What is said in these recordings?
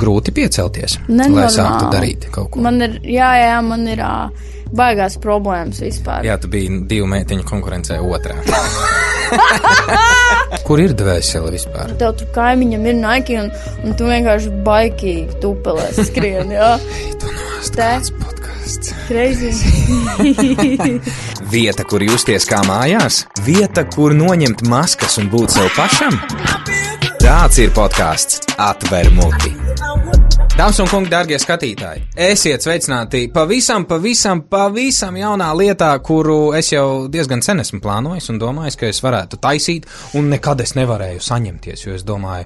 grūti piecelties, Nenormāli. lai sāktu darīt kaut ko. Man ir baigās problēmas vispār. Jā, tu biji 2 meitiņu konkurencē otrā. Kur ir dvēsele vispār? Tev tur kaimiņam ir Nike un tu vienkārši baikīgi tupelēs skrien, jā. Tu nost kāds podcasts. Crazy. Vieta, kur justies kā mājās? Vieta, kur noņemt maskas un būt sev pašam? Tāds ir podcasts Atver muti. Dāmas un kungi, dārgie skatītāji, esiet sveicināti pavisam jaunā lietā, kuru es jau diezgan sen esmu plānojis un domājis, ka es varētu taisīt, un nekad es nevarēju saņemties, jo es domāju,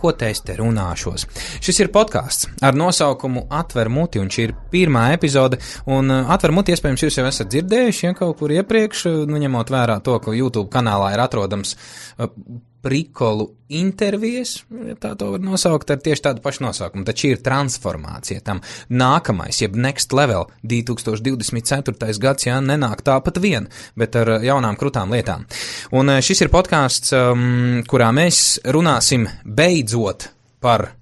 ko te es te runāšos. Šis ir podcasts ar nosaukumu Atver muti, un šī ir pirmā epizode, un Atver muti iespējams jūs jau esat dzirdējuši, ja kaut kur iepriekš, ņemot vērā to, ka YouTube kanālā ir atrodams prikolu intervijas, ja tā to var nosaukt, ar tieši tādu pašu nosaukumu. Tad šī ir transformācija tam nākamais, jeb next level, 2024. gads, jā, nenāk tāpat vien, bet ar jaunām krutām lietām. Un šis ir podcasts, kurā mēs runāsim beidzot par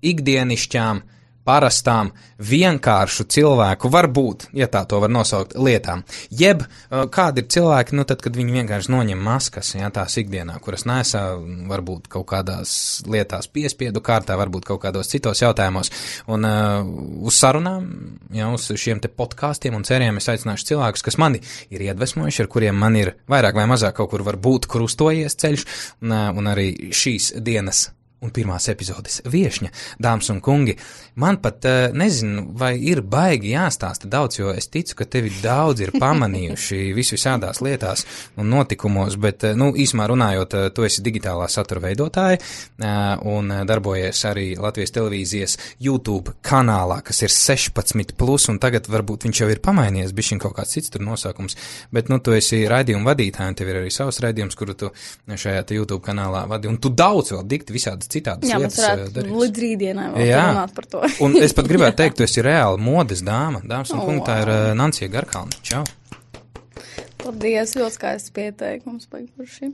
ikdienišķām, parastām, vienkāršu cilvēku, varbūt, ja tā to var nosaukt, lietām. Jeb, kādi ir cilvēki, tad, kad viņi vienkārši noņem maskas, ja, tās ikdienā, kuras nesā, varbūt kaut kādās lietās piespiedu kārtā, varbūt kaut kādos citos jautājumos. Un uz sarunām, ja, uz šiem te podkāstiem un sērijām es aicināšu cilvēkus, kas mani ir iedvesmojuši, ar kuriem man ir vairāk vai mazāk kaut kur varbūt krustojies ceļš, un arī šīs dienas un pirmās epizodes viešņa, dāmas un kungi, man pat nezinu, vai ir baigi jāstāsta daudz, jo es ticu, ka tevi daudz ir pamanījuši visādās lietās un notikumos, bet, īsumā runājot, tu esi digitālā satura veidotāja un darbojies arī Latvijas televīzijas YouTube kanālā, kas ir 16+, un tagad varbūt viņš jau ir pamainījies, bišķiņ kaut kāds cits tur nosaukums, bet, tu esi raidījuma vadītāja, un tev ir arī savs raidījums, kuru tu šajā te YouTube kanālā vadi, un tu daudz vēl dikti visādas citādas lietas darīsi. Līdz rītdienai vēl runāt par to. Un es pat gribētu teikt, tu esi reāli modes dāma. Dāmas un kungi, tā ir Nancija Garkalne. Čau. Paldies, ļoti skaists pieteikums.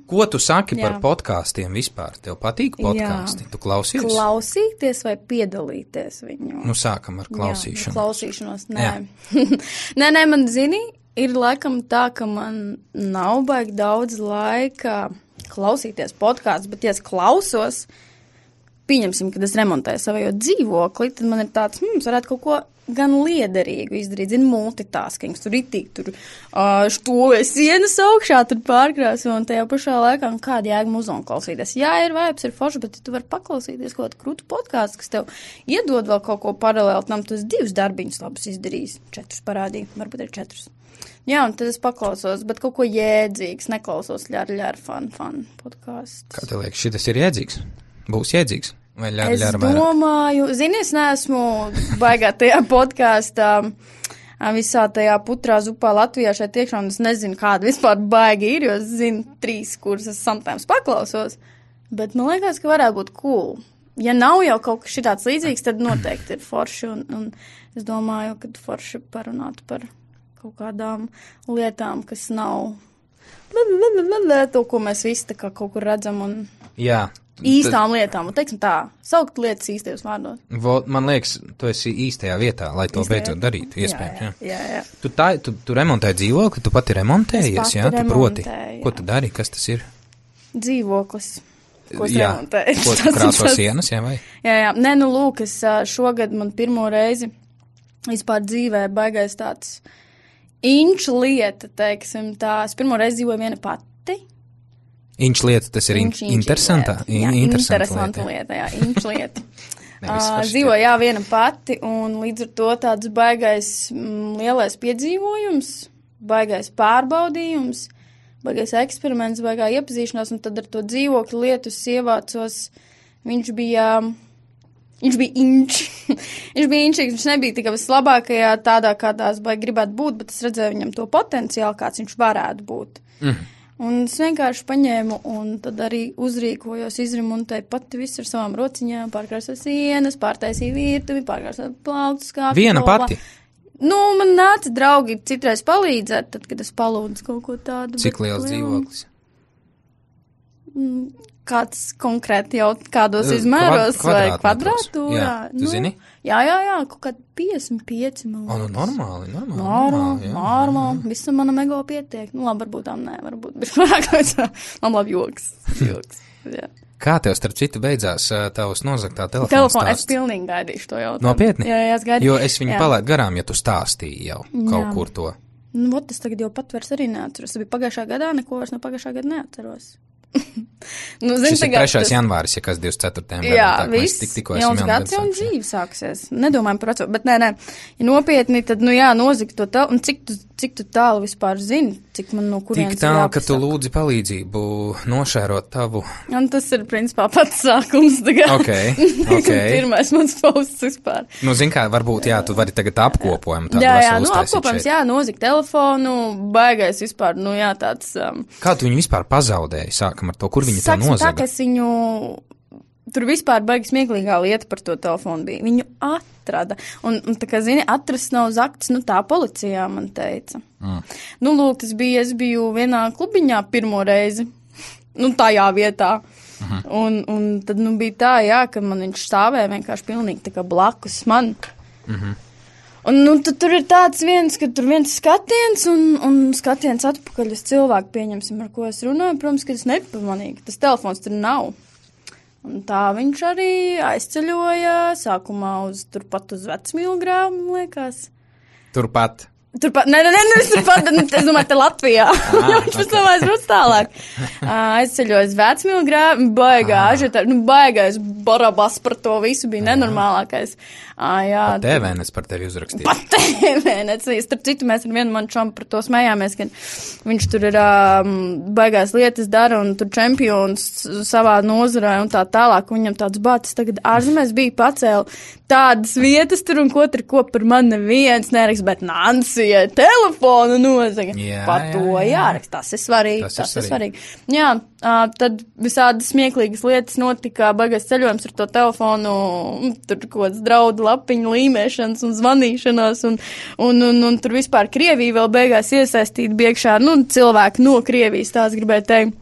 Ko tu saki par podkāstiem vispār? Tev patīk podkāsti? Tu klausies? Klausīties vai piedalīties viņu? Sākam ar klausīšanu. Klausīšanos, nē. nē, man zini, ir laikam tā, ka man nav baigi daudz laika klausīties podkāstus, bet ja es klausos, pieņemsim, kad es remontēju savu dzīvokli, tad man ir tāds, varētu kaut ko gan liederīgu izdarīt, multitasking, tur štovēs sienas augšā, tur pārkrāso, un tajā pašā laikā, kāda jēga muziku klausīties. Jā, ir vibes, ir forši, bet tu vari paklausīties kaut kādu krūtu podkāstu, kas tev iedod vēl kaut ko paralēli tam, tu esi 2 darbiņus labus izdarījis, 4 parādīja, varbūt ir 4. Jā, un tad es paklausos, bet kaut ko jēdzīgs, neklausos ļar fun podkāsts. Kā tev liekas, šitas ir jēdzīgs? Būs jēdzīgs? Vai ļar vairāk? Es domāju, es neesmu baigā tajā podkāstā, visā tajā putrā zupā Latvijā šeit iekšā, un es nezinu, kāda vispār baigi ir, jo es zinu 3, kuras es sometimes paklausos, bet man liekas, ka varētu būt cool. Ja nav jau kaut kas šitāds līdzīgs, tad noteikti ir forši, un es domāju, ka forši parunāt par kaut kādām lietām, kas nav to, ko mēs visi tā kā kaut kur redzam, un īstām lietām, un teiksim tā, saukt lietas īstajos vārdos. Man liekas, tu esi īstajā vietā, lai to beidzot darītu, iespējams. Jā. Tu remontēji dzīvokli, tu pati remontējies, jā? Tu proti, ko tu dari, kas tas ir? Dzīvoklis. Ko es remontēju. Ko tu krāso sienas, jā, vai? Jā. Nē, lūk, es šogad man pirmo reizi vispār dzīvē baigais tāds inču lieta, teiksim tā. Es pirmo reizi dzīvoju viena pati. Inču lieta, tas ir interesanta lieta, jā, inču lieta. Dzīvoju, viena pati, un līdz ar to tāds baigais lielais piedzīvojums, baigais pārbaudījums, baigais eksperiments, baigā iepazīšanās, un tad ar to dzīvokļu lietu ievācos, viņš bija inčs. Viņš bija inčīgs, viņš nebija tikai vislabākajā tādā, kādā es baigi gribētu būt, bet es redzēju viņam to potenciālu, kāds viņš varētu būt. Un es vienkārši paņēmu un tad arī uzrīkojos, izremontēju pati visu ar savām rociņām, pārkrāsoju sienas, pārtaisīju virtuvi, pārkrāsoju plauktus, skāpju. Viena pati? Man nāca draugi citreiz palīdzēt, tad, kad es palūdzu kaut ko tādu. Cik liels dzīvoklis? kāds konkrēti jau kādos izmēros vai kvadrātūrā? Jā, tu zini? Jā, kaut kādi 55, man liekas. Normāli. Visu manam ego pietiek. Nu, labi, varbūt tām nē, varbūt bija vairāk. Labi, joks. Jā. Kā tev, starp citu, beidzās tavs nozagtā telefona stāsts? Es pilnīgi gaidīšu to jautājumu. Nopietni? Jā, es gaidīšu. Jo es viņu palaidu garām, ja tu stāstīji jau kaut kur to. Nu, es tagad jau pat vairs arī neatceros. Tas bija pagājušā gadā, neko vairs no pagājušā gada neatceros. Nu, šis ir 3. janvāris, ja kas 24. gadam. Jā, viss, jauns gads jau dzīve sāksies. Nedomājam par veco, bet nē, ja nopietni, tad, nozagt to un cik tu tālu vispār zini, cik man no kurienes tik tālu, ka tu lūdzi palīdzību nošērot tavu. Un tas ir, principā, pats sākums tagad. Ok. Pirmais mans posts vispār. Nu, zin kā, varbūt, tu vari tagad apkopojumu tādu apkopojums, nozagt telefonu, baigais vispār, tāds. Kā tu viņu vispār pazaudēji? Sākam ar to, kur viņi to nozaga? Tā, ka es viņu, tur vispār baigi smieklīgā lieta par to telefonu bija. Viņu atrada. Un tā kā, zini, atrast nav zakts, tā policijā man teica. Nu, lūk, es biju vienā klubiņā pirmo reizi. Tajā vietā. Un tad, bija tā, ka man viņš stāvēja vienkārši pilnīgi tā kā blakus man. Un tad tur ir tāds ka tur viens skatiens un skatiens atpakaļ uz cilvēku, pieņemsim, ar ko es runāju. Protams, ka es nepamanīju, ka tas telefons tur nav. Un tā viņš arī aizceļoja sākumā turpat uz Vecmīlgrāvu, man liekas. Turpat, es domāju, te Latvijā. Viņš pēc tam aizbrauc tālāk. Aizceļojas Vecmīlgrāvu, baigais barabas par to visu bija nenormālākais. Pat TVNets par tevi uzrakstīja. Pat TVNets. Starp citu, mēs ar vienu manu čomu par to smējāmies, ka viņš tur ir baigās lietas dara un tur čempions savā nozarē un tā tālāk. Viņam tāds bācis tagad ārzemēs bija pacēla tādas vietas tur un ko par mani neviens nerakst, bet Nansijai telefonu nozaga. Par to jārakst. Tas ir svarīgi. Jā, tad visādas smieklīgas lietas notika, baigais ceļojums ar to telefonu, tur kaut kāds draudu lapiņu līmēšanas un zvanīšanās un tur vispār Krievija vēl beigās iesaistīta biekšā, cilvēki no Krievijas, tās gribēju teikt.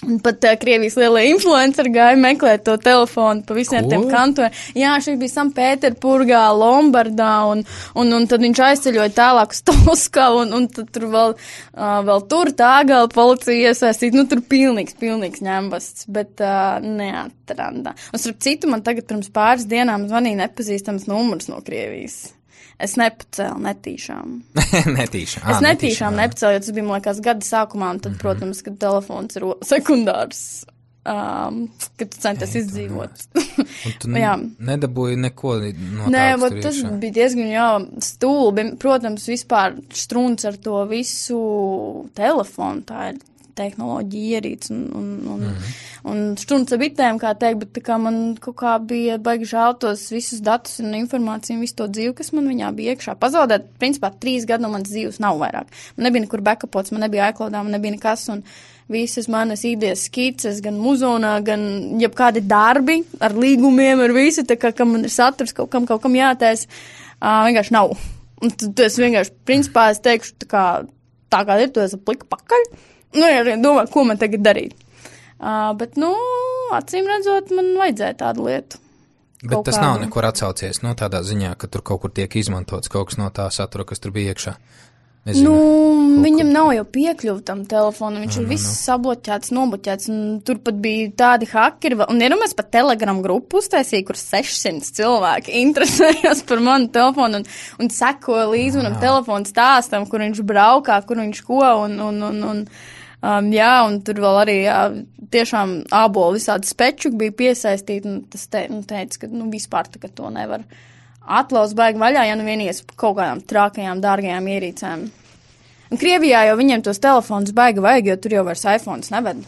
Un pat Krievijas lielie influenceri gāja meklēt to telefonu pa visiem tiem kantoriem. Jā, šī bija Sanktpēterburgā, Lombardā, un tad viņš aizceļoja tālāk uz Toskavu, un tad tur vēl tur tā gala policija iesaistīt. Tur pilnīgs ņembasts, bet neatranda. Un starp citu, man tagad pirms pāris dienām zvanīja nepazīstams numurs no Krievijas. Es nepacēlu netīšām. Netīšām. Es netīšām nepacēlu, jo tas bija, man liekas, gada sākumā, un tad, protams, kad telefons ir sekundārs, kad tu centies izdzīvot. Un tu nedabūji neko no Nē, tas bija diezgan, stulbi. Protams, vispār strūns ar to visu telefonu, tā ir tehnoloģija ierīts un štunds ar bitēm, kā teikt, bet tā kā man kaut kā bija baigi žēl tos visus datus un informāciju un visu to dzīvi, kas man viņā bija iekšā. Pazaudēt, principā, 3 gadu no manas dzīves nav vairāk. Man nebija nekur backupots, man nebija iCloudā, man nebija nekas, un visas manas idejas skices, gan muzonā, gan jebkādi darbi ar līgumiem, ar visu, tā kā man ir saturs, kaut kam jātais, vienkārši nav. Un tad es vienkārši, principā, es teikšu, tā kā ir, to es apliku pakaļ. Ja domāju, ko man tagad darīt. Bet, acīm redzot, man vajadzēja tādu lietu. Bet tas nav nekur atsaucies, tādā ziņā, ka tur kaut kur tiek izmantots kaut kas no tā satura, kas tur bija iekšā. Viņam nav jau piekļuva tam telefonam, viņš ir viss sabloķēts, nobloķēts, un tur pat bija tādi hakeri, un iedomājies pat Telegram grupu uztaisīja, kur 600 cilvēki interesējās par manu telefonu un sekoja līdzi manam telefonu stāstam, kur viņš braukā, kur viņš ko, un tur vēl arī tiešām ābolu visādi spečuki bija piesaistīti, un tas teica, ka vispār tā, ka to nevar atlauz baigi vaļā, ja vienies kaut kādām trākajām, dārgajām ierīcēm. Un Krievijā jau viņiem tos telefonus baigi vajag, jo tur jau vairs iPhones neved.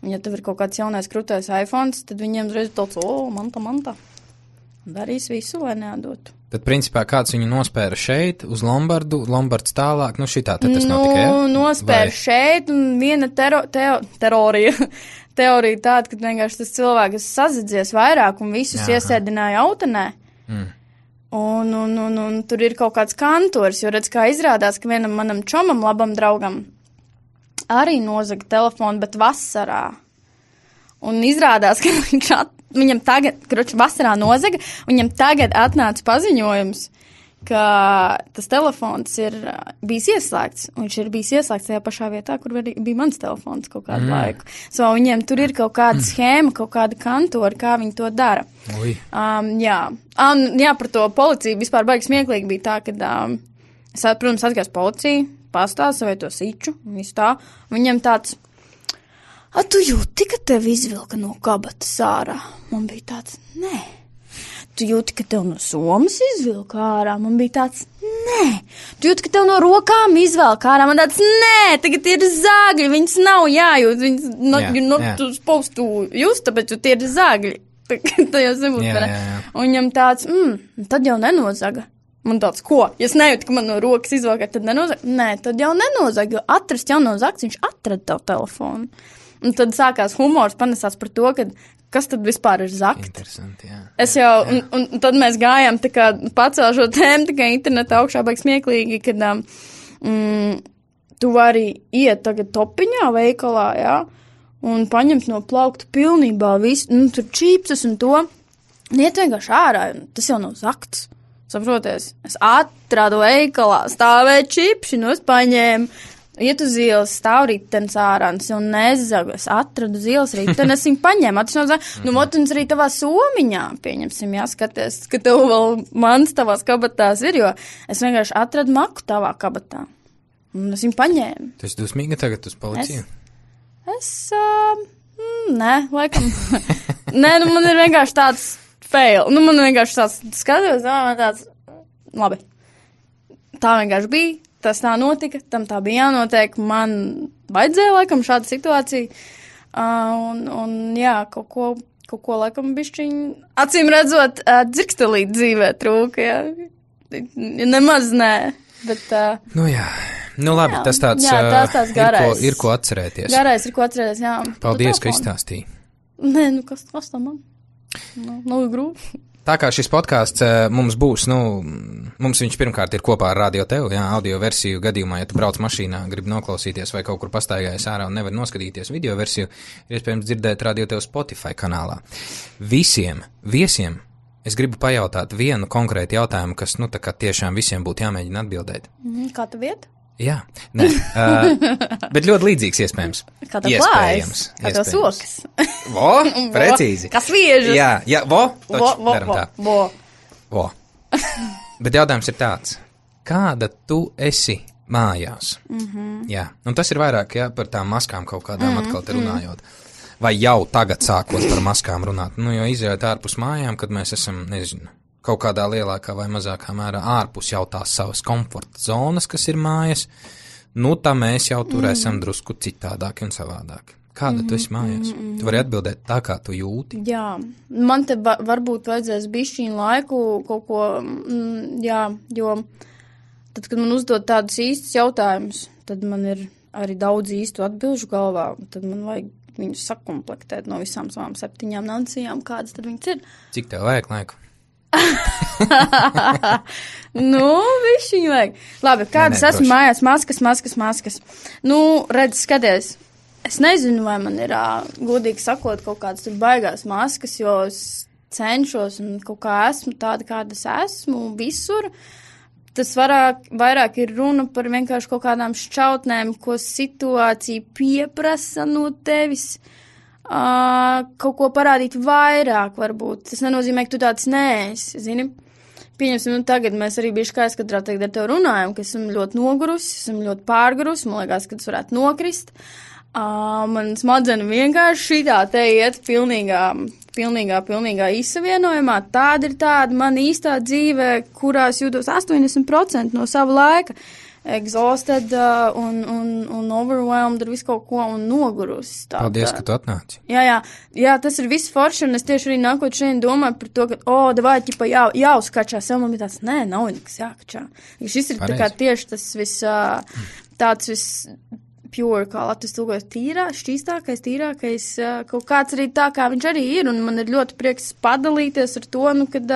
Un ja tev ir kaut kāds jaunais krūtais iPhones, tad viņiem uzreiz tāds, manta. Darīs visu, lai neatdotu. Tad, principā, kāds viņu nospēra šeit, uz Lombardu, Lombards tālāk, šitā te tas notika, ja? Nospēra šeit, un viena teorija tāda, ka vienkārši tas cilvēks sazadzies vairāk un visus iesēdināja autenē. Un tur ir kaut kāds kantors, jo redz, kā izrādās, ka vienam manam čomam, labam draugam, arī nozaga telefonu, bet vasarā. Un izrādās, ka viņam tagad, vasarā nozaga, viņam tagad atnāca paziņojums, ka tas telefons ir bijis ieslēgts. Viņš ir bijis ieslēgts tajā pašā vietā, kur bija mans telefons kaut kādu laiku. So viņiem tur ir kaut kāda schēma, kaut kāda kantori, kā viņi to dara. Jā, par to policiju vispār baigi smieklīgi bija tā, ka, es, protams, atgājos policiju, pastāstu savai to siču, un visu tā. Viņam tāds, tu jūti, ka tev izvilka no kabatas ārā? Man bija tāds, nē. Tu jūti, ka tev no somas izvilka ārā? Man bija tāds, nē. Tu jūti, ka tev no rokām izvilka ārā? Man tāds, nē, tagad ir zāgļi, viņas nav jājūt, viņas tu supposed to just, tāpēc tie ir zāgļi. Tā jau nebūtu. Un viņam tāds, tad jau nenozaga. Man tāds, ko? Ja es nejūtu, ka man no rokas izvilka, tad nenozaga? Nē, tad jau nenozaga, jo atrast jau no zagts, viņš atrada tavu telefonu. Un tad sākās humors, panesās par to, ka kas tad vispār ir zakt? Interesanti, jā. Es jau, un tad mēs gājām tā kā pacēl šo tēmu, tā kā internetā augšā baigi smieklīgi, kad tu vari iet tagad topiņā veikalā, jā, un paņemt no plaukta pilnībā visu, tur čīpsas un to, un iet vienkārši ārā, un tas jau nav zakts. Saproties, es atradu veikalā, stāvēja čipši, es paņēmu, iet uz ielas, stāv ritens ārā, un nezagu, es atradu uz ielas riteni, es viņu paņēmu, un arī tavā somiņā, pieņemsim, skaties, ka tev vēl mans tavās kabatās ir, jo es vienkārši atradu maku tavā kabatā, un es viņu paņēmu. Tu esi dusmīga tagad uz policiju? Nē, laikam, nē, man ir vienkārši tāds fail, man vienkārši tāds skatos, man tāds, labi, tā vienkārši bija. Tas tā notika, tam tā bija jānotiek, man vajadzēja laikam šāda situācija, un jā, kaut ko laikam bišķiņ, acīm redzot, dzirkstelīt dzīvē trūka, jā, nemaz nē, bet. Jā, labi, jā, tas tāds, garais. Ir ko atcerēties. Garais ir ko atcerēties, jā. Paldies, ka izstāstīji. Nē, kas tam man? Nav grūti. Tā kā šis podkāsts mums būs, mums viņš pirmkārt ir kopā ar Radio Tev, audio versiju gadījumā, ja tu brauc mašīnā, gribi noklausīties vai kaut kur pastaigājies ārā un nevar noskatīties video versiju, ir iespējams dzirdēt Radio Tev Spotify kanālā. Visiem viesiem es gribu pajautāt vienu konkrētu jautājumu, kas, tā kā tiešām visiem būtu jāmēģina atbildēt. Kā tu viet? Jā, nē, bet ļoti līdzīgs iespējams. Kā tā klājas? Kā tā sokas? Precīzi. Kas viežas? Jā, daram tā. Bet jautājums ir tāds, kāda tu esi mājās? Jā, un tas ir vairāk, par tām maskām kaut kādām atkal te runājot. Vai jau tagad sākot par maskām runāt? Jo izējot ārpus mājām, kad mēs esam, nezinu, kaut kādā lielākā vai mazākā mērā ārpus jau tās savas komforta zonas, kas ir mājas, tā mēs jau tur esam drusku citādāki un savādāki. Kāda tu esi mājās? Tu vari atbildēt tā, kā tu jūti? Jā, man te varbūt vajadzēs bišķiņu laiku kaut ko, jo tad, kad man uzdod tādus īstus jautājumus, tad man ir arī daudz īstu atbilžu galvā, tad man vajag viņus sakomplektēt no visām savām 7 nacijām, kādas tad viņas ir. Cik tev vajag laiku? Višķiņu vajag. Labi, kādas esmu mājās? Maskas. Redz, skaties. Es nezinu, vai man ir, godīgi sakot, kaut kādas tur baigās maskas, jo es cenšos un kaut kā esmu tāda, kāda es esmu visur. Tas vairāk ir runa par vienkārši kaut kādām šķautnēm, ko situācija pieprasa no tevis. Kaut ko parādīt vairāk, varbūt. Tas nenozīmē, ka tu tāds neesi, zini. Pieņemsim, tagad mēs arī bišķi kā skatā tagad ar tevi runājam, ka esam ļoti nogurusi, esam ļoti pārgurusi, man liekas, ka tas varētu nokrist. Man smadzeņi vienkārši šitā te iet pilnīgā izsavienojumā. Tāda ir tāda man īstā dzīve, kurās jūtos 80% no sava laika. Exhausted un overwhelmed ar visu kaut ko un nogurusi. Paldies, ka tu atnāci. Jā, tas ir viss forši, un es tieši arī nākot šeit domāju par to, ka, davai, ķipa, jāuzkačā sev, man bija tāds, nē, nav nekas jākačā. Šis ir tā kā tieši tas tāds viss pure, kā Latvijas tulkojas, šķīstākais, tīrākais, kaut kāds arī tā, kā viņš arī ir, un man ir ļoti prieks padalīties ar to, kad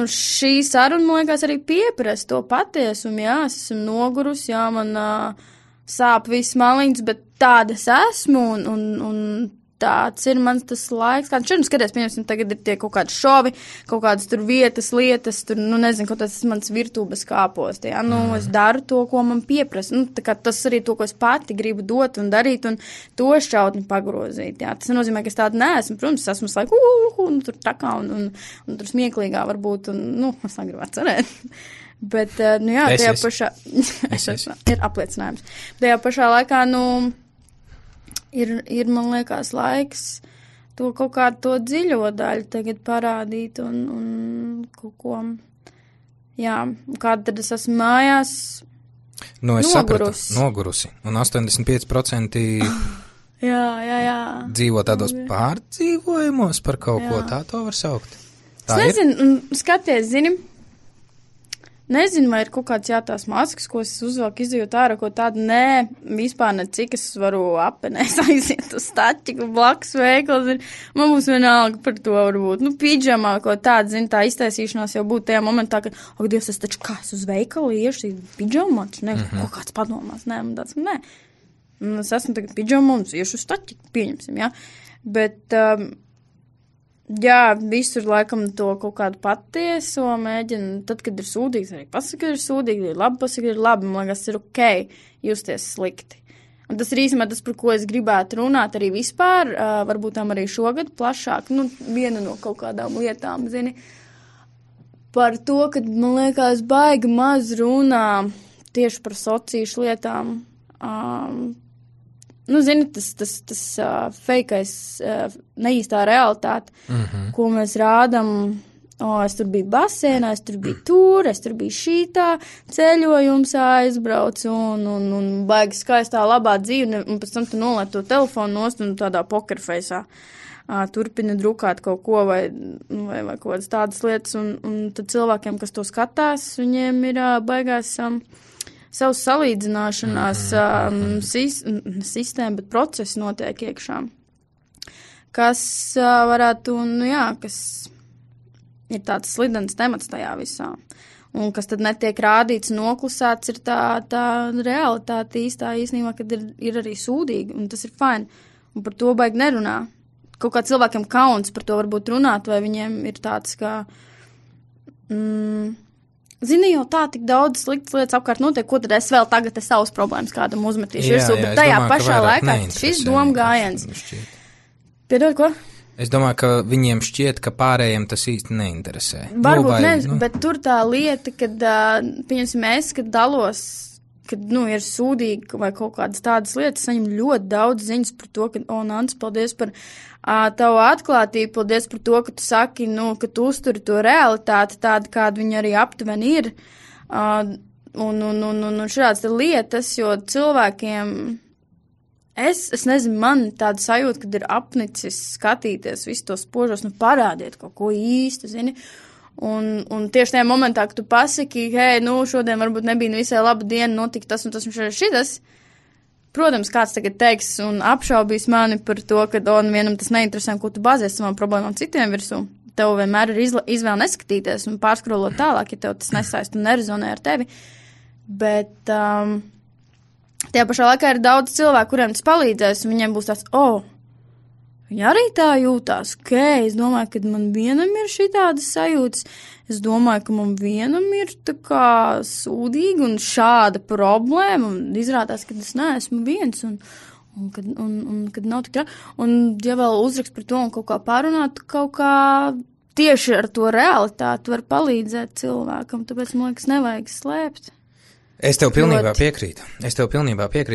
šī saruna, man liekas, arī pieprasa to patiesumu, es esmu nogurus, man sāp viss maliņas, bet tāda es esmu, un tāds ir mans tas laiks, kāds šodien skaties, pieņemsim, tagad ir tie kaut kādi šovi, kaut kādas tur vietas, lietas, tur, nu, nezinu, kaut tas mans virtūbes kāposti, ja, nu, es daru to, ko man pieprasa, nu, tā kā tas arī to, ko es pati gribu dot un darīt, un to šķautni pagrozīt, jā, tas nozīmē, ka es tāda neesmu, protams, esmu laiku, nu, tur takā un tur smieklīgā varbūt, un, nu, es negribētu cerēt. Bet, nu jā, tajā pašā, ir apliecinājums. Tajā pašā laikā, nu, ir, man liekas, laiks to kaut kādu to dziļo daļu tagad parādīt un kaut ko, jā, kāda tad es esmu mājās nu, es nogurusi. Un 85% jā. dzīvo tādos pārdzīvojumos par kaut ko, tā to var saukt. Tā es nezinu, skaties, zini, nezinu, vai ir kaut kāds tās maskas, ko es uzvelku, izjūt ārā, ko tādu, nē, vispār ne cik es varu apenēs aiziet uz staķiku, blakus veikals, man būs vienalga par to varbūt, nu, pidžamā, ko tāda, zini, tā iztaisīšanās jau būtu tajā momentā, ka, Dievs, es taču kā, es uz veikalu iešu, pidžamā, taču ne, kaut kāds padomās, nē, man tāds, nē, es esmu tagad pidžamā un iešu uz staķiku, pieņemsim, jā, bet, jā, visur laikam to kaut kādu patieso mēģina, tad, kad ir sūdīgs, arī pasaka, ka ir sūdīgi, ir labi, pasaka, ir labi, man liekas, ir okei justies slikti. Un tas ir īstenībā tas, par ko es gribētu runāt arī vispār, varbūt tam arī šogad plašāk, nu, viena no kaut kādām lietām, zini, par to, ka, man liekas, baigi maz runā tieši par sociāšu lietām, nu, zini, tas feikais, neīstā realitāte, ko mēs rādam, es tur biju basēnā, es tur biju šītā, ceļojums aizbraucu un baigi skaistā labā dzīve, un pēc tam tu nolēt to telefonu nost un tādā pokerfeisā turpina drukāt kaut ko vai kaut kādas tādas lietas, un tad cilvēkiem, kas to skatās, viņiem ir baigās savas salīdzināšanās sistēma, bet procesi notiek iekšā, kas varētu, nu jā, kas ir tāds slidens temats tajā visā. Un kas tad netiek rādīts, noklusēts, ir tā realitāte īstenībā, kad ir arī sūdīgi, un tas ir fajn. Un par to baigi nerunā. Kaut kā cilvēkiem kauns par to varbūt runāt, vai viņiem ir tāds, ka... Zini, jau tā tik daudz sliktas lietas apkārt notiek, ko tad es vēl tagad savas problēmas kādam uzmetīšu virsū, bet tajā pašā laikā šis doma gājiens. Piedod, ko? Es domāju, ka viņiem šķiet, ka pārējiem tas īsti neinteresē. Varbūt bet tur tā lieta, kad, pieņemsim, kad dalos, kad, nu, ir sūdīgi vai kaut kādas tādas lietas, saņem ļoti daudz ziņas par to, ka, Nants, paldies par tavu atklātību, paldies par to, ka tu saki, nu, ka tu uzturi to realitāti tādu, kāda viņa arī aptuveni ir. Un šāds te lietas, jo cilvēkiem, es nezinu, man tāda sajūta, kad ir apnicis skatīties visu tos spožos, nu, parādiet kaut ko īsti, zini. Un tieši tajā momentā, kad tu pasaki, hei, nu, šodien varbūt nebija visai laba diena, notika tas un tas un šitas. Protams, kāds tagad teiks un apšaubīs mani par to, ka vienam tas neinteresē, ko tu bāzies savām problēmām citiem virsū. Tev vienmēr ir izvēle neskatīties un pārskrolot tālāk, ja tev tas nesaist un nerezonē ar tevi. Bet tajā pašā laikā ir daudz cilvēku, kuriem tas palīdzēs, un viņiem būs tāds, viņi arī tā jūtās, es domāju, ka man vienam ir šitādas sajūtas, es domāju, ka man vienam ir tā kā sūdīgi un šāda problēma, un izrādās, ka es neesmu viens, un kad nav tik un ja vēl uzrakst par to un kaut kā pārunāt, kaut kā tieši ar to realitāti var palīdzēt cilvēkam, tāpēc, man liekas, nevajag slēpt. Es tev pilnībā piekrītu.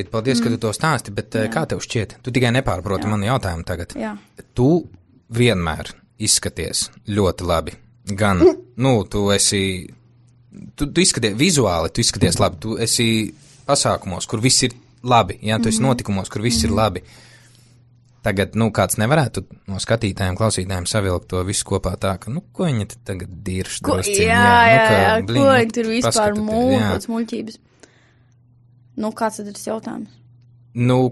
Paldies, ka tu to stāsti, bet kā tev šķiet? Tu tikai nepārproti manu jautājumu tagad. Jā. Tu vienmēr izskaties ļoti labi. Gan, tu izskaties vizuāli, tu izskaties labi. Tu esi pasākumos, kur viss ir labi. Jā, tu esi notikumos, kur viss ir labi. Tagad, kāds nevarētu no skatītājiem, klausītājiem savilkt to visu kopā tā, ka, ko viņi tagad dirž drusciņi. Jā, ko viņi tur vispār mūļots muļķības. Kāds tad ir tas jautājums?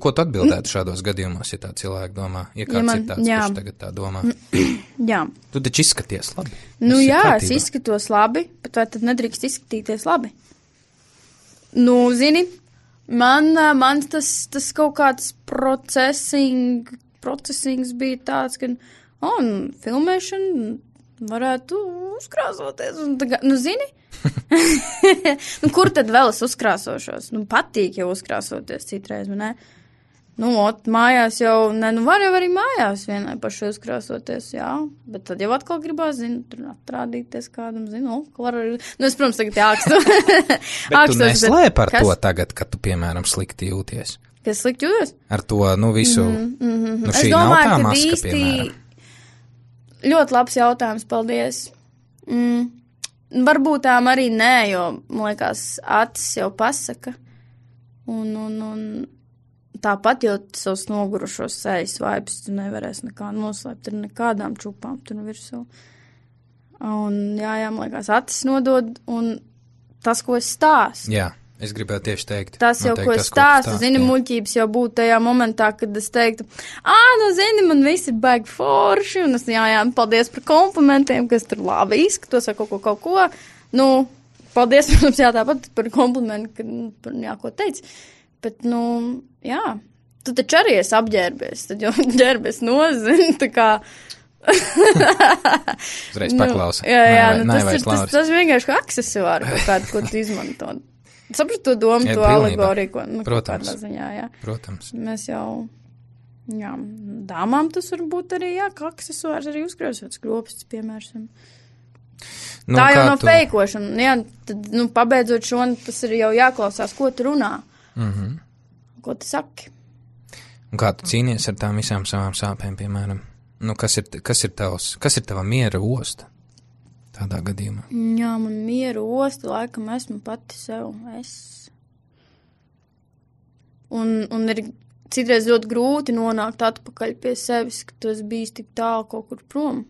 Ko tu atbildētu šādos gadījumos, ja tā cilvēki domā? Ja kāds ir tāds, kurš tagad tā domā? Jā. Tu taču izskaties labi. Es izskatos labi, bet vai tad nedrīkst izskatīties labi? Zini, man tas kaut kāds procesings bija tāds, ka, filmēšana varētu uzkrāsoties. Un tā, zini? Kur tad vēl es uzkrāsošos? Patīk jau uzkrāsoties citreiz, ne? Mājās jau, var jau arī mājās vienai paši uzkrāsoties, jā. Bet tad jau atkal gribās, tur atrādīties kādam, var arī, es, protams, tagad jākstu. Bet tu neslēp ar to tagad, kad tu, piemēram, slikti jūties? Kas slikti jūties? Ar to, visu, šī nav tā maska, piemēram. Ļoti labs jautājums, paldies. Varbūt tām arī nē, jo, man liekas, acis jau pasaka. Un tāpat jau savus nogurušos sejas vaibas tu nevarēs nekā noslēpt ar nekādām čupām tur virsū. Un jā, man liekas, acis nodod un tas, ko es stāstu. Jā, es gribētu tieši teikt. Tas jau, ko es stāstu, zini, muļķības jau būtu tajā momentā, kad es teiktu, zini, man visi ir baigi forši, un es, jā, paldies par komplimentiem, kas tur labi izskatos vai kaut ko. Paldies, protams, jā, tāpat par komplimentu, ka, ko teici. Bet, jā, tu taču arī esi apģērbies, tad jau ģērbies nozini, tā kā. Uzreiz paklausa. Jā, tas vienkārši kā aksesuāri kaut kādu, ko tu izmanto. Sapratu to domu, to alegoriju, ko, protams, ziņā, jā. Protams. Mēs jau, jā, dāmām tas varbūt arī, jā, kā aksesuārs arī uzkrāsots skropstas, piemēram. Tā jau nav feikošana, jā, tad, pabeidzot šo, tas ir jau jāklausās, ko tu runā. Ko tu saki? Un kā tu cīnies ar tām visām savām sāpēm, piemēram? Kas ir tava miera osta tādā gadījumā? Jā, man miera osta, laikam esmu pati sev. Un ir citreiz ļoti grūti nonākt atpakaļ pie sevis, ka tu esi bijis tik tālu kaut kur prom.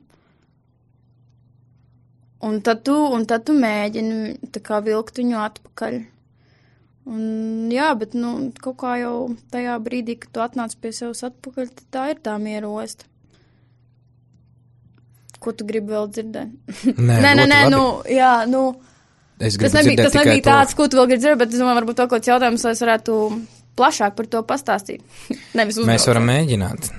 Un tad tu mēģini tā kā vilkt viņu atpakaļ. Un, jā, bet, kaut kā jau tajā brīdī, kad tu atnāc pie sevis atpakaļ, tad tā ir tā miera osta. Ko tu gribi vēl dzirdēt? Nē, jā, tas nebija tāds, ko tu vēl gribi dzirdēt, bet es domāju, varbūt vēl kaut kāds jautājums, lai es varētu plašāk par to pastāstīt. Nevis uzbraukt. Mēs varam mēģināt.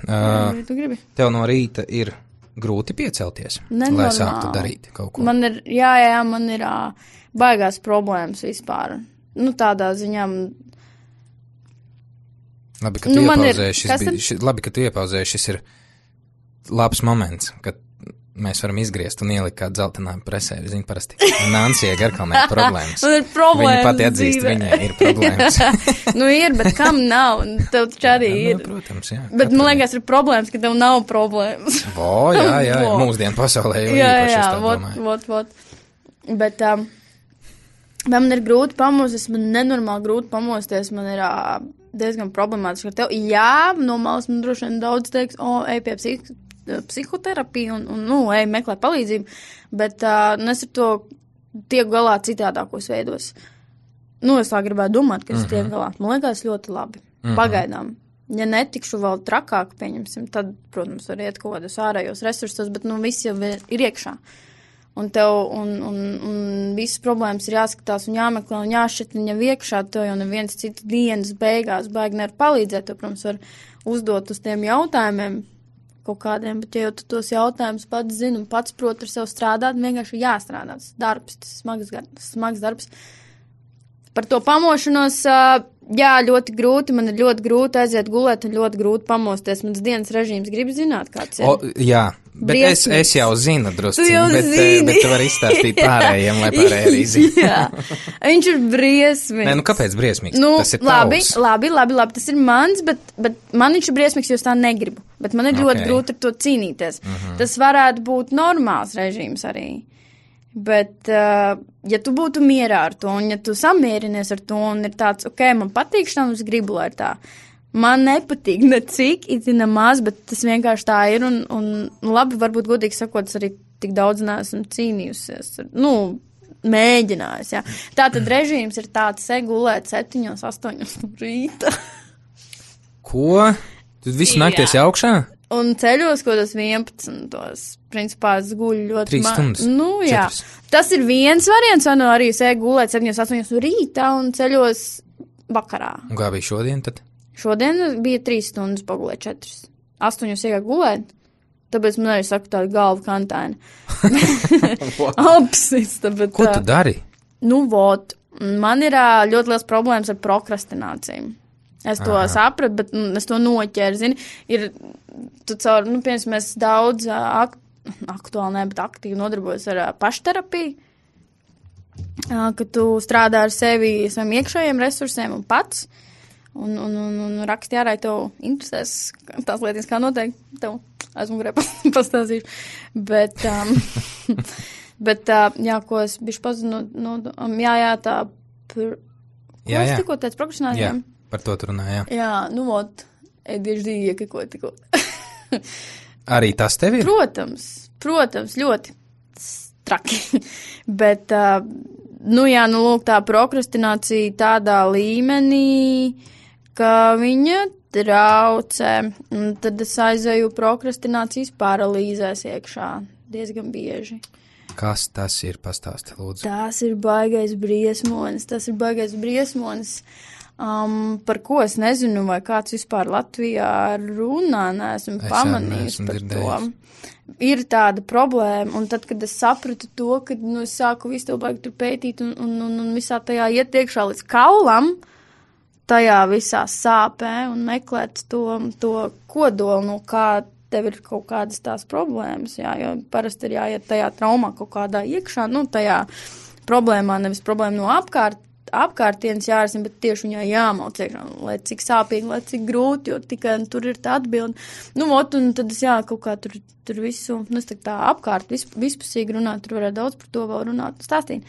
Tu gribi? Tev no rīta ir grūti piecelties, lai sāktu darīt kaut ko. Man ir baigās problēmas vispār. Tādā ziņā. Labi, ka tu iepauzēji, šis ir labs moments, kad mēs varam izgriezt un ielikt kādu dzeltenāju presē. Zini, parasti Nancija Garkalnē problēmas. Man ir problēmas. Viņa pati atzīst, viņai ir problēmas. Ir, bet kam nav? Tev taču arī ir. Protams, jā. Bet man liekas, ir problēmas, ka tev nav problēmas. Jā, mūsdienu pasaulē jau īpaši es tā domāju. Vot. Bet, man ir grūti pamosties, man nenormāli grūti pamosties, man ir diezgan problemātiski ar tevi. Jā, no malas man droši vien daudz teiks, ej pie psihoterapiju un ej meklē palīdzību, bet es ar to tieku galā citādākos veidos. Es tā gribētu domāt, ka es tieku galā. Man liekas ļoti labi. Pagaidām. Ja netikšu vēl trakāk, pieņemsim, tad, protams, var iet kaut kādos ārējos resursos, bet viss jau ir iekšā. Un tev, un visas problēmas ir jāskatās un jāmeklē un jāšķitina jau iekšā, tev jau neviens cits dienas beigās baigi nevar palīdzēt, tev, protams, var uzdot uz tiem jautājumiem kaut kādiem, bet ja jau tu tos jautājumus pats zini un pats prot ar sev strādāt, vienkārši jāstrādā, tas darbs, tas smags darbs. Par to pamošanos, jā, ļoti grūti, man ir ļoti grūti aiziet gulēt un ļoti grūti pamosties. Mans dienas režīms grib zināt, kāds ir. Jā, bet es jau zinu drusciņu, bet tu vari izstāstīt pārējiem, lai pārējie arī zina. Jā, viņš ir briesmīgs. Nē, kāpēc briesmīgs? Tas ir tavs. Labi, tas ir mans, bet man viņš ir briesmīgs, jo es tā negribu. Bet man ir ļoti grūti ar to cīnīties. Tas varētu būt normāls režīms arī. Bet, ja tu būtu mierā ar to, un ja tu samierinies ar to, un ir tāds, man patīk šķiet, es gribu, lai ir tā. Man nepatīk necik, it nemaz, bet tas vienkārši tā ir, un labi, varbūt godīgi sakot, es arī tik daudz neesmu cīnījusies. Mēģinājusi, jā. Tātad režīms ir tāds, gulēt 7, 8 rīta. Ko? Tu visu nakties augšā? Un ceļos, ko tas 11. Principā es guļu ļoti 3 stundas. Jā. 4. Tas ir viens variants, vai arī es gulēt 7, 8 rītā un ceļos vakarā. Un kā bija šodien tad? Šodien bija 3 stundas, pagulēt 4. 8 iegāk gulēt, tāpēc man arī saka tāda galva kantaina. Apsista, bet... Ko tu dari? Nu, vot, man ir ļoti liels problēmas ar prokrastināciju. Es to sapratu, bet es to noķēru, zini. Ir, tu caur, piemēram, es daudz aktuāli, bet aktīvi nodarbojos ar pašterapiju, ka tu strādā ar sevi, saviem iekšējiem resursiem un pats. Un raksti ārā, tev interesēs tās lietas, kā noteikti tev aizmugurē pastāstīšu. Bet, jā, ko es bišķi pazinu, tā... Ko es tikko teicu, prokrastinājumiem? Jā, par to tu runā, jā. Jā, nu, vot, ADHD iekiko tikko. Arī tas tev ir? Protams, ļoti traki. Bet, lūk, tā prokrastinācija tādā līmenī, ka viņa traucē, un tad es aizēju prokrastinācijas paralīzēs iekšā diezgan bieži. Kas tas ir? Pastāsti, lūdzu. Tas ir baigais briesmonis. Par ko es nezinu, vai kāds vispār Latvijā runā, neesmu pamanījis par to. Ir tāda problēma, un tad, kad es sapratu to, kad es sāku visu to baigi tur pētīt un visā tajā iet iekšā līdz kaulam, tajā visā sāpē un meklēt to kodolu, no kā tev ir kaut kādas tās problēmas, jā, jo parasti ir jāiet tajā traumā kaut kādā iekšā, tajā problēmā, nevis problēma no apkārtienes jārisina, bet tieši viņā jāmauc iekšā, lai cik sāpīgi, lai cik grūti, jo tikai tur ir tā atbilde. Un tad es kaut kā tur visu, es tā apkārt vispusīgi runāt, tur varētu daudz par to vēl runāt un stāstīt.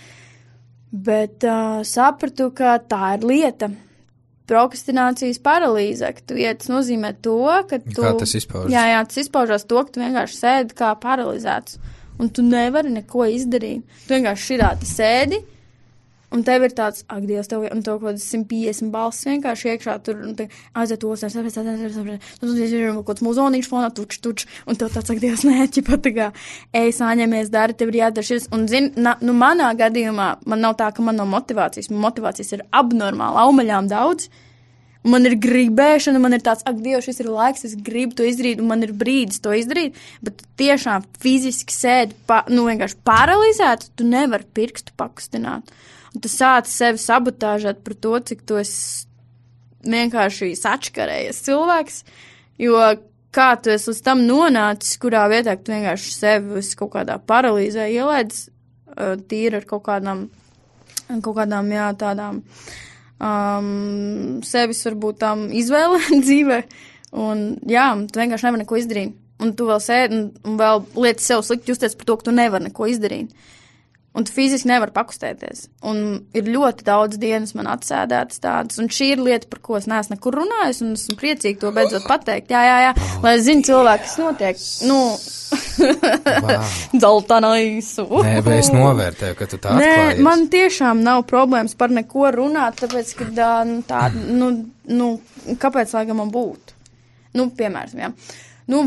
Bet sapratu, ka tā ir lieta. Prokrastinācijas paralīze, ka tu tas nozīmē to, ka tu... Kā tas izpaužas? Jā, tas izpaužas to, ka tu vienkārši sēdi kā paralizēts, un tu nevari neko izdarīt. Tu vienkārši širāti sēdi, un tev ir tāds, ak, Dievs, tev kaut kādas 150 balss vienkārši iekšā tur, un te aiziet tos, kaut kāds muzonīšu fonā, tuč, un tev tāds, ak, Dievs, neķipa, tā kā, ej, sāņamies, dari, tev ir jādara šis, un manā gadījumā, man nav tā, ka man nav motivācijas ir abnormāli, aumaļām daudz, man ir gribēšana, man ir tāds, ak, Dievs, šis ir laiks, es gribu to izdarīt, un man ir brīdis to izdarīt, bet tiešām fiziski sēdi, vienkārši paralizēt, tu nevari pirkstu pakustināt. Un tu sāci sevi sabotāžēt par to, cik tu esi vienkārši sačkarējies cilvēks, jo kā tu esi līdz tam nonācis, kurā vietā tu vienkārši sevi kaut kādā paralīzē ielaidz, tīri ar kaut kādām, jā, tādām sevis varbūt tām izvēle dzīvē, un jā, tu vienkārši nevari neko izdarīt, un tu vēl sēdi un vēl lieti sev slikti justies par to, ka tu nevari neko izdarīt. Un tu fiziski nevar pakustēties. Un ir ļoti daudz dienas man atsēdētas tādas. Un šī ir lieta, par ko es neesmu nekur runājis, un esmu priecīgi to beidzot pateikt. Jā. Lai es zinu cilvēku, kas notiek. Dzeltenaisu. Nē, bet es novērtēju, ka tu tā atklājies. Nē, man tiešām nav problēmas par neko runāt, tāpēc, ka kāpēc laikam man būtu? Piemēram, jā. Un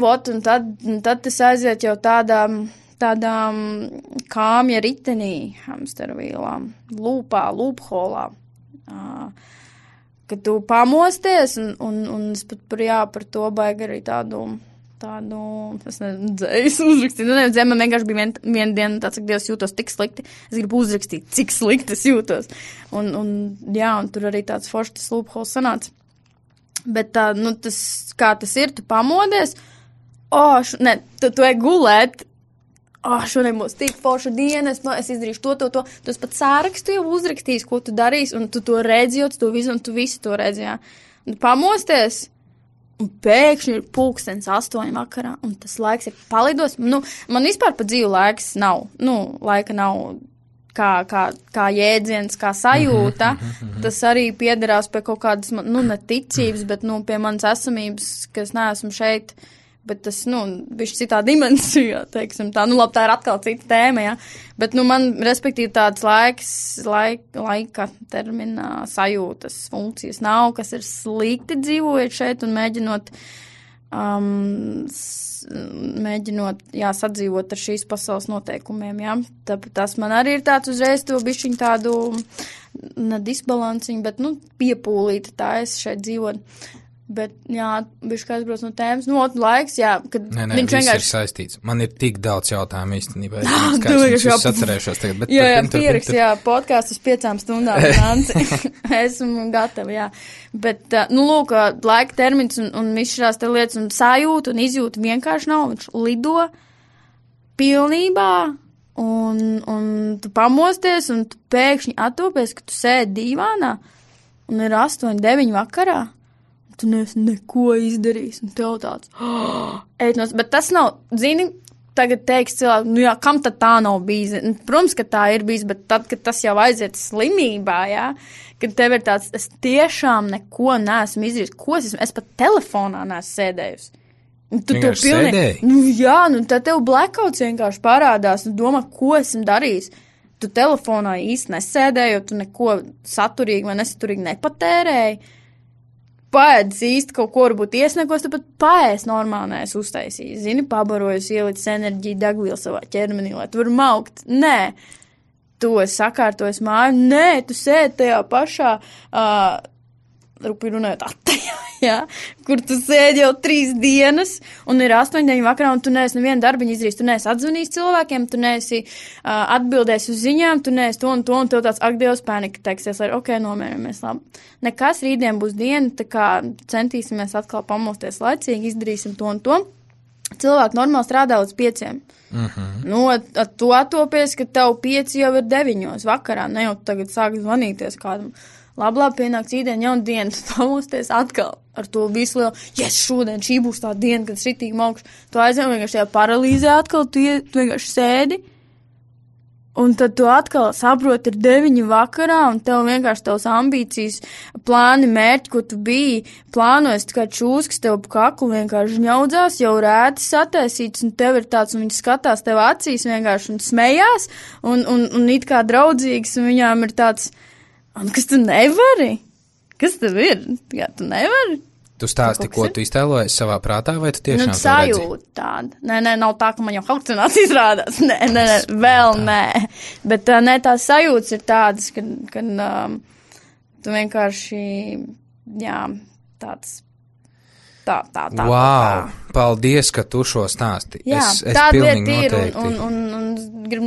tad tas aiziet jau tādām kāmja ritenī, hamstervīlām, lūpholā, kad tu pamosties, un es pat par to baigi arī tādu, es nezinu, dzējas uzrakstīt. Man vienkārši bija viena diena tāds, ka Dievs jūtos tik slikti, es gribu uzrakstīt, cik slikti es jūtos. Un tur arī tāds foršs lūphols sanāca. Bet kā tas ir, tu pamodies, tu ej gulēt, šodien būs tik forša diena, es izdarīšu to. Tu pat sārakstu jau uzrakstījis, ko tu darīsi, un tu to redzi, tu visu to redzi, jā. Un pamosties, un pēkšņi ir 8:00 vakarā, un tas laiks ir palidos. Man vispār pa dzīvu laiks nav, laika nav kā jēdziens, kā sajūta. Tas arī piederās pie kaut kādas, neticības, bet, pie manas esamības, ka es neesmu šeit. Bet tas, bišķi citā dimensijā, teiksim tā. Labi, tā ir atkal cita tēma, jā. Bet, man, respektīvi, tāds laika terminā sajūtas funkcijas nav, kas ir slikti dzīvojot šeit un mēģinot, sadzīvot ar šīs pasaules noteikumiem, jā. Tas man arī ir tāds uzreiz to bišķiņu tādu, ne disbalansiņu, bet, piepūlīti tā es šeit dzīvot. Bet, jā, viņš kā aizbrauc no tēmas, laiks, jā, kad Nē, viņš vienkārši ir saistīts. Man ir tik daudz jautājumu īstenībā. Es atcerēšos tagad, bet... Jā, pierakst, jā, podkāstus 5 stundām, Nanci. Esmu gatava, jā. Bet, lūk, laika termins un viss šās te lietas un sajūta un izjūta vienkārši nav. Viņš lido pilnībā un tu pamosties un tu pēkšņi attopies, ka tu sēdi dīvānā un ir 8, 9 vakarā. Tu neesi neko izdarījis, un tev tāds, bet tas nav, zini, tagad teiks cilvēku, jā, kam tad tā nav bijis? Protams, ka tā ir bijis, bet tad, kad tas jau aiziet slimībā, jā, kad tev ir tāds, es tiešām neko neesmu izdarījis, ko es pat telefonā neesmu sēdējusi. Tu to pilnīgi, jā, tad tev blackouts vienkārši parādās, un domā, ko esmu darījis. Tu telefonā īsti nesēdēji, jo tu neko saturīgi vai nesaturīgi nepatērēji. Paēdis īsti kaut ko varbūt iesniegos, tāpat paēst normāli neesmu uztaisījis. Zini, pabarojus, ielicis enerģiju, degvielu savā ķermenī, lai tu var maukt. Nē, tu esi sakārtojis māju. Nē, tu sēdi tajā pašā, rupi runājot, attajā, jā, kur tu sēdi jau 3 dienas un ir 8, 9 vakarā un tu neesi nevienu darbiņu izdarījis. Tu neesi atzvanījis cilvēkiem, tu neesi atbildējis uz ziņām, tu neesi to un tev tāds, ak, Dievs, pēnika teiksies, lai, ok, nomierinamies, labi. Nekas, rītdien būs diena, tā kā centīsimies atkal pamosties laicīgi, izdarīsim to un to. Cilvēki normāli strādā līdz 5. Tu attopies, ka tev 5 jau ir 9 vakarā, ne jau tagad sāk zvanīties kādam. Labi, pienāks īdien jauna diena, tu pamosties atkal ar to visu lielu, šodien šī būs tā diena, kad es ritīgi maukšu. Tu aizvien vienkārši tajā paralīzē atkal, tu vienkārši sēdi, un tad tu atkal saproti, ir 9 vakarā, un tev vienkārši tavs ambīcijas, plāni, mērķi, ko tu biji plānojis, kā čūskas tev pa kaklu vienkārši ņaudzās, jau rēti sataisīts, un tev ir tāds, un viņi skatās tev acīs vienkārši un smējās, un it kā draudzīgs, un viņām ir tāds, un kas tu nevari? Kas tev ir? Jā, tu nevari? Tu stāsti, ko tu iztēlojies savā prātā, vai tu tiešām to redzi? Sajūta tāda. Nē, nav tā, ka man jau halucinācijas rādās. Nē, vēl nē. Bet tās sajūtas ir tādas, ka tu vienkārši, jā, tāds... Tā. Paldies, ka tu šo stāsti. Jā, es tāda pilnīgi lieta ir, noteikti. un gribu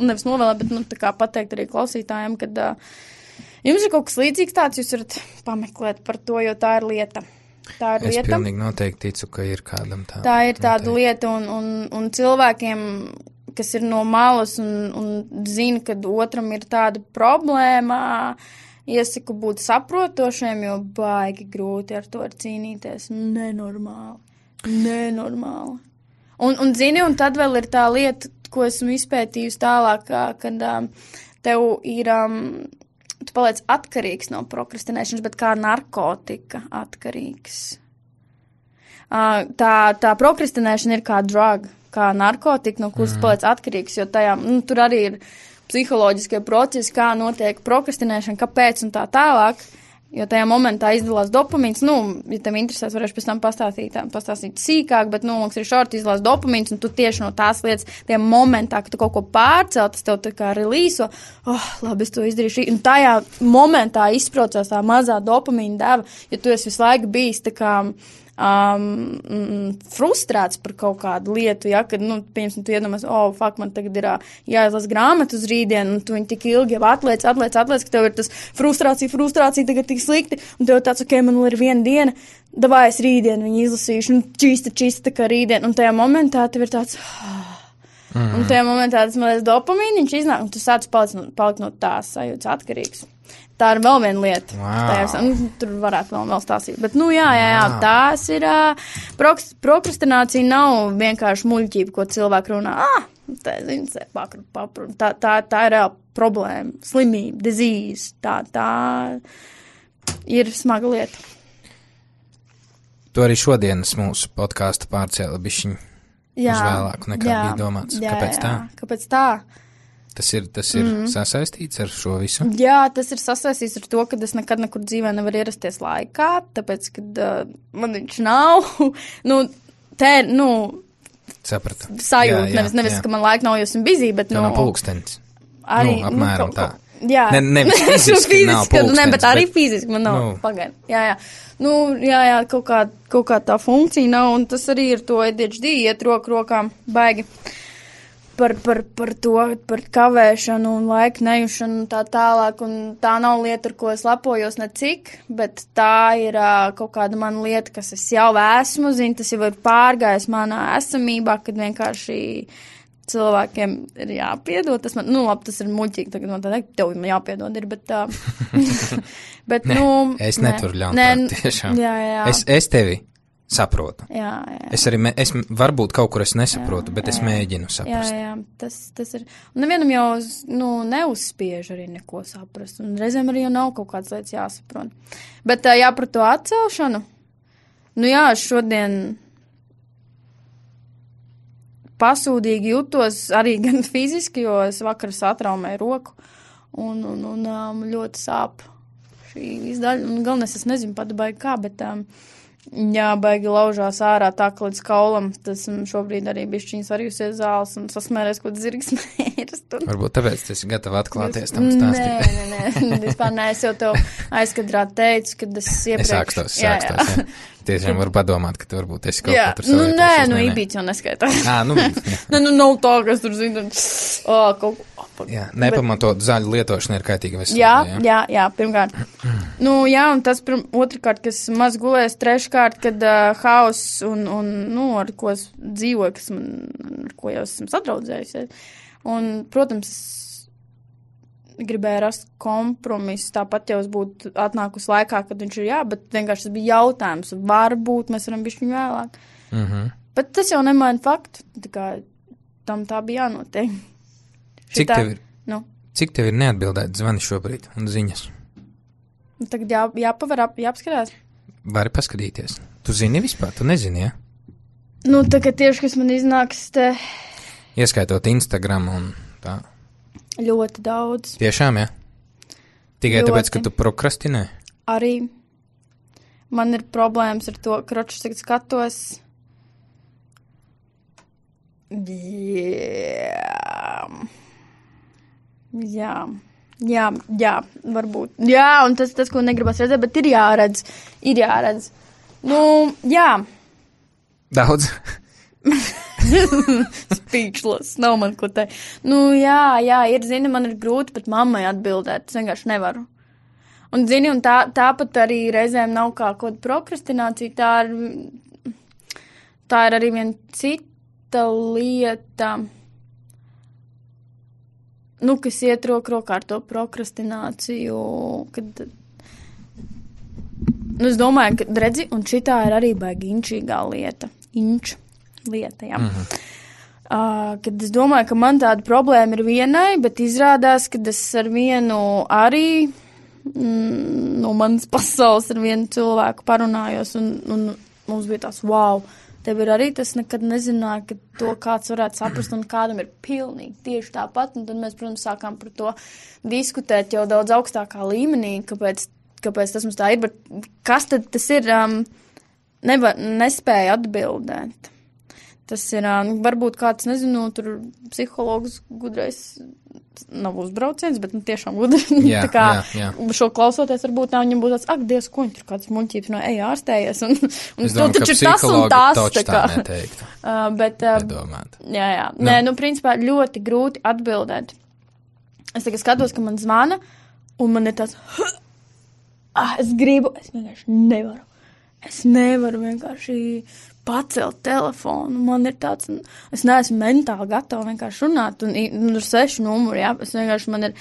nevis novēlēt, bet, tā kā pateikt arī klausītājiem, kad jums ir kaut kas līdzīgs tāds, jūs varat pameklēt par to, jo tā ir lieta. Es pilnīgi noteikti ticu, ka ir kādam tā. Tā ir tāda lieta, un cilvēkiem, kas ir no malas un zina, kad otram ir tāda problēma, iesaku būt saprotošiem, jo baigi grūti ar to cīnīties. Nenormāli. Un zini, un tad vēl ir tā lieta, ko esmu izpētījusi tālāk, kad tev ir, tu paliec atkarīgs no prokrastinēšanas, bet kā narkotika atkarīgs. Tā prokrastinēšana ir kā drug, kā narkotika, no kuras paliec atkarīgs, jo tajā, tur arī ir psiholoģiskie procesi, kā notiek prokrastinēšana, kāpēc un tā tālāk, jo tajā momentā izdalās dopamīns, ja tev interesēs, varēšu pēc tam pastāstīt sīkāk, bet, mums ir šorti izdalās dopamīns, un tu tieši no tās lietas, tajā momentā, kad tu kaut ko pārcēl, tas tev tā kā relīso, labi, es to izdarīšu, un tajā momentā izprocās tā mazā dopamīna deva, ja tu esi visu laiku bijis tā kā frustrēts par kaut kādu lietu, ja, kad, piemēram, tu iedomās, man tagad ir jāizlas grāmatu uz rītdienu, un tu viņu tik ilgi jau atliec, ka tev ir tas frustrācija tagad tik slikti, un tev tāds, ok, man vēl ir 1 diena, davai es rītdienu viņu izlasīšu, un čista tā kā rītdien, un tajā momentā tev ir tāds, un tajā momentā tas mazliet dopamīniņš iznāk, un tu sāc palikt no tās sajūtas atkarīgs. Tā ir vēl viena lieta. Wow. Tur varētu vēl stāstīt. Bet, tās ir, prokrastinācija nav vienkārši muļķība, ko cilvēki runā. Tā ir problēma, slimība, disease. Tā ir smaga lieta. Tu arī šodienas mūsu podkāstu pārcēla bišķiņu uz vēlāku nekā bija domāts. Kāpēc tā? Kāpēc tā? Tas ir sasaistīts ar šo visu? Jā, tas ir sasaistīts ar to, ka es nekad nekur dzīvē nevaru ierasties laikā, tāpēc, kad man viņš nav, Sapratu. Sajūta, nevis, ka man laika nav, jo esmu busy, bet, tā nav pulkstenis. Arī, apmēram tā. Jā. Nevis fiziski nav pulkstenis. Ne, bet arī fiziski man nav. Pagaid. Jā. Jā, kaut kā tā funkcija nav, un tas arī ir to ADHD iet rokām baigi par to, par kavēšanu un laiku nejušanu un tā tālāk, un tā nav lieta, ar ko es lepojos necik, bet tā ir kaut kāda mana lieta, kas es jau esmu, tas jau ir pārgājis manā esamībā, kad vienkārši cilvēkiem ir jāpiedod. Tas man, labi, tas ir muļķīgi, tagad man tā teikt, tev man jāpiedod ir, bet bet, es nevaru ļaut tiešām. Jā. Es tevi saprotu. Jā. Es arī, varbūt kaut kur es nesaprotu, bet es mēģinu saprast. Jā, tas ir. Un nevienam jau, neuzspiež arī neko saprast, un reizēm arī jau nav kaut kādas lietas jāsaprot. Bet par to atcelšanu, šodien pasūdīgi jutos arī gan fiziski, jo es vakar satraumēju roku un ļoti sāp šī izdaļa. Un galvenais, es nezinu pat baigi kā, bet baigi laužās ārā tā, ka līdz kaulam. Tas šobrīd arī bišķiņas varījusies zāles un sasmērēs, ko zirgs mēras. Varbūt tāpēc tu esi gatava atklāties tam stāstīt. Nē, vispār nē, es jau tev aizkadrā teicu, kad es iepriekš. Sākstos. Jā. Tiešām var padomāt, ka tu varbūt esi kaut ko tur savieties. Nē, Ibīts jau neskaitās. Nav tā, kas tur zina. Jā, nepamatot zaļu lietošana ir kaitīga veselība. Jā, pirmkārt. Un tas otrkārt, kas maz gulēs, treškārt, kad hauss un ar ko es dzīvoju, ar ko jau esmu sadraudzējusies. Un, protams, gribēju rast kompromisu, tāpat jau es būtu atnākusi laikā, kad viņš ir bet vienkārši tas bija jautājums, varbūt mēs varam bišķiņu vēlāk. Bet tas jau nemaina faktu, tā kā tam tā bija jānotiek. Cik tev ir neatbildēt zvani šobrīd un ziņas? Tagad jāapskarās. Vari paskatīties. Tu zini vispār, tu nezini, ja? Tagad tieši, kas man iznāks te. Ieskaitot Instagram un tā. Ļoti daudz. Tiešām, ja? Tikai ļoti. Tāpēc, ka tu prokrastinē? Arī. Man ir problēmas ar to, kročus tagad skatos. Jā, varbūt. Jā, un tas, ko negribas redzēt, bet ir jāredz. Jā. Daudz? Speechless, nav man ko teikt. Jā, man ir grūti pat mammai atbildēt, es vienkārši nevaru. Un, un tāpat arī reizēm nav kā kaut kāda prokrastinācija, tā ir arī viena cita lieta, kas iet rokā ar to prokrastināciju, kad, es domāju, ka, redzi, un šitā ir arī baigi inčīgā lieta, jā. Kad es domāju, ka man tāda problēma ir vienai, bet izrādās, ka es ar vienu arī no manas pasaules ar vienu cilvēku parunājos, un mums bija tās, wow, tev ir arī tas, nekad nezināju, ka to kāds varētu saprast, un kādam ir pilnīgi tieši tāpat, un tad mēs, protams, sākām par to diskutēt jau daudz augstākā līmenī, kāpēc tas mums tā ir, bet kas tad tas ir, nespēja atbildēt. Tas ir, varbūt kāds, nezinu, tur psihologs gudrais nav uzbrauciens, bet tiešām gudri. Jā. Šo klausoties, varbūt viņam būtu tāds, Dievs, ko viņš tur kāds muļķības ārstējies. Un es domāju, taču tas un tas. Tā neteiktu. Nedomāt. Jā. Nē, principā ļoti grūti atbildēt. Es tagad skatos, ka man zvana, un man ir tāds, es vienkārši nevaru. Es nevaru vienkārši pacelt telefonu. Man ir tāds, es neesmu mentāli gatava vienkārši runāt, un ar 6 numuru, es vienkārši man ir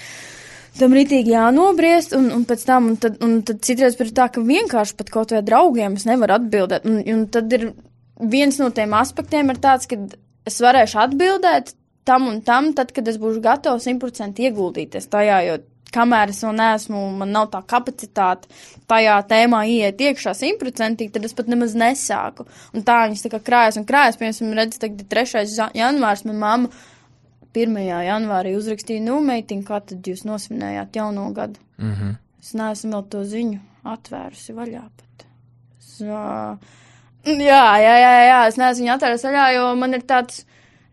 tam ritīgi jānobriest, un pēc tam, un tad citreiz ir tā, ka vienkārši pat kaut vai draugiem es nevaru atbildēt, un tad ir viens no tiem aspektiem ir tāds, ka es varēšu atbildēt tam un tam, tad, kad es būšu gatava 100% ieguldīties tajā, jo kamēr es vēl neesmu, man nav tā kapacitāte tajā tēmā ieiet iekšā 100%, tad es pat nemaz nesāku. Un tā viņas tā kā krājas un krājas. Piemēram, redz, tagad 3. janvārs, man mamma 1. janvārī uzrakstīja, meitiņ, kā tad jūs nosvinējāt jauno gadu? Es neesmu vēl to ziņu atvērusi vaļā pat. Jā, es neesmu viņu atvērusi vaļā, jo man ir tāds,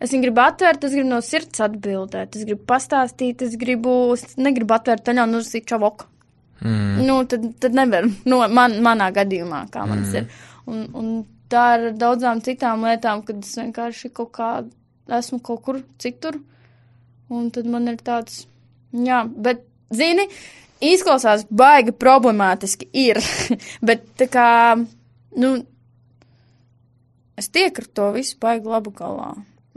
Es viņu gribu atvērt, es gribu no sirds atbildēt, es gribu pastāstīt, es negribu atvērt taļā un uzsīt čavoku. Nu, tad nevar, manā gadījumā, kā man ir. Un tā ar daudzām citām lietām, kad es vienkārši esmu kaut kur citur, un tad man ir tāds, jā, bet, zini, izklausās baigi problemātiski ir, bet tā kā, nu, es tieku ar to visu baigi labu galā.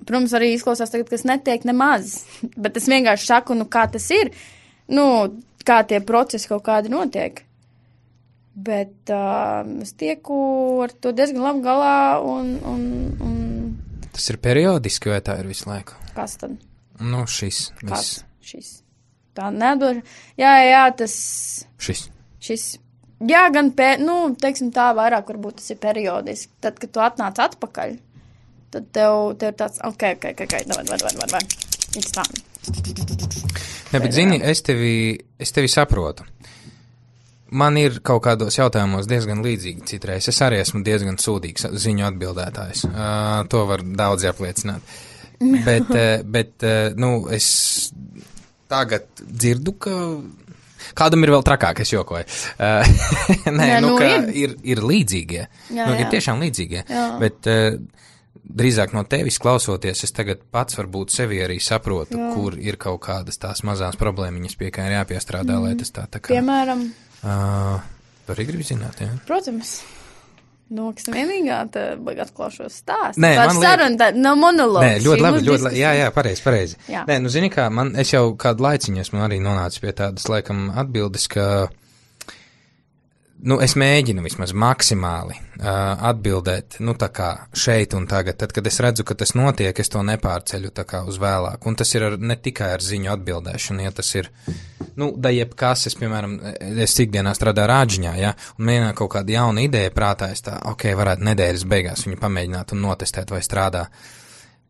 Protams, arī izklausās tagad, kas netiek nemaz, bet es vienkārši saku, nu, kā tas ir, nu, kā tie procesi kaut kādi notiek. Bet es tieku ar to diezgan labi galā un... Tas ir periodiski, vai tā ir visu laiku? Kas tad? Nu, šis. Šis. Tā nedoša. Jā, tas... Šis. Jā, gan, teiksim tā, vairāk varbūt tas ir periodiski. Tad, kad tu atnāc atpakaļ, tad tev ir tāds, ok, vai. It's time. Ne, bet zini, es tevi saprotu. Man ir kaut kādos jautājumos diezgan līdzīgi citreiz. Es arī esmu diezgan sūdīgs ziņu atbildētājs. To var daudz apliecināt. Bet es tagad dzirdu, ka kādam ir vēl trakāk, es jokoju. Ir līdzīgie. Jā. Ir tiešām līdzīgie. Jā. Bet drīzāk no tevis klausoties, es tagad pats varbūt sevi arī saprotu, kur ir kaut kādas tās mazās problēmiņas, pie kā ir jāpiestrādā, lai tas tā kā... Piemēram... Tu arī gribi zināt, jā? Protams. Nu, kas vienīgā, tad atklāšos stāstu. Nē, man saruna, nav monologs. Nē, ļoti labi. Jā, pareizi. Jā. Nē, nu, zini kā, es jau kādu laiciņu esmu arī nonācis pie tādas, laikam, atbildes, ka, nu, es mēģinu vismaz maksimāli atbildēt, nu, tā kā šeit un tagad. Tad, kad es redzu, ka tas notiek, es to nepārceļu tā kā uz vēlāk. Un tas ir ne tikai ar ziņu atbildēšanu, ja tas ir... Nu, da jebkas, es, piemēram, ikdienā strādāju rāģiņā, ja, un mēģināju kaut kādu jaunu ideju prātā, es tā, ok, varētu nedēļas beigās viņu pamēģināt un notestēt, vai strādā.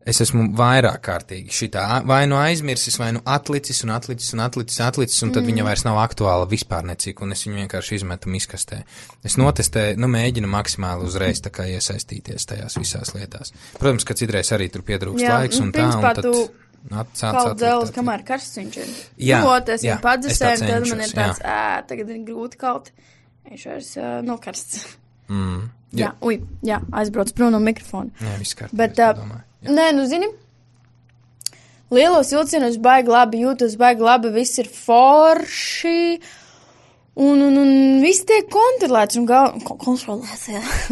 Es esmu vairāk kārtīgi šitā, vai nu aizmirsis, vai nu atlicis, un tad viņa vairs nav aktuāla vispār necik, un es viņu vienkārši izmetu miskastē. Es notestēju, mēģinu maksimāli uzreiz tā kā iesaistīties tajās visās lietās. Protams, ka citreiz arī tur pietrūkst laiks un tā, un tad... Kaut dzēlis, kamēr karsts viņš ir. Es viņu padzesēju, tad man ir tāds, tagad ir grūti kaut. Viņš vairs nokarsts. Jā, aizbrauc prom no mikrofona. Jā, viss kārtībā. Bet, nē, nu zini, lielos vilcienos baigi labi jūtos, baigi labi, viss ir forši. Un viss tiek kontrolēts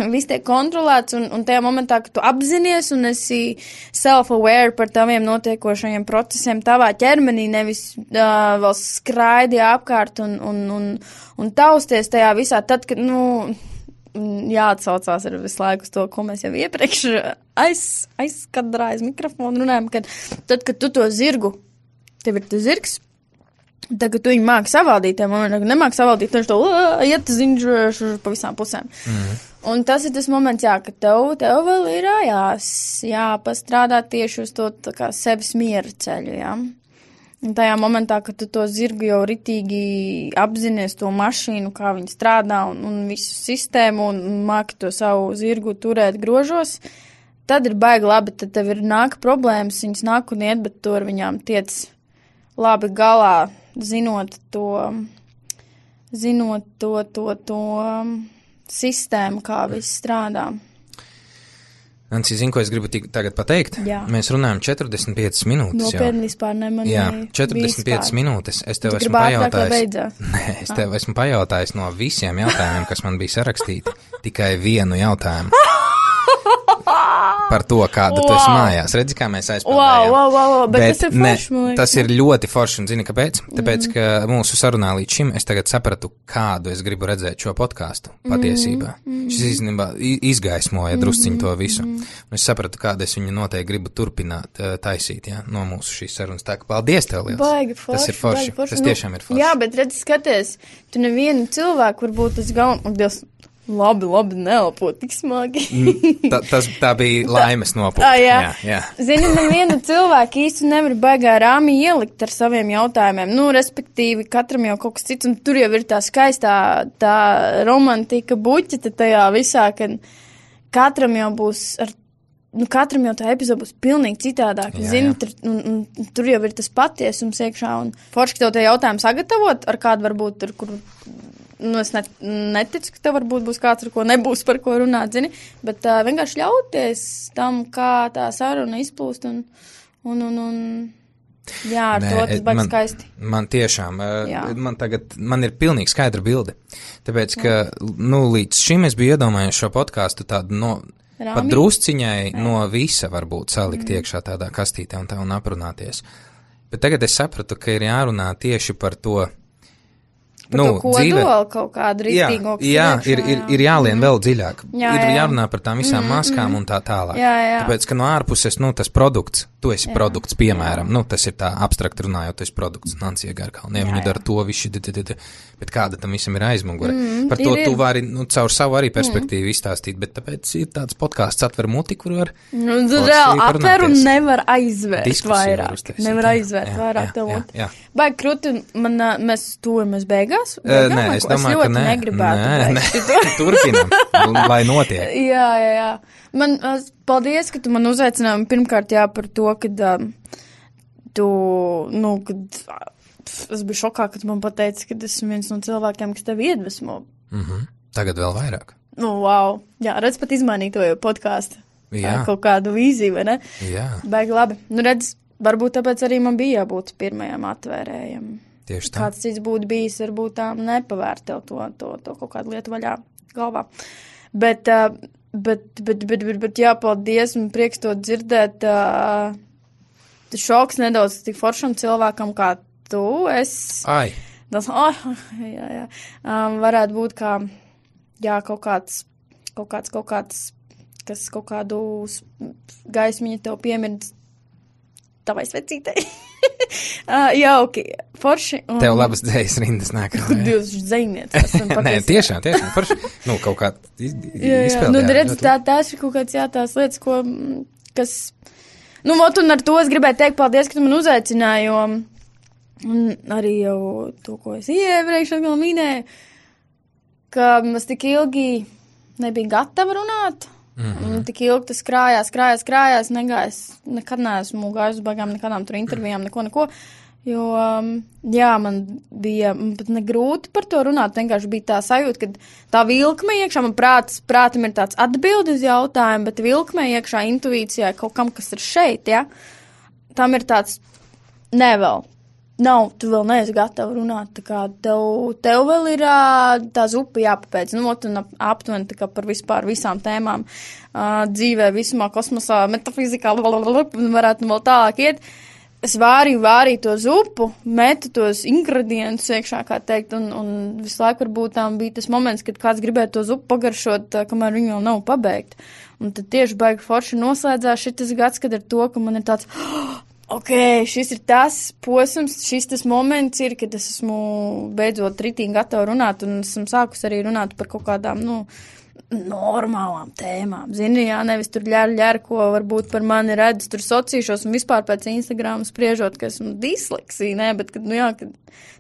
viss tiek kontrolēts un tajā momentā, kad tu apzinies un esi self-aware par taviem notiekošajiem procesiem tavā ķermenī, nevis vēl skraidi apkārt un tausties tajā visā, tad, kad, jāatsaucās ar visu laiku uz to, ko mēs jau iepriekš aizkadrā aiz mikrofonu runājam, kad tad, kad tu to zirgu, tev ir tas zirgs, tagad tu viņu māki savaldīt, nemāki savaldīt, viņš to iet ziņš pa visām pusēm. Un tas ir tas moments, jā, ka tev vēl ir jāpastrādā tieši uz to tā kā sevis miera ceļu, jā. Un tajā momentā, kad tu to zirgu jau ritīgi apzinies to mašīnu, kā viņi strādā un visu sistēmu un māki to savu zirgu turēt grožos, tad ir baigi labi, tad tev ir nāk problēmas, viņas nāk un iet, bet tu ar viņām tiec labi galā. Zinot to sistēmu, kā viss strādā. Nanci, zini, ko es gribu tagad pateikt? Jā. Mēs runājam 45 minūtes. Nopietni vispār nemanīju. Jā, 45 minūtes. Es tev esmu pajautājis. Nē, es tev esmu pajautājis no visiem jautājumiem, kas man bija sarakstīti, tikai vienu jautājumu. Par to, kāda tu esi mājās. Redzi, kā mēs aizpildējām. Wow, bet tas ir forši, tas ir ļoti forši, un zini, kāpēc? Tāpēc, ka mūsu sarunā līdz šim es tagad sapratu, kādu es gribu redzēt šo podcastu patiesībā. Šis īstenībā izgaismoja drusciņu to visu. Un es sapratu, kādu es viņu noteikti gribu turpināt taisīt, no mūsu šīs sarunas. Tā kā paldies tev liels. Baigi forši. Tas ir forši. Tas tiešām ir forši. Jā, bet redzi, skaties, tu nevienu cilvēku varbūt uz galvu, labi, neelpo tik smagi. Tā bija laimes nopūta. Jā. Zini, nevienu cilvēku īsti nevar baigā rāmi ielikt ar saviem jautājumiem. Respektīvi, katram jau kaut kas cits, un tur jau ir tā skaistā, tā romantika buķita tajā visā, ka katram jau būs ar katram jau tā epizode būs pilnīgi citādāk. Zini, tur jau ir tas patiesums iekšā. Un forši tev tie jautājumi sagatavot, ar kādu varbūt, ar kuru, es neticu, ka tev varbūt būs kāds, ar ko nebūs par ko runāt, zini, bet vienkārši ļauties tam, kā tā saruna izplūst un jā, ar to tas baigs skaisti. Man tiešām, man ir pilnīgi skaidra bilde. Tāpēc, ka, līdz šim es biju iedomājies šo podcastu tādu pat drusciņai no visa varbūt salikt iekšā tādā kastītē un aprunāties. Bet tagad es sapratu, ka ir jārunā tieši par to, par to kodolu kaut kādu rītīgo. Jā, ir jālien vēl dziļāk. Ir jārunā par tām visām maskām un tā tālāk. Tāpēc, ka no ārpuses, tas produkts, tu esi produkts, piemēram, tas ir tā abstrakt runājot, tu esi produkts, Nancija Garkalnie, viņi dara to viši, bet kāda tam visam ir aizmugure. Par to tu vari, caur savu arī perspektīvu izstāstīt, bet tāpēc ir tāds podcasts atver muti, kur var reāli atver un nevar aizvērt vairāk. Nevar aizvērt vairāk tev muti. Baigi krūti, mēs tuvamies beigās. Nē, es domāju, ka nē. Negribētu. Turpinam, lai notiek. Jā. Man, paldies, ka tu man uzaicināji pirmkārt par to, kad kad es biju šokā, ka tu man pateici, ka esmu viens no cilvēkiem, kas tevi iedvesmo. Tagad vēl vairāk. Wow. Jā, redz, pat izmainīt to podkāstu. Kaut kādu vīziju, vai ne? Jā. Baigi labi. Redz, varbūt tāpēc arī man bija jābūt pirmajam atvērējam. Tieši tā. Kāds cits būtu bijis, varbūt tā nepavērt tev to kaut kādu lietu vaļā galvā. Bet jā, paldies, man prieks to dzirdēt. Šoks nedaudz tik foršam cilvēkam kā tu. Ai. Tas, jā. Varētu būt kā, kaut kāds, kas kaut kādu gaismiņu tev piemird tavai svecītei. Jauki, forši. Tev labas dzējas rindas nāk. Jūs dzējniecis. Nē, tiešām, forši. Kaut kā izpildījāt. Redz, tās ir kaut kāds, tās lietas, kas... un ar to es gribēju teikt paldies, ka tu man uzaicināji, jo arī jau to, ko es iepriekš atkal minēju, ka es tik ilgi nebija gatava runāt. Tik ilgi tas krājās, negājis, nekad neesmu gājis uz baigām nekādām tur intervijām, neko, jo, man bija pat negrūti par to runāt, vienkārši bija tā sajūta, ka tā vilkme iekšā, man prātam ir tāds atbildi uz jautājumu, bet vilkme iekšā intuīcijā kaut kam, kas ir šeit, tam ir tāds, tu vēl neesi gatava runāt, tā kā tev vēl ir tā zupa jāpapēc, un aptuveni tā kā par vispār visām tēmām dzīvē, visumā, kosmosā, metafizikā, varētu vēl tālāk iet. Es vārīju to zupu, metu tos ingredientus iekšā, kā teikt, un visu laiku varbūt tām bija tas moments, kad kāds gribēja to zupu pagaršot, kamēr viņi vēl nav pabeigti. Un tad tieši baigi forši noslēdzās šitas gads, kad ar to, ka man ir tāds... šis ir tas posms, šis tas moments ir, kad es esmu beidzot ritīgi gatava runāt, un esmu sākus arī runāt par kaut kādām, normālām tēmām. Zini, nevis tur ļēr, ko varbūt par mani redz, tur sociīšos un vispār pēc Instagrama spriežot, ka esmu disleksija, bet,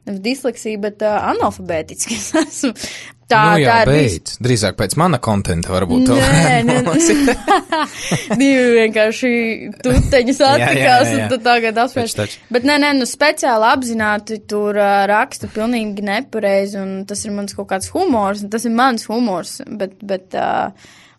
nevis disleksija, bet analfabētiski es esmu. Tā beidz. Drīzāk pēc mana kontenta varbūt to Divi vienkārši tuteņas attikās un tad tagad apsvērš. Bet speciāli apzināti tur raksta pilnīgi nepareizi un tas ir mans kaut kāds humors, un tas ir mans humors, bet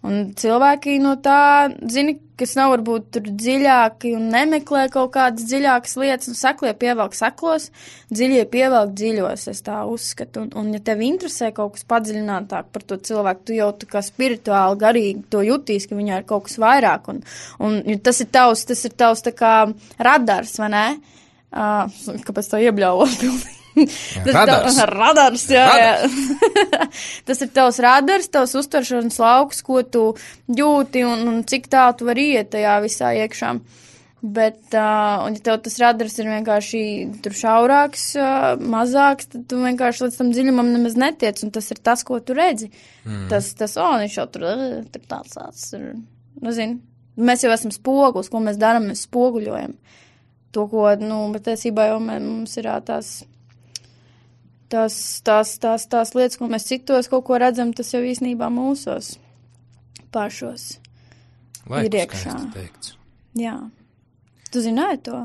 un cilvēki no tā, zini, kas nav varbūt tur dziļāki un nemeklē kaut kādas dziļākas lietas, un seklie pievelk seklos, dziļie pievelk dziļos, es tā uzskatu. Un ja tev interesē kaut kas padziļinātāk par to cilvēku, tu jau tā kā spirituāli, garīgi to jutīs, ka viņā ir kaut kas vairāk, un tas ir tavs tā kā radars, vai ne? Kāpēc tā iebļauot pilnīgi? Radars, jā. Tas ir tavs radars, tavs uztveršanas lauks, ko tu jūti un cik tā tu vari iet tajā visā iekšā. Bet, un ja tev tas radars ir vienkārši tur šaurāks, mazāks, tad tu vienkārši līdz tam dziļumam nemaz netiec, un tas ir tas, ko tu redzi. Tas, viņš jau tur tāds, nezinu. Mēs jau esam spogulis, ko mēs darām, mēs spoguļojam. To, ko, patiesībā jau mums ir tās lietas, ko mēs citos kaut ko redzam, tas jau īstenībā mūsos pašos. ir iekšā. Jā. Tu zināji to?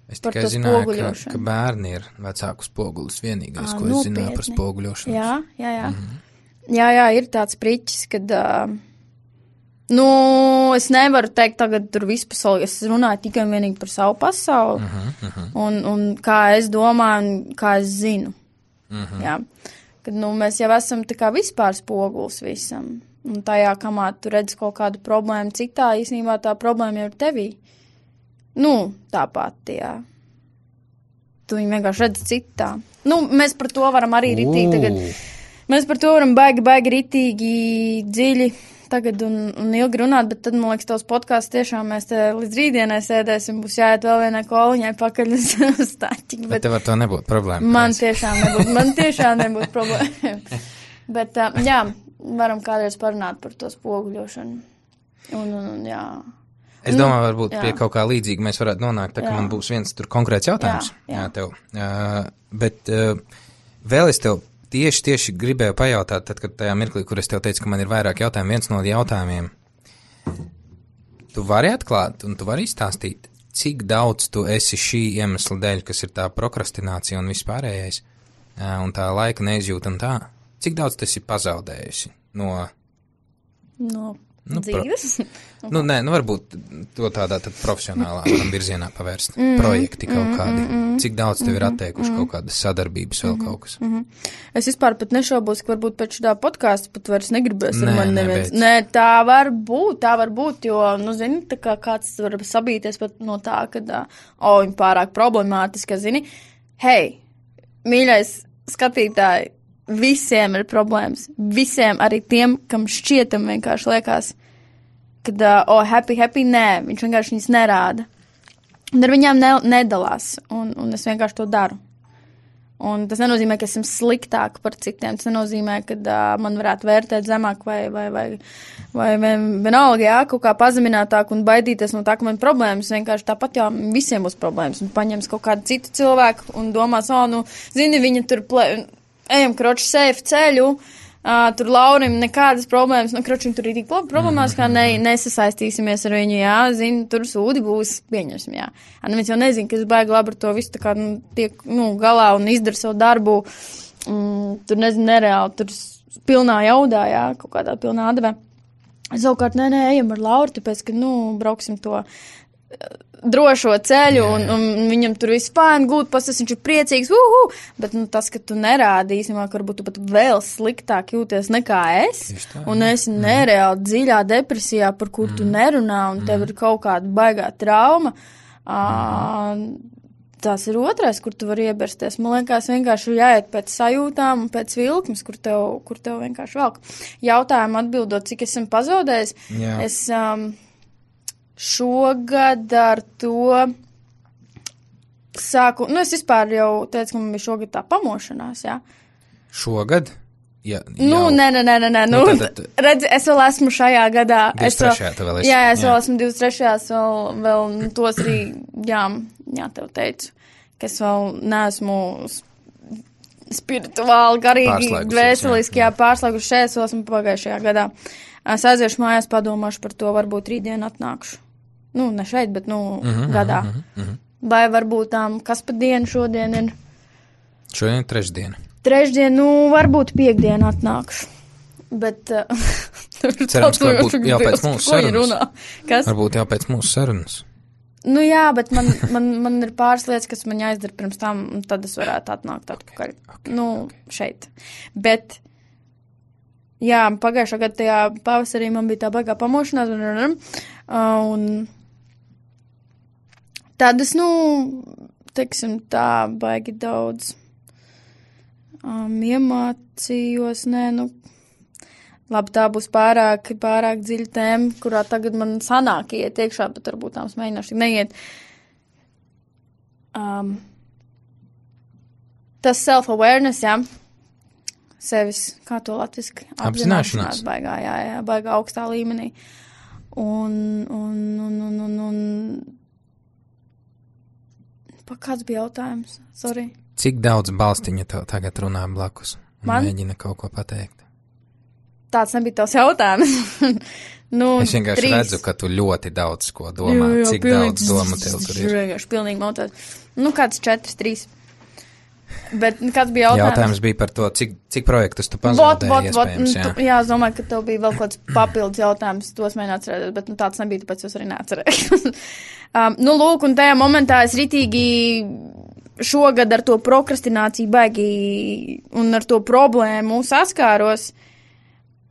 Es tikai zināju, ka bērni ir vecāku spogulis vienīgais, ko es zināju par spoguļošanos. Jā. Jā, ir tāds priķis, kad, es nevaru teikt tagad tur vispasauli, es runāju tikai un vienīgi par savu pasauli, un kā es domāju, un kā es zinu. Jā. Kad, mēs jau esam tā kā vispār spogulis visam, un tajā, kamā tu redz kaut kādu problēmu citā, īstenībā tā problēma jau ir tevī. Tāpat, jā. Tu viņu vienkārši redz citā. Mēs par to varam arī ritīgi tagad. Mēs par to varam baigi ritīgi dziļi tagad un ilgi runāt, bet tad, man liekas, tavs podcasts tiešām mēs te līdz rītdienai sēdēsim, būs jāiet vēl vienai koliņai pakaļ uz staķi. Bet tev ar to nebūtu problēma. Man tiešām nebūtu problēma. Bet, jā, varam kādreiz parunāt par to spoguļošanu. Un jā. Es domāju, varbūt pie kaut kā līdzīga mēs varētu nonākt, tā ka man būs viens tur konkrēts jautājums. Jā tev. Bet vēl es tev tieši gribēju pajautāt, tad, kad tajā mirklī, kur es tev teicu, ka man ir vairāk jautājumu, viens no jautājumiem. Tu vari atklāt un tu vari izstāstīt, cik daudz tu esi šī iemesla dēļ, kas ir tā prokrastinācija un vispārējais, un tā laika neizjūta un tā. Cik daudz tu esi pazaudējusi no dzīves? Varbūt to tādā tad profesionālā virzienā pavērst. Projekti kaut kādi. Cik daudz tev ir atteikuši kaut kādas sadarbības vēl kaut kas? Es vispār pat nešaubos, ka varbūt pēc šitā podkāsta pat vairs negribēs ar mani neviens. Nē, tā var būt, jo, zini, tā kā kāds var sabīties pat no tā, ka, viņa pārāk problemātiska, zini. Hei, mīļais skatītāji, visiem ir problēmas. Visiem, arī tiem, kam šķietam vienkārši liekas, kad, happy, nē, viņš vienkārši viņas nerāda. Un ar viņām nedalās, un es vienkārši to daru. Un tas nenozīmē, ka esmu sliktāk par citiem, tas nenozīmē, ka man varētu vērtēt zemāk vai vienalga, jā, kaut kā pazeminātāk un baidīties no tā, ka man problēmas, vienkārši tāpat jau visiem būs problēmas, un paņems kaut kādu citu cilvēku un domās, zini, viņa tur ejam, kroči, safe ceļu, tur Laurim nekādas problēmas, kroči, tur ir tik problēmās, kā nesasaistīsimies ar viņu, jā, zini, tur sūdi būs, pieņemsim, jā. Neviens jau nezina, ka es baigi labi ar to visu, tā kā, tiek, galā un izdara savu darbu, tur, nezinu, nereāli, tur pilnā jaudā, jā, kaut kādā pilnā adavē. Savukārt, ejam ar Lauru, tāpēc, ka, brauksim to drošo ceļu, un viņam tur viss fāni, gūt, pasas, viņš ir priecīgs, bet, tas, ka tu nerādi īstenībā, ka varbūt tu pat vēl sliktāk jūties nekā es, un esi nereāli dziļā depresijā, par kur tu nerunā, un tev ir kaut kāda baigā trauma, tas ir otrais, kur tu vari iebersties. Man liekas, vienkārši jāiet pēc sajūtām un pēc vilkmes, kur tev vienkārši velk. Jautājumu atbildot, cik esmu pazaudējis, es šogad ar to sāku, es vispār jau teicu, ka man bija šogad tā pamošanās, jā. Šogad? Jā, nē, redzi, es vēl esmu šajā gadā. 23. tu vēl esi. Jā, es vēl esmu 23. vēl tos arī, jā, tev teicu, ka es vēl neesmu spirituāli, garīgi, dvēseliski, pārslēguši šeit, es vēl esmu pagājušajā gadā. Es aiziešu mājās, padomāšu par to, varbūt rītdien atnākšu. Ne šeit, bet, gadā. Vai varbūt kas pa dienu šodien ir? Šodien ir trešdiena. Varbūt piekdienu atnākšu. Bet, cerams, ka varbūt jau pēc mūsu sarunas. Kas? Varbūt jau pēc mūsu sarunas. Jā, bet man ir pāris lietas, kas man jāizdara pirms tam, un tad es varētu atnākt atpakaļ. Šeit. Bet, jā, pagājušā gada tajā pavasarī man bija tā baigā pamošanās, un tad es, teiksim tā, baigi daudz iemācījos, labi, tā būs pārāk dziļa tēma, kurā tagad man sanāk iet iekšā, bet varbūt tām mēģināšu tik neiet. Tas self-awareness, jā, sevis, kā to latviski? Apzināšanās. Baigā augstā līmenī. Un kāds bija jautājums? Sorry. Cik daudz balstiņa tev tagad runā blakus un mēģina kaut ko pateikt? tāds nebija tavs jautājums. Es vienkārši redzu, ka tu ļoti daudz ko domā. Cik daudz domu tev tur ir? Vienkārši pilnīgi motot. Kāds 4, 3. Bet kāds bija jautājums? Jautājums bija par to, cik projektus tu pazaudēji iespējams, jā. Jā, es domāju, ka tev bija vēl kāds papildus jautājums, tos mēģināt atcerēties, bet tāds nebija, tāpēc es arī neatcerēju. Lūk, un tajā momentā es ritīgi šogad ar to prokrastināciju baigi un ar to problēmu saskāros.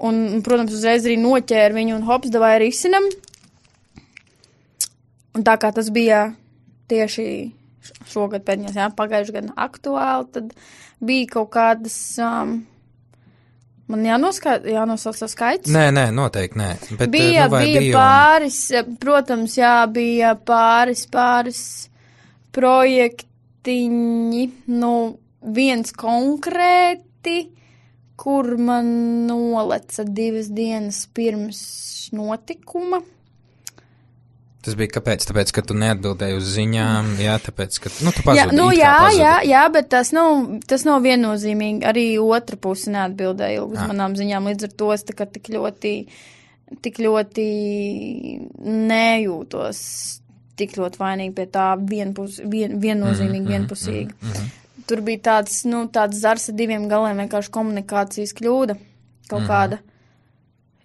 Un, protams, uzreiz arī noķēru viņu un hops, davai risinam. Un tā kā tas bija tieši šogad pēdējās, pagājuši gadu aktuāli, tad bija kaut kādas, man jānosauc savu skaits? Nē, noteikti nē. Bet, bija pāris, protams, bija pāris projektiņi, viens konkrēti, kur man noleca 2 dienas pirms notikuma. Tas bija kāpēc? Tāpēc, ka tu neatbildēji uz ziņām, tāpēc, ka, tu pazudi. Jā, bet tas nav viennozīmīgi. Arī otra puse neatbildēja uz manām ziņām, līdz ar to es tā kā tik ļoti nejūtos, tik ļoti vainīgi pie tā viennozīmīgi, vienpusīgi. Tur bija tāds zars ar 2 galiem, vienkārši komunikācijas kļūda kaut kāda.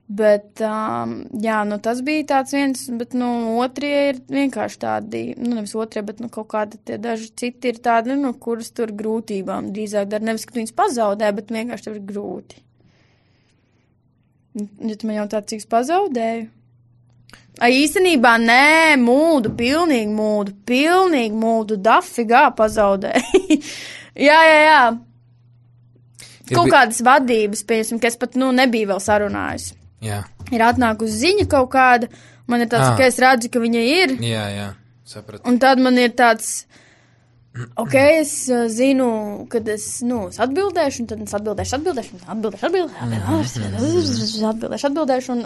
Bet, tas bija tāds viens, bet, otrie ir vienkārši tādi, nevis otrie, bet, kaut kādi tie daži citi ir tādi, kuras tur grūtībām drīzāk dara. Nevis, ka tu viņus pazaudē, bet vienkārši tev ir grūti. Ja tu man jautā, cik es pazaudēju? Īstenībā, nē, pilnīgi mūdu, dafigā pazaudēju. jā. Kaut kādas vadības, pieņemsim, ka es pat, nebiju vēl sarunājusi. Jā. Ir atnākusi ziņa kaut kāda, man ir tāds, ka es redzu, ka viņa ir. Jā, sapratu. Un tad man ir tāds, es zinu, kad es atbildēšu, un tad es atbildēšu,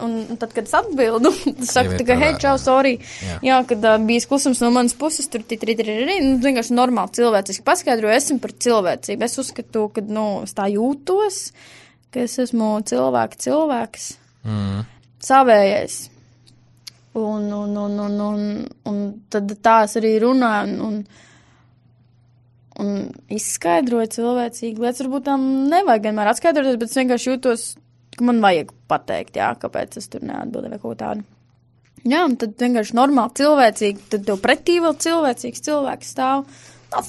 un tad, kad es atbildu, es saku, tā kā, hei, čau, sorry. Jā, kad bijis klusums no manas puses, tur vienkārši normāli cilvēciski paskaidroju, esmu par cilvēcību. Es uzskatu, ka, es tā jūtos, ka es esmu cilvēks. Savējais. Un tad tā es arī runāju un izskaidroju cilvēcīgi lietas. Varbūt tam nevajag vienmēr atskaidroties, bet es vienkārši jūtos, ka man vajag pateikt, kāpēc es tur neatbildēju vai kaut tādu. Jā, un tad vienkārši normāli cilvēcīgi, tad tev pretī vēl cilvēcīgs cilvēks stāv. Tas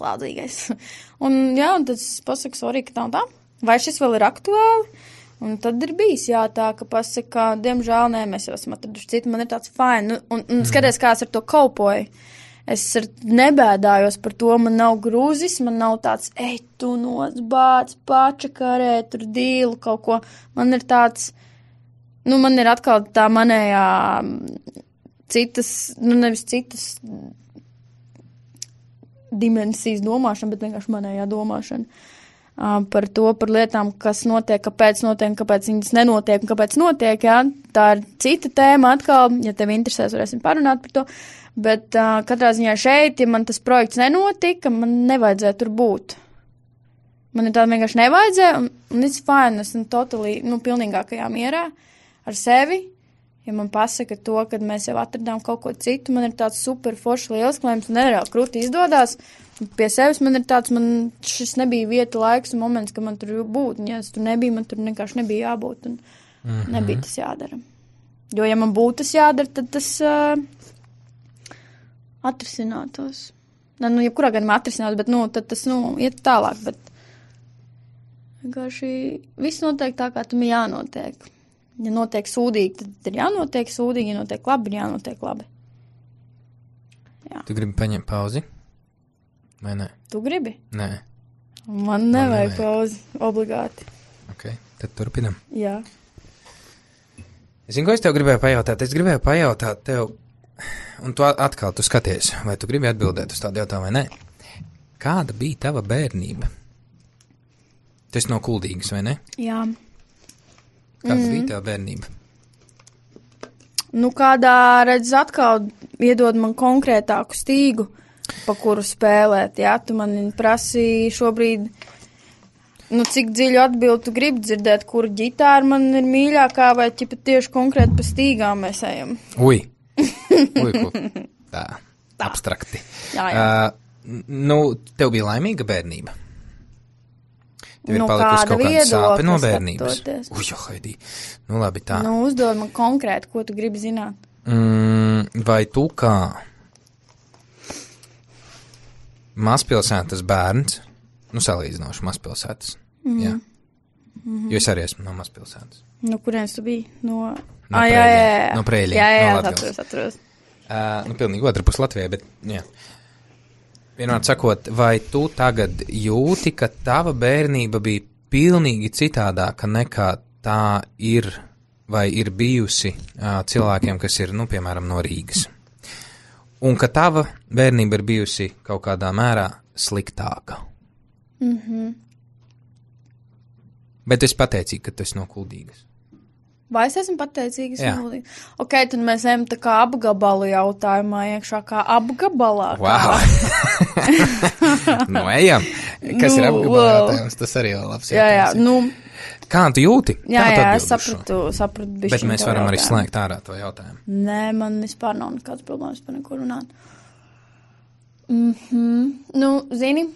lādzīgais. Un tad es pasaku, sorry, ka tā un tā. Vai šis vēl ir aktuāli? Un tad ir bijis, tā, ka pasaka, diemžēl, mēs jau esam atraduši citu, man ir tāds fine. Un skaties, kā es ar to kaupoju. Es nebēdājos par to, man nav grūzis, man nav tāds, tu nosbāc, pačakarē, tur dīlu kaut ko. Man ir tāds, man ir atkal tā manējā citas, nevis citas dimensijas domāšana, bet vienkārši manējā domāšana. Par lietām, kas notiek, kāpēc viņas nenotiek un kāpēc notiek, Tā ir cita tēma atkal, ja tev interesēs, varēsim parunāt par to, bet katrā ziņā šeit, ja man tas projekts nenotika, man nevajadzēja tur būt. Man ir tāda vienkārši nevajadzēja, un it's fine, esmu totally, pilnīgākajā mierā ar sevi. Ja man pasaka to, kad mēs jau atradām kaut ko citu, man ir tāds super foršs liels klējums, un nereāli krūti izdodās. Pie sevis man ir tāds, šis nebija vieta, laiks un moments, ka man tur būt. Un ja es tur nebija, man tur vienkārši nebija jābūt, un nebija tas jādara. Jo, ja man būtu tas jādara, tad tas atrisinātos. Jebkurā gadījumā atrisinās, bet, tad tas, iet tālāk, bet vienkārši viss notiek tā, kā tam jānotiek. Ja notiek sūdīgi, tad ir jānotiek sūdīgi, ja notiek labi, ir jānotiek labi. Jā. Tu gribi paņemt pauzi? Vai nē? Tu gribi? Nē. Man nevajag pauzi, obligāti. Ok, tad turpinam. Jā. Es zinu, ko es tev gribēju pajautāt. Es gribēju pajautāt tev, un tu atkal tu skaties, vai tu gribi atbildēt uz tādu jautājumu vai nē. Kāda bija tava bērnība? Tas no Kuldīgas, vai ne? Jā. Kāda bija tava bērnība? Kādā, redz, atkal iedod man konkrētāku stīgu, pa kuru spēlēt, Tu man prasīji šobrīd. Nu, cik dziļu atbildi tu gribi dzirdēt, kur ģitāra man ir mīļākā, vai ķipa tieši konkrēti pa stīgām mēs ejam? Ui, tā, abstrakti. Jā. Tev bija laimīga bērnība? Tev ir Nu, palikusi kāda kaut kāda sāpe no viedokļa bērnības? skatoties? Uj, Haidī, nu labi tā. Nu, uzdod man konkrēti, ko tu gribi zināt. Vai tu kā mazpilsētas bērns, nu salīdzinoši mazpilsētas, jā, jo es arī esmu no mazpilsētas. Nu, kurienes tu biji? No Preļiem. No Preļiem, Jā, no Latgales. atceros. Pilnīgi otra pus Latvijai, bet, jā. Vienmēr sakot, vai tu tagad jūti, ka tava bērnība bija pilnīgi citādāka nekā tā ir vai ir bijusi cilvēkiem, kas ir, nu, piemēram, no Rīgas? Un ka tava bērnība ir bijusi kaut kādā mērā sliktāka? Bet es pateicīgu, ka tu esi no Kuldīgas. Vai es esmu pateicīgs? Jā. Ok, tad mēs ejam tā kā apgabalu jautājumā iekšā, kā apgabalā. Wow! Nu, ejam! Kas ir apgabalu jautājums? Tas arī jau labs Jā, jautājums. nu, Kā tu jūti? jā, Kā tu es atbildi uz šo? sapratu bišķiņ Bet mēs tavu varam arī jautājumu. slēgt ārā to jautājumu. Nē, man vispār nav nekāds problēmas par neko runāt. Nu, zini,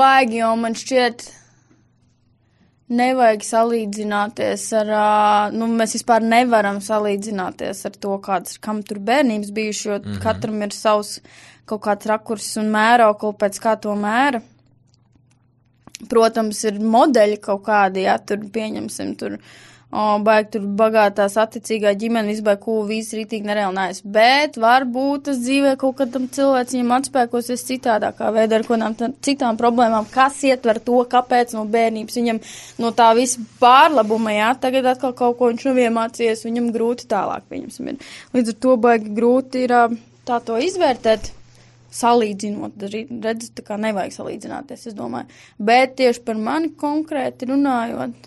baigi jau man šķiet, nevajag salīdzināties ar, nu, mēs vispār nevaram salīdzināties ar to, kam tur bērnības bijuši, jo katram ir savs kaut kāds rakurs un mērokli, pēc kā to mēra. Protams, ir modeļi kaut kādi, jā, tur pieņemsim, tur, baigi tur bagātās attiecīgā ģimene, viss rītīgi nereālnājas, bet varbūt tas dzīvē kaut kādam cilvēks viņam atspēkosies citādākā veidā ar kādām citām problēmām, kas ietver to, kāpēc no bērnības viņam no tā visa pārlabuma, jā, tagad atkal kaut ko viņš nav iemācījies, viņam grūti tālāk, pieņemsim, ir. Līdz ar to baigi grūti ir tā to izvērtēt. Salīdzinot, redz, tā kā nevajag salīdzināties, es domāju. Bet tieši par mani konkrēti runājot,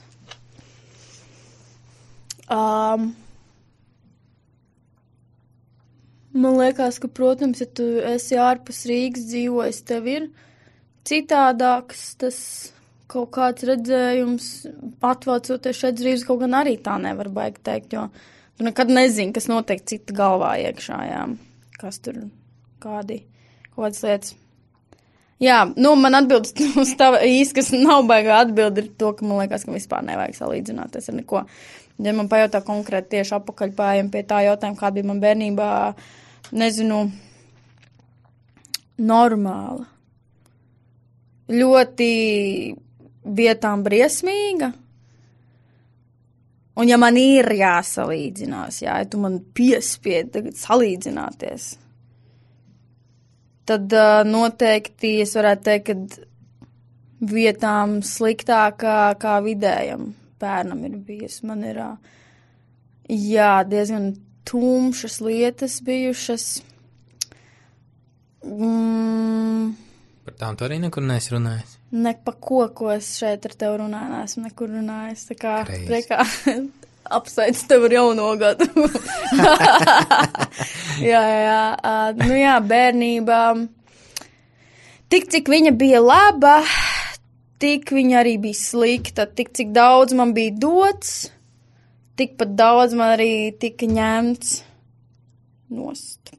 man liekas, ka, protams, ja tu esi ārpus Rīgas dzīvojis, tev ir citādāks tas kaut kāds redzējums, atvācoties šeit Rīgas, kaut gan arī tā nevar baigi teikt, jo tu nekad nezini, kas notiek cita galvā iekšā, jā, kas tur kādas lietas. Jā, nu, man atbildes uz tava īsti, kas nav baigā atbildi, ir to, ka man liekas, ka vispār nevajag salīdzināties ar neko. Ja man pajautā konkrēti tieši apakaļ pājiem pie tā jautājuma, kā bija man bērnībā, nezinu, normāla. Ļoti vietām briesmīga. Un ja man ir jāsalīdzinās, ja tu man piespied tagad salīdzināties, tad noteikti es varētu teikt, ka vietām sliktākā kā vidējam bērnam ir bijis. Man ir, jā, diezgan tumšas lietas bijušas. Par tām tu arī nekur neesi runājis? Ne pa ko es šeit ar tevi runāju, neesmu nekur runājis. Tā kā, priekā, apsveic tev ar jauno gadu. jā, nu jā, bērnībā. Tik, cik viņa bija laba, tik viņa arī bija slikta. Tik, cik daudz man bija dots, tikpat daudz man arī tika ņemts nost.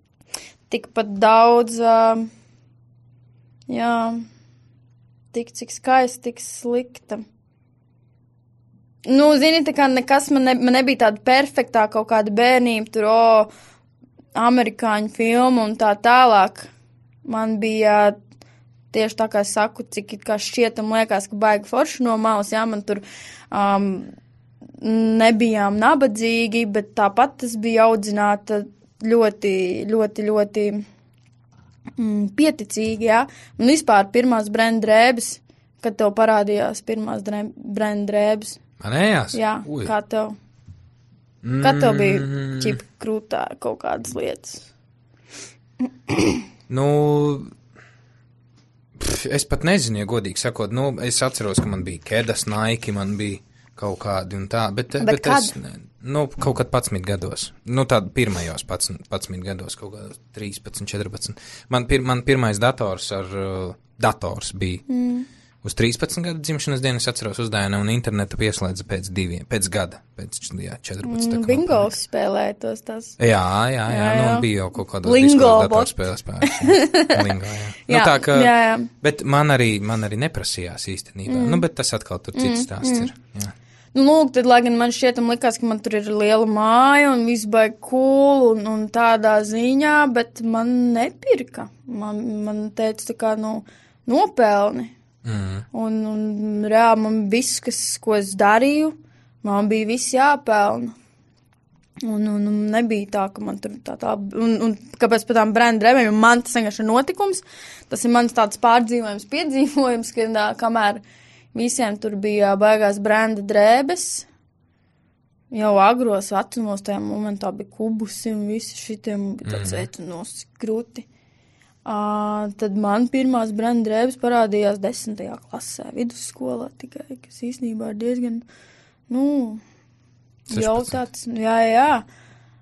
Tikpat daudz, jā, tik, cik skaisti, tik slikta. Nu, zini, tā kā nekas man nebija tāda perfektā kaut kāda bērnība, tur, amerikāņu filmu un tā tālāk. Man bija tieši tā kā es saku, cik kā šķietam liekas, ka baigi forši no malas, jā, man tur nebijām nabadzīgi, bet tāpat es biju audzināta ļoti, ļoti, ļoti pieticīgi, jā. Un vispār pirmās brenda drēbes, kad tev parādījās pirmās brenda drēbes. Manējās? Jā, Ui. kā tev? Kā tev bija ķipa krūtā kaut kādas lietas? Nu, es pat nezinu, ja godīgi sakot, nu, es atceros, ka man bija Kedas, Nike, man bija kaut kādi un tā, bet kad? es, nu, kaut kad 11 gados, nu, tāda pirmajos 11 gados, kaut kādos 13, 14. Man pirmais dators ar dators bija. Uz 13 gadu dzimšanas dienas atceros uzdāvināju un internetu pieslēdza pēc gada, pēc 14. Bingo spēlēja tos tas. Jā, nu bija jau kaut kādos diskos datorspēles spēlēs. Lingo, jā. Nu tā ka, bet man arī neprasījās īstenībā. Nu, bet tas atkal tur cits stāsts ir. Jā. Nu, lūk, tad, lai gan man šķietam likās, ka man tur ir liela māja un viss baigi cool un tādā ziņā, bet man nepirka. Man teica tā kā, nopelni. Un reāli man viss, ko es darīju, man bija viss jāpelna. Un nebija tā, ka man tur tā. Un kāpēc par tām brand drēbēm, man tas vienkārši ir notikums, tas ir mans tāds piedzīvojums, ka kamēr visiem tur bija baigās branda drēbes, jau agros vecumos tajā momentā bija kubusi un visi šitiem bija tāds veicunos grūti. Tad man pirmās branda drēbes parādījās 10. klasē, vidusskolā tikai, kas īstenībā ir diezgan, jau tāds, jā.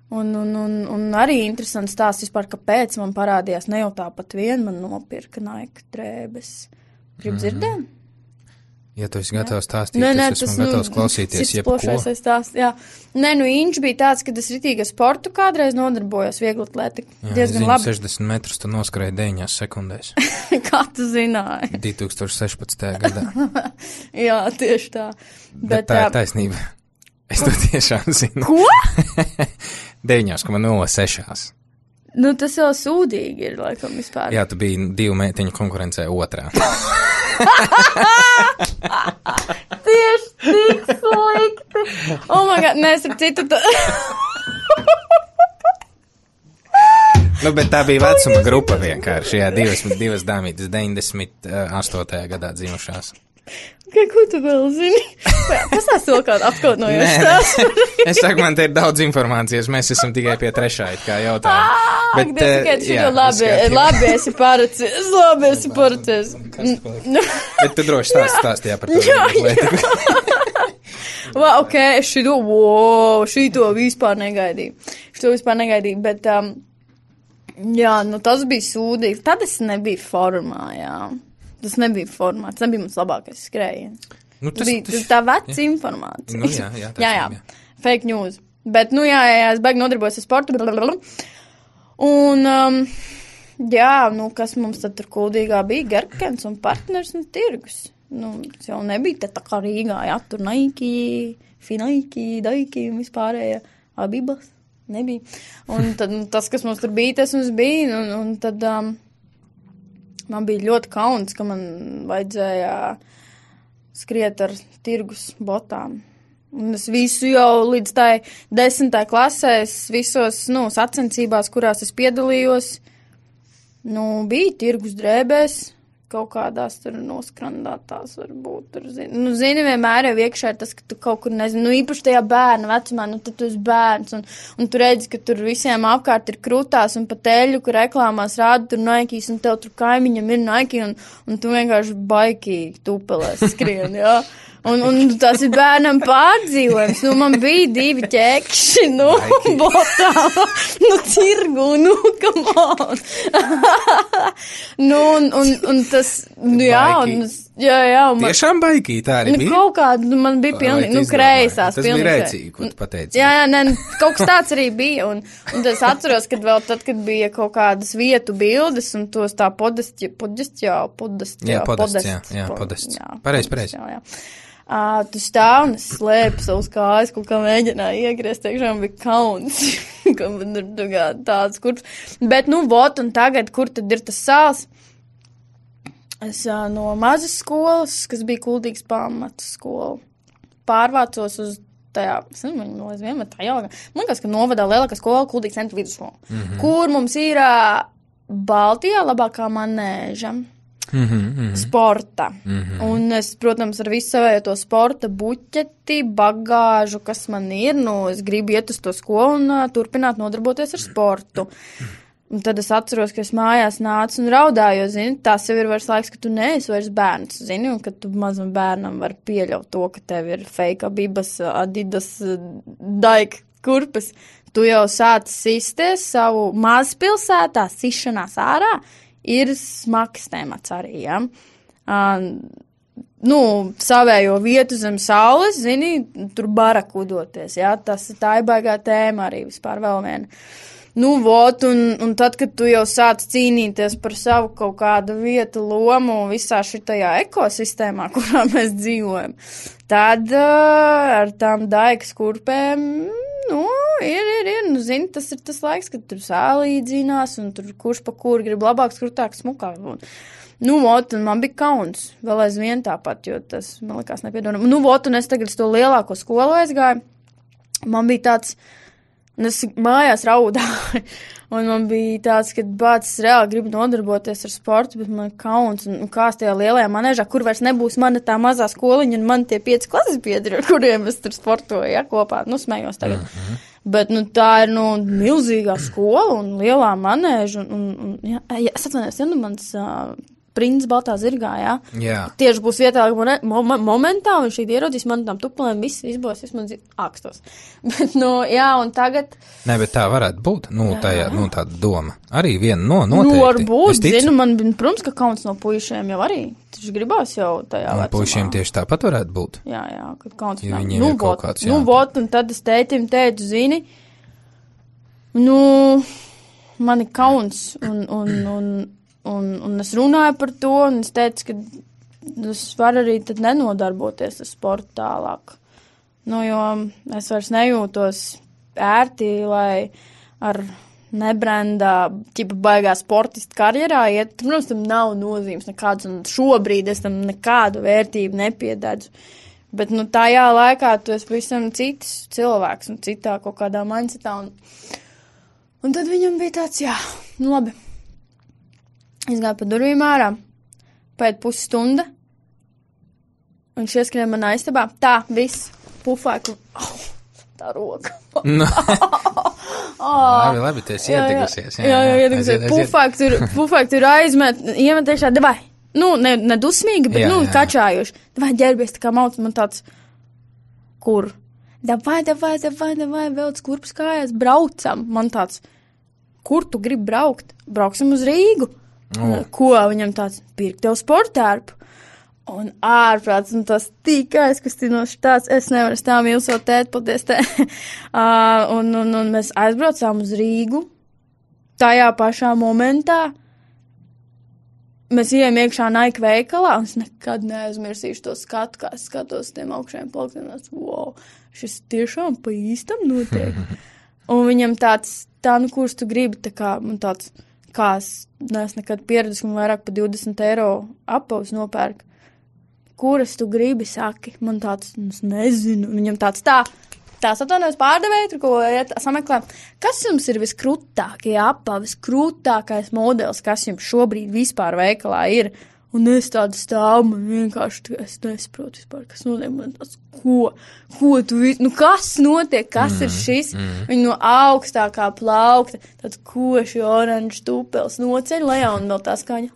Un arī interesants stāsts vispār, kāpēc man parādījās ne jau tāpat vien, man nopirka Nike drēbes. Gribu dzirdēt? Ja tu esi gatavs stāstīt, es esmu gatavs klausīties jebko. Jā. Nē, Inč bija tāds, ka es ritīgi sportu kādreiz nodarbojos vieglatlētiku. Diezgan labi. 60 metrus tu noskrēji 9 sekundēs. Kā tu zināji? 2016. gadā. Jā, tieši tā. Bet tā ir taisnība. Es to tiešām zinu. Ko? 9,06. Nu, tas jau sūdīgi ir, laikam, vispār. Jā, tu biji 2 meitiņu konkurencē otrā. Tieši tik slikti. Oh my God, mēs ar citu Nu, bet tā bija vecuma grupa vienkārši, jā, divas dāmītes 98. gadā dzimušās. Ko tu vēl zini? Pastāst vēl kādu apkautnojošu stāstu. Es saku, man te ir daudz informācijas, mēs esam tikai pie trešā, kā jautājumu. Labi, esi paracies. Bet tu droši stāstīja par to. Ok, es šito vispār negaidīju. Bet, jā, tas bija sūdīgi. Tad es nebiju formā, jā. Tas nebija formā, tas nebija mans labākais skrējiens. Tas bija tā veca informācija. Jā. Fake news. Bet, es baigi nodarbojos ar sportu. Un, kas mums tad tur kuldīgā bija? Gerkens un partners un tirgus. Tas jau nebija tā kā Rīgā, jā, tur Nike, Finaiki, Daiki un vispārējā Abibas. Nebija. Un tad tas, kas mums tur bija, tas mums bija. Un tad man bija ļoti kauns, ka man vajadzēja skriet ar tirgus botām. Un es visu jau līdz tai 10. klasē, visos, sacensībās, kurās es piedalījos, bija tirgus drēbēs, kaut kādās tur noskrandātās varbūt. Tur, zini, vienmēr jau iekšā ir tas, ka tu kaut kur nezini, īpaši tajā bērna vecumā, tad tu esi bērns, un tu redzi, ka tur visiem apkārt ir krūtās un pa teļu, kur reklāmās rāda tur Nikes, un tev tur kaimiņam ir Nike, un tu vienkārši baikīgi tupelēs skrien, jā. Un tas ir bērnam pārdzīvojums. Man bija 2 ķekši, botām, tirgu, come on. Un tas, jā. Tiešām baikī, tā arī bija? Kaut kāda, man bija pilnīgi, kreisās. Tas bija rēcīgi, ko tu pateici. Jā, kaut kas tāds arī bija. Un es atceros, kad vēl tad, kad bija kaut kādas vietu bildes, un tos tā podest. Pareizi. Tu stāv un es slēpu savus kājas, kaut kā mēģināju iegriezt, tiešām bija kauns, ka man ir tāds kurps. Bet, un tagad, kur tad ir tas sāls? Es no mazas skolas, kas bija Kuldīgas pamata skola, pārvācos uz tajā, man liekas, ka novadā lielākā skola Kuldīgas centra vidusskola, kur mums ir Baltijā labākā manēža. Sporta. Un es, protams, ar visu savējo to sporta buķeti, bagāžu, kas man ir, es gribu iet uz to skolu un turpināt nodarboties ar sportu. Un tad es atceros, ka es mājās nācu un raudāju, jo, zini, tas jau ir vairs laiks, ka tu neesi vairs bērns, zini, un ka tu mazam bērnam var pieļaut to, ka tev ir fake Abibas, Adidas, Daik, kurpes. Tu jau sāc sisties savu mazpilsētā, sišanās ārā, ir smags temats arī, ja. Savējo vietu zem saules, zini, tur barakudoties, ja, tā ir baigā tēma arī vispār vēl viena. Un tad, kad tu jau sāc cīnīties par savu kaut kādu vietu lomu visā šitajā ekosistēmā, kurā mēs dzīvojam, tad ar tām daigas kurpēm, zini, tas ir tas laiks, kad tur sālīdzinās un tur kurš pa kur grib labāk, skrutāk, smukāk. Un man bija kauns, vēl aizvien tāpat, jo tas, man likās, nepiedonam. Un es tagad to lielāko skolu aizgāju. Man bija tāds, un es mājās raudāju, un man bija tāds, ka bācis reāli grib nodarboties ar sportu, bet man kauns, un kās tajā lielajā manēžā, kur vairs nebūs mana tā mazā skoliņa, un man tie 5 klases biedri, ar kuriem es tur sportoju, ja, kopā, smējos tagad. Bet, tā ir, milzīgā skola un lielā manēža, es atvainojos, mans princis baltā zirgā, jā. Jā. Tieši būs vietā momentā, un šī ieraudzīs man tām tupulēm, viss izbos, man ākstos. Bet, un tagad... Nē, bet tā varētu būt, tāda doma. Arī viena noteikti. Varbūt, zinu, man, protams, ka kauns no puišiem jau arī. Taču gribās jau tajā vecumā. Puišiem tieši tāpat varētu būt. Jā, kad kauns ja viņiem ir kaut kāds, jā. Un tad es tētim teicu, zini, man ir kauns, un es runāju par to, un es teicu, ka es varu arī tad nenodarboties ar sportu tālāk. Jo es vairs nejūtos ērti, lai ar nebrendā, baigā sportista karjerā iet. Protams, tam nav nozīmes nekādas, un šobrīd es tam nekādu vērtību nepiededzu. Bet, tajā laikā tu esi pavisam cits cilvēks un citā kaut kādā mindsetā. Un tad viņam bija tāds, labi. Es gāju pa durvīm ārā, pēc pusstunda, un viņš ieskrēja manā istabā. Tā, viss, pufāku, tā roka. Labi, tu esi iedegusies. Jā, iedegusies. Pufāk tur aizmet, iemet iekšā, davai. Ne dusmīgi, bet, kačājuši. Davai, ģērbies, tā kā mauc, man tāds, kur? Davai, velc kurpes kājās, braucam. Man tāds, kur tu gribi braukt? Brauksim uz Rīgu. Ko viņam tāds, pirkt tev sportērpu. Un ārprāts, un tas tik aizkustinoši tāds, es nevaru stāv mīlsot tēt, paldies tē. Un mēs aizbraucām uz Rīgu. Tajā pašā momentā mēs ejam iekšā Nike veikalā, un es nekad neaizmirsīšu to skatu, kā es skatos tiem augšējiem plauktiem. Wow, šis tiešām pa īstam notiek. Un viņam tāds, kurš tu gribi, tā kā man tāds, kā es neesmu nekad pieredzis, man vairāk pa 20 eiro apavus nopērk. Kuras tu gribi, saki? Man tāds, es nezinu. Viņam tāds tās atvainojas pārdevēja, tur ko sameklē. Kas jums ir viskrūtākie apavis, krūtākais modelis, kas jums šobrīd vispār veikalā ir? Un es tādu stāvu, man vienkārši, es nesaprotu vispār, kas notiek, man tāds, ko tu, kas notiek, kas ir šis? Viņa no augstākā plaukta, tāds koši oranžs tupels noceļ lejā un vēl tā skaņa,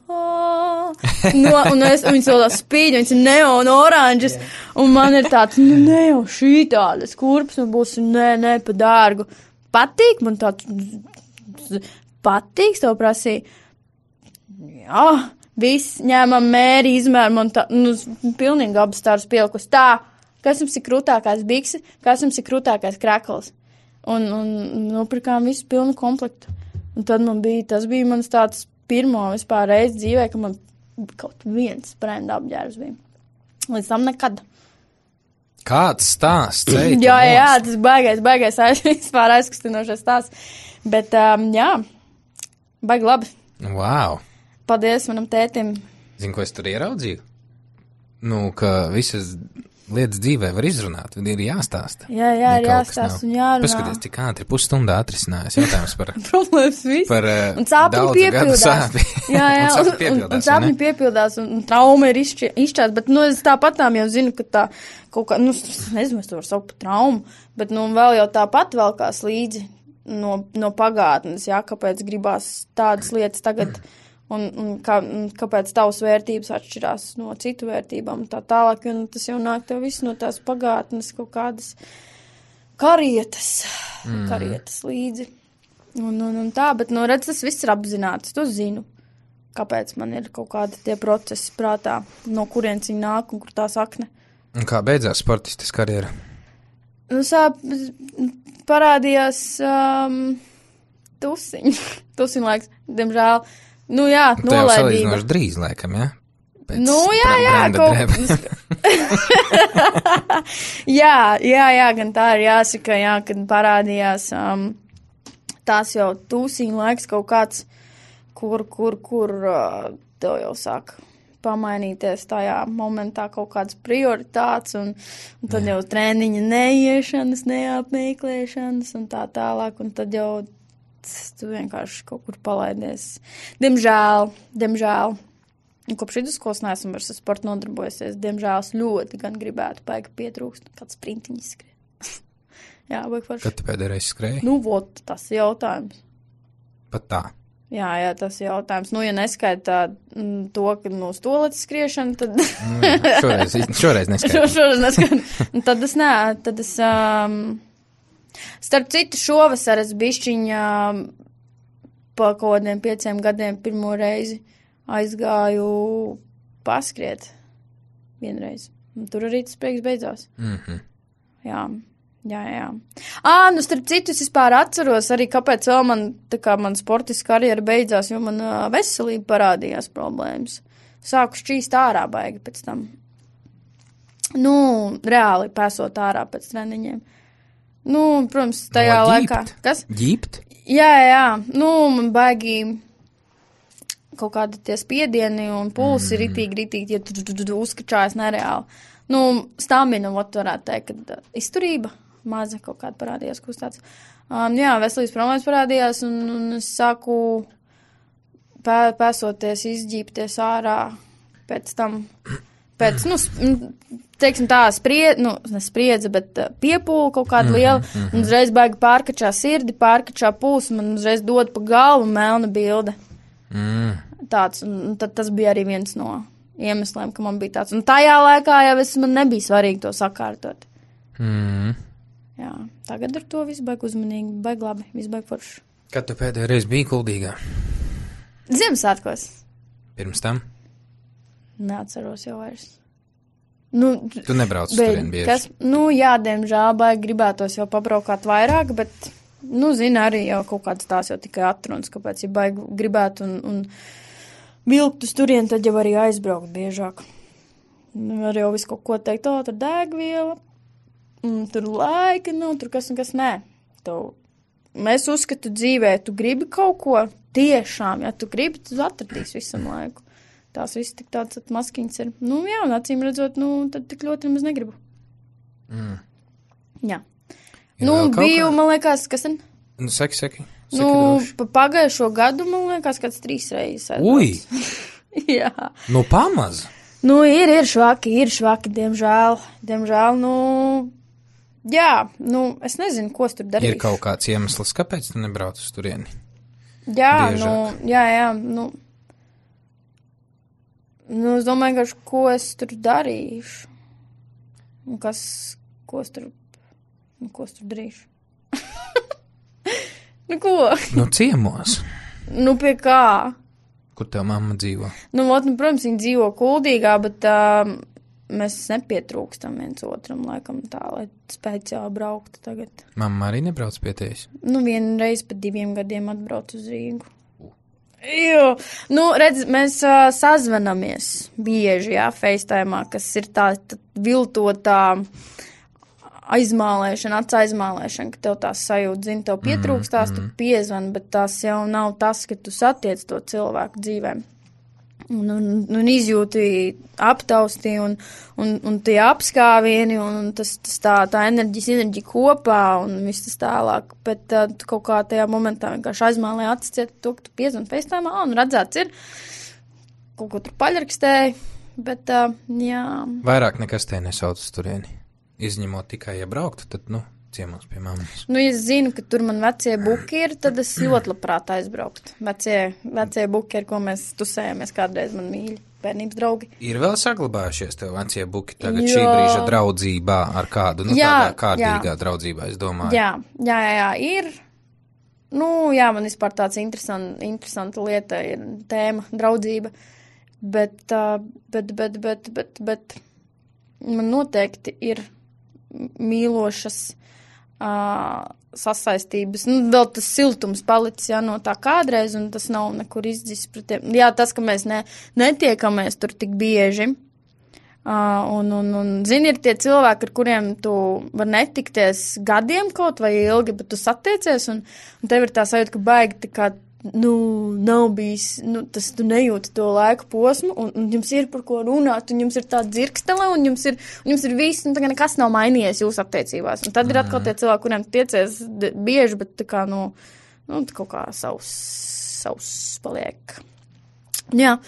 un viņas vēl tā spīd, viņas ir neon oranžas, un man ir tāds, ne jau šī tādas kurpes, un būs, ne, pa dārgu. Patīk, man tāds, patīk, tev prasīja, jā. Viss ņēmam mēri, izmēram un tā, pilnīgi abas tādas pielikus. Tā, kas jums ir krūtākais biksi, kas jums ir krūtākais krekls. Un nopirkām visu pilnu komplektu. Un tad tas bija mans tāds pirmo vispār reizi dzīvē, ka man kaut viens brenda apģērbs bija. Līdz tam nekad. Kāds stāsts? Jā, tas baigais vispār aizkustinošais stāsts. Bet, jā, baigi labi. Wow. Paldies manam tētim. Zini, ko es tur ieraudzīju? Ka visas lietas dzīvē var izrunāt, ir jāstāsta. Jā, ir jāstāsta un jārunā. Paskaties, tik ātri pusstundā atrisinājās jautājums par... Problēmas viss. Un sāpņi piepildās. Jā, un sāpņi piepildās, un trauma ir izšķēts, bet, es tāpatām jau zinu, ka tā kaut kā, nezinu, es to varu saukt par traumu, bet, vēl jau tāpat velkās līdzi no pagātnes, jā, kāpēc gribās tādas lietas tagad... Un kāpēc tavas vērtības atšķirās no citu vērtībām un tā tālāk, un tas jau nāk tev viss no tās pagātnes kaut kādas karietas līdzi. Un tā, bet, redz, tas viss ir apzināts, to zinu. kāpēc man ir kaut kādi tie procesi prātā, no kurienes viņi nāk un kur tā sakne. Un kā beidzās sportistes karjera? Nu, parādījās tusiņu laiks, diemžēl. Nu jā, nolaidība. Tā jau salīdzinoši drīz, laikam, ja? Pēc jā, gan tā ir jāsaka, jā, kad parādījās tās jau tusiņu laiks kaut kāds, kur tev jau sāk pamainīties tajā momentā kaut kādas prioritātes, un tad jau treniņa neiešanas, neapmeklēšanas un tā tālāk, un tad jau tu vienkārši kaut kur palaidies. Diemžēl. Un kopš vidusskolas neesmu vairs ar sportu nodarbojusies. Diemžēl es ļoti gan gribētu baigi pietrūkst, kāds sprintiņš skrien. Jā, baigi forši. Kad tu pēdējais skrēji? Nu, vot, tas ir jautājums. Pat tā? Jā, tas ir jautājums. Nu, ja neskaitā to, ka no stoletes skriešana, tad... šoreiz neskaitā. Šoreiz neskaitā. Tad es starp citu šovasar es bišķiņā pa kaut kādiem 5 gadiem pirmo reizi aizgāju paskriet vienreiz. Un tur arī tas prieks beidzās. Mhm. Jā. Nu, starp citu, es vispār atceros arī, kāpēc vēl man sportiska karjera beidzās, jo man veselība parādījās problēmas. Sāku šķīst ārā baigi pēc tam. Nu, reāli pēsot ārā pēc treniņiem. Nu, protams, tajā laikā. Kas? Ģipt? Jā. Nu, man baigi kaut kādi tie spiedieni un pulsi ritīgi, ja tu uzskačājas nereāli. Nu, stamina, varētu teikt, kad izturība maza kaut kāda parādījās, kaut tāds. Jā, veselības problēmas parādījās, un es sāku pēsoties, izģīpties ārā pēc tam, teiksim tā, nespriedze, bet piepūle kaut kāda liela, un uzreiz baigi pārkačā sirdi, pārkačā pulsu, man uzreiz dod pa galvu melna bilde. Tāds, un tad tas bija arī viens no iemesliem, ka man bija tāds. Un tajā laikā jau man nebija svarīgi to sakārtot. Jā, tagad ar to visu baigi uzmanīgi, baigi labi, visu baigi forši. Kad tu pēdējo reizi biji Kuldīgā? Ziemassvētkos. Pirms tam? Neatceros jau vairs. Nu, tu nebrauc turien bieži? Jā, diemžēl baigi gribētos jau pabraukāt vairāk, bet... Nu, zina, arī jau kaut kāds tās jau tikai atrunas, kāpēc, ja baigi gribētu un vilkt uz turien, tad jau arī aizbraukt biežāk. Var jau visu kaut ko teikt, tur degviela, tur laika, tur kas un kas nē. Mēs uzskatu dzīvē, tu gribi kaut ko tiešām, ja tu gribi, tu atradīs visam laiku. Tās viss tik tāds maskiņas ir. Nu, jā, un acīm redzot, tad tik ļoti nemaz negribu. Jā. Biju, man liekas, kas tad? Saki. Pagājušo gadu, man liekas, kāds 3 reizes. Ui! Jā. Pamaz? Ir švaki, diemžēl, jā, es nezinu, ko es tur darīšu. Ir kaut kāds iemesls, kāpēc tu nebrauc uz turieni? Jā, es domāju, ka ko es tur darīšu. Un ko es tur darīšu? Ko? Ciemos. Pie kā? Kur tev mamma dzīvo? Protams, viņa dzīvo Kuldīgā, bet mēs nepietrūkstam viens otram, laikam tā, lai speciāli brauktu tagad. Mamma arī nebrauc pie tevis? Vienreiz pēc 2 gadiem atbrauc uz Rīgu. Jo, redz, mēs sazvanamies bieži, jā, FaceTime'ā, kas ir tā viltotā aizmālēšana, aizmālēšana, ka tev tās sajūta, zini, tev pietrūkstās, tu piezvani, bet tās jau nav tas, ka tu satiec to cilvēku dzīvēm. Un izjūti aptausti un tie apskāvieni, un tas tā enerģija kopā, un viss tas tālāk. Bet tu kaut kā tajā momentā vienkārši aizmālē atsciet to, ka tu piezvani FaceTime'ā, un redzēts ir, kaut ko tur paļrakstēji, bet jā. Vairāk nekas te nesauc uz turieni. Izņemot tikai, ja brauktu, tad, ciemos pie mammas. Ja es zinu, ka tur man vecie buki ir, tad es ļoti labprāt aizbrauktu. Vecie buki, ar ko mēs tusējāmies kādreiz, man mīļi, bērnības draugi. Ir vēl saglabājušies tev vecie buki tagad šī brīža draudzībā ar kādu, tādā kārtīgā draudzībā, es domāju. Jā, ir. jā, man vispār tāds interesanta lieta ir tēma, draudzība, bet man noteikti ir mīlošas sasaistības, vēl tas siltums palicis, no tā kādreiz, un tas nav nekur izdzis pret tiem. Jā, tas, ka mēs netiekamies tur tik bieži, un zini, ir tie cilvēki, ar kuriem tu var netikties gadiem kaut vai ilgi, bet tu satiecies, un tev ir tā sajūta, ka baigi tā kā, nav bijis, tas tu nejūti to laiku posmu, un jums ir par ko runāt, un jums ir tā dzirkstele, un jums ir viss, un tā kā nekas nav mainījies jūsu attiecībās. Un tad ir atkal tie cilvēki, kuriem tiecies bieži, bet tā kā, kaut kā savs paliek. Jā,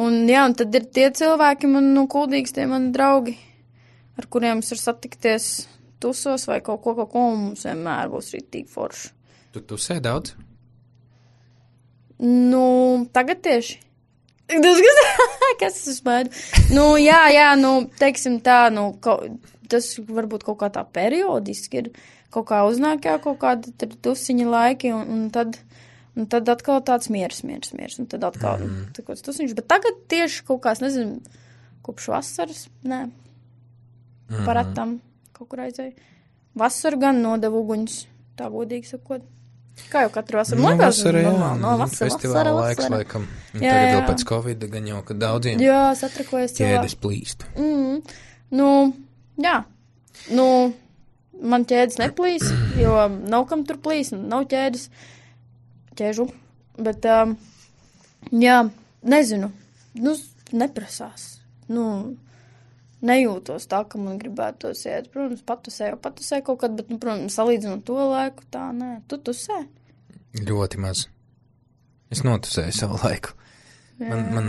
un tad ir tie cilvēki, man, kuldīgs tie mani draugi, ar kuriem es varu satikties tusos vai kaut ko, un mums vienmēr būs rītīgi forši. Tu tusē daudz? Tagad tieši. Kas es uzmēdu? Jā, teiksim tā, tas varbūt kaut kā tā periodiski ir, kaut kā uznāk jau kaut kādi tusiņa laiki, un tad atkal tāds miers, un tad atkal tāds tusiņš, bet tagad tieši kaut kā, es nezinu, kopš vasaras, paratam kaut kur aizēju. Vasaru gan nodevu uguņus, tā godīgi sakot. Kā jau katru vasaru liekas? Vasara, festivāla laiks, laikam. Tagad vēl pēc Covid, gan jau, ka daudziem satrakojas ķēdes plīst. Jā. Man ķēdes neplīs, jo nav kam tur plīs, nav ķēžu. Bet, nezinu, neprasās. Nejūtos tā, ka man gribētos iet. Protams, patusē kaut kad, bet, protams, salīdzinot to laiku, tā nē. Tu tusē? Ļoti maz. Es notusēju savu laiku. Man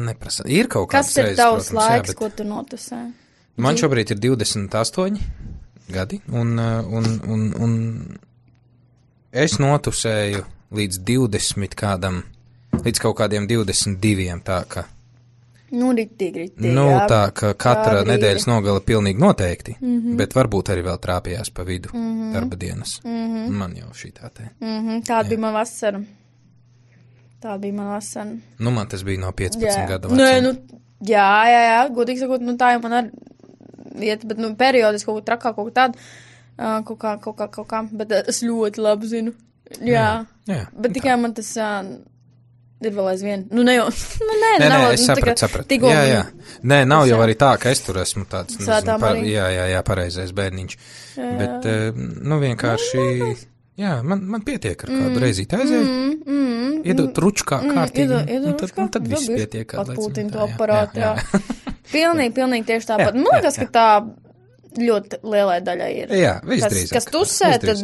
neprasa. Ir kaut kāds reizes, protams, jā, bet... Kas ir tavs laiks, ko tu notusē? Man šobrīd ir 28 gadi, un es notusēju līdz 20 kādam, līdz kaut kādiem 22, tā ka... Ritīgi. Tā, ka katra nedēļas nogala pilnīgi noteikti, bet varbūt arī vēl trāpījās pa vidu darba dienas. Man jau šī tā te. Tāda bija man vasara. Man tas bija no 15 gadu vecuma. Jā, godīgi sakot, tā jau man arī iet, bet, periodiski kaut kā trakā, kaut kā, bet es ļoti labi zinu. Jā. Bet tikai man tas... ir vēl aizvien. Nē, es sapratu. Jā. Nē, nav jau arī tā, ka es tur esmu tāds, pareizais bērniņš. Bet, vienkārši, man pietiek ar kādu reizīti aizēju. Iedot ruču kārtīgi, un tad viss pietiek. Atpūtina to aparātu, jā. Pilnīgi tieši tāpat. Man liekas, ka tā ļoti lielai daļai ir. Jā, visdrīzāk. Kas tusē, tad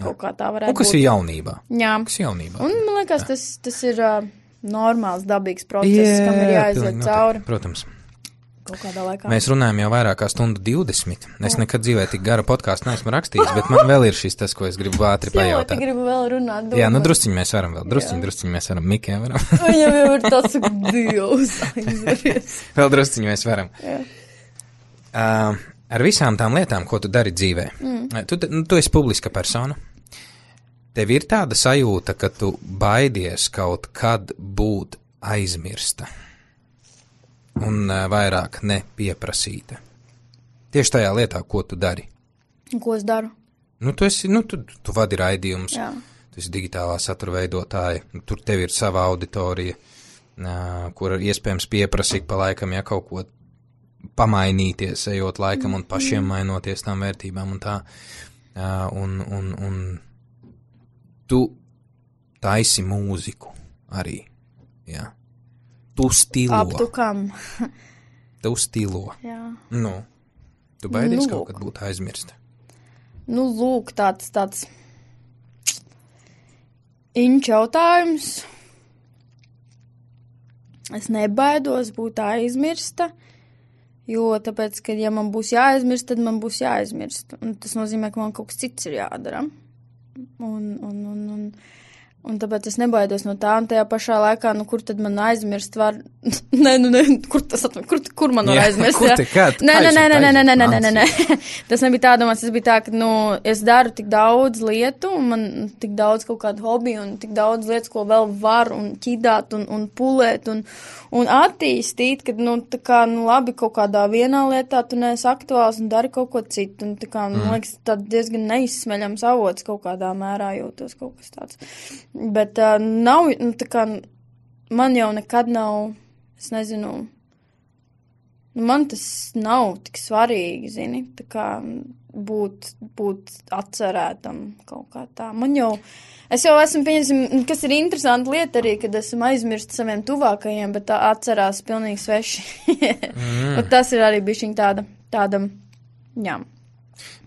kaut kā tā varētu būt. Un kas ir jaunībā. Jā. Un man liekas, tas ir normāls, dabīgs process, kam ir jāiziet cauri. Protams. Kaut kādā laikā. Mēs runājam jau vairāk kā stundu 20. Es nekad dzīvē tik garu podkāstu neesmu rakstījis, bet man vēl ir šis tas, ko es gribu ātri pajautāt. Jā, gribu vēl runāt. Jā, drusciņi mēs varam vēl. Drusciņi mēs varam. Mikē varam. Viņam jau ir tāds Dievs aizveries. Vēl drusciņi mēs varam. Ar visām tām lietām, ko tu dari dzīvē, tu esi publiska persona, tev ir tāda sajūta, ka tu baidies kaut kad būt aizmirsta un vairāk nepieprasīta. Tieši tajā lietā, ko tu dari. Ko es daru? Tu vadi raidījumus, tu esi digitālā satura veidotāja, tur tev ir sava auditorija, kur iespējams pieprasīt pa laikam, ja kaut ko pamainīties, ejot laikam un pašiem mainoties tām vērtībām un tā. Un tu taisi mūziku arī, jā. Tu stilo. Aptukam. Tu stilo. Jā. Tu baidies kaut kad būt aizmirsta. Lūk, tāds inč jautājums. Es nebaidos būt aizmirsta. Jo tāpēc, ka ja man būs jāaizmirst, tad man būs jāaizmirst. Un tas nozīmē, ka man kaut kas cits ir jādara. Un Un tāpēc es nebaidos no tā, un tajā pašā laikā, kur tad man aizmirst var... kur man var aizmirst? Kur te kād? Nē. Tas nebija tā domāts, tas bija tā, ka, es daru tik daudz lietu, un man tik daudz kaut kādu hobiju, un tik daudz lietas, ko vēl var, un ķidāt, un pulēt, un attīstīt, kad, tā kā, labi, kaut kādā vienā lietā tu neesi aktuāls un dari kaut ko citu, un tā kā, man liekas, tad diezgan neizsmeļams avots kaut kādā mērā jūtos kaut kas tāds. Bet nav, tā kā, man jau nekad nav, es nezinu, man tas nav tik svarīgi, zini, tā kā būt atcerētam kaut kā tā. Es jau esmu pieņemsim, kas ir interesanta lieta arī, kad esmu aizmirst saviem tuvākajiem, bet tā atcerās pilnīgi sveši. Tas ir arī bišķiņ tāda, jā.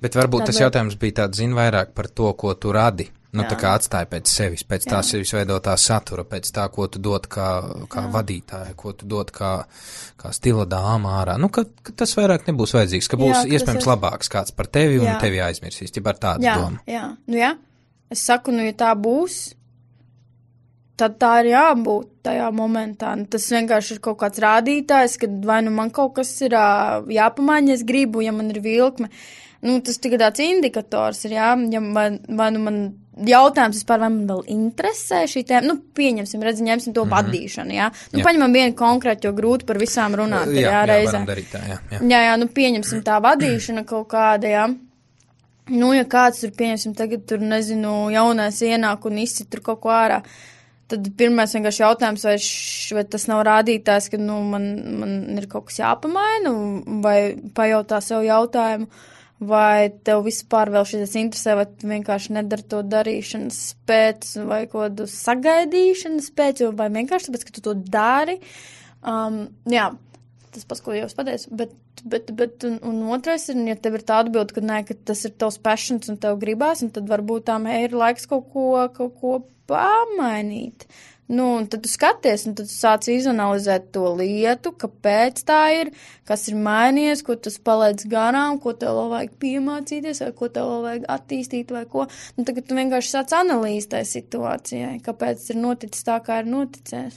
Bet varbūt tas jautājums bija tāds, vairāk par to, ko tu radi. Tā kā atstāja pēc sevis, pēc tā sevis veidotā satura, pēc tā, ko tu dod kā vadītāja, ko tu dod kā stila dāma ārā. Ka tas vairāk nebūs vajadzīgs, ka būs iespējams labāks kāds par tevi un tevi aizmirsīs, ja par tādu domu. Jā. Es saku, ja tā būs, tad tā ir jābūt tajā momentā. Tas vienkārši ir kaut kāds rādītājs, kad vai man kaut kas ir jāpamaina, es gribu, ja man ir vilkme. Tas tikai tāds indikators ir, ja vai man jautājums vispār, vai man vēl interesē šī tēma, pieņemsim, ņemsim to vadīšanu, jā. Paņemam vienu konkrētu, jo grūti par visām runāt, reizē. Varam darīt tā, jā. Jā, pieņemsim tā vadīšana kaut kāda, jā. Ja kāds tur, pieņemsim, tagad tur, nezinu, jaunais ienāk un izcit tur kaut ko ārā, tad pirmais vienkārši jautājums, vai tas nav rādītājs, ka, man ir kaut kas jāpamaina, vai pajautā sev jautājumu, vai tev vispār vēl šis interesē, vai tu vienkārši nedari to darīšanas pēc, vai kādu sagaidīšanas pēc, vai vienkārši tāpēc, ka tu to dari. Jā, tas pats, ko jau es pateicu, bet un otrais ir, ja tev ir tā atbilde, ka nē, ka tas ir tavs passions un tev gribās, un tad varbūt tām ir laiks kaut ko pamainīt. Un tad tu skaties, un tad tu sāc izanalizēt to lietu, kāpēc tā ir, kas ir mainījies, ko tas palaidz garām, ko tev vēl vajag piemācīties, vai ko tev vēl vajag attīstīt, vai ko. Tagad tu vienkārši sāc analīzi tai situācijai, kāpēc ir noticis tā, kā ir noticies.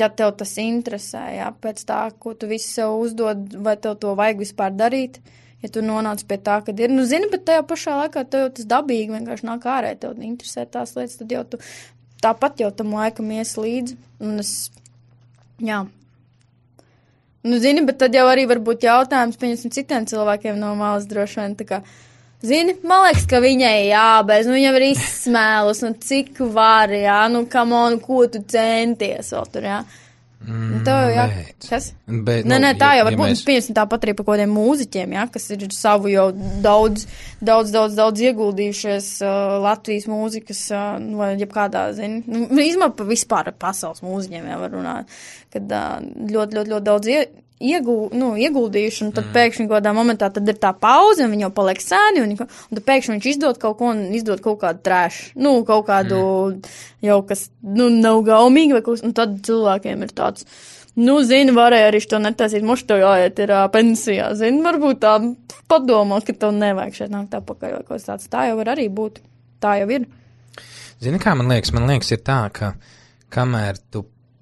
Ja tev tas interesē, jā, pēc tā, ko tu visu sev uzdod, vai tev to vajag vispār darīt, ja tu nonāc pie tā, kad ir. Zini, bet tajā pašā laikā tev jau tas dabīgi vienkārši nāk ārē, tev interesē tās lietas, tad jau tu tāpat jau tam laikam ies līdzi, un jā. Zini, bet tad jau arī var būt jautājums, pieņemsim, citiem cilvēkiem no malas droši vien, tā kā, zini, man liekas, ka viņai jābeidz, viņam ir izsmēlus, cik var, jā, come on, ko tu centies vēl tur, jā. Tev jau, kas? Nē, tā jau var būt, pieņemsim tāpat arī par kaut kādiem mūziķiem, jā, kas ir savu jau daudz ieguldījušies Latvijas mūzikas, vai jebkādā, zini, izmēr vispār pasaules mūziķiem jau var runāt, kad ļoti daudz ieguldījuši, un tad pēkšņi kādā momentā tad ir tā pauze, un viņi jau paliek sēni, un tad pēkšņi viņš izdod kaut ko, un izdod kaut kādu trash, kaut kādu jau, kas, nav gaumīgi, vai kaut kas, un tad cilvēkiem ir tāds, zini, varēja arī to netaisīt, moši tev jāiet ir pensijā, zini, varbūt tā padomā, ka tev nevajag šeit nākt apakaļ, vai kaut tāds, tā jau var arī būt, tā jau ir. Zini, kā man liekas ir tā, ka kamēr tu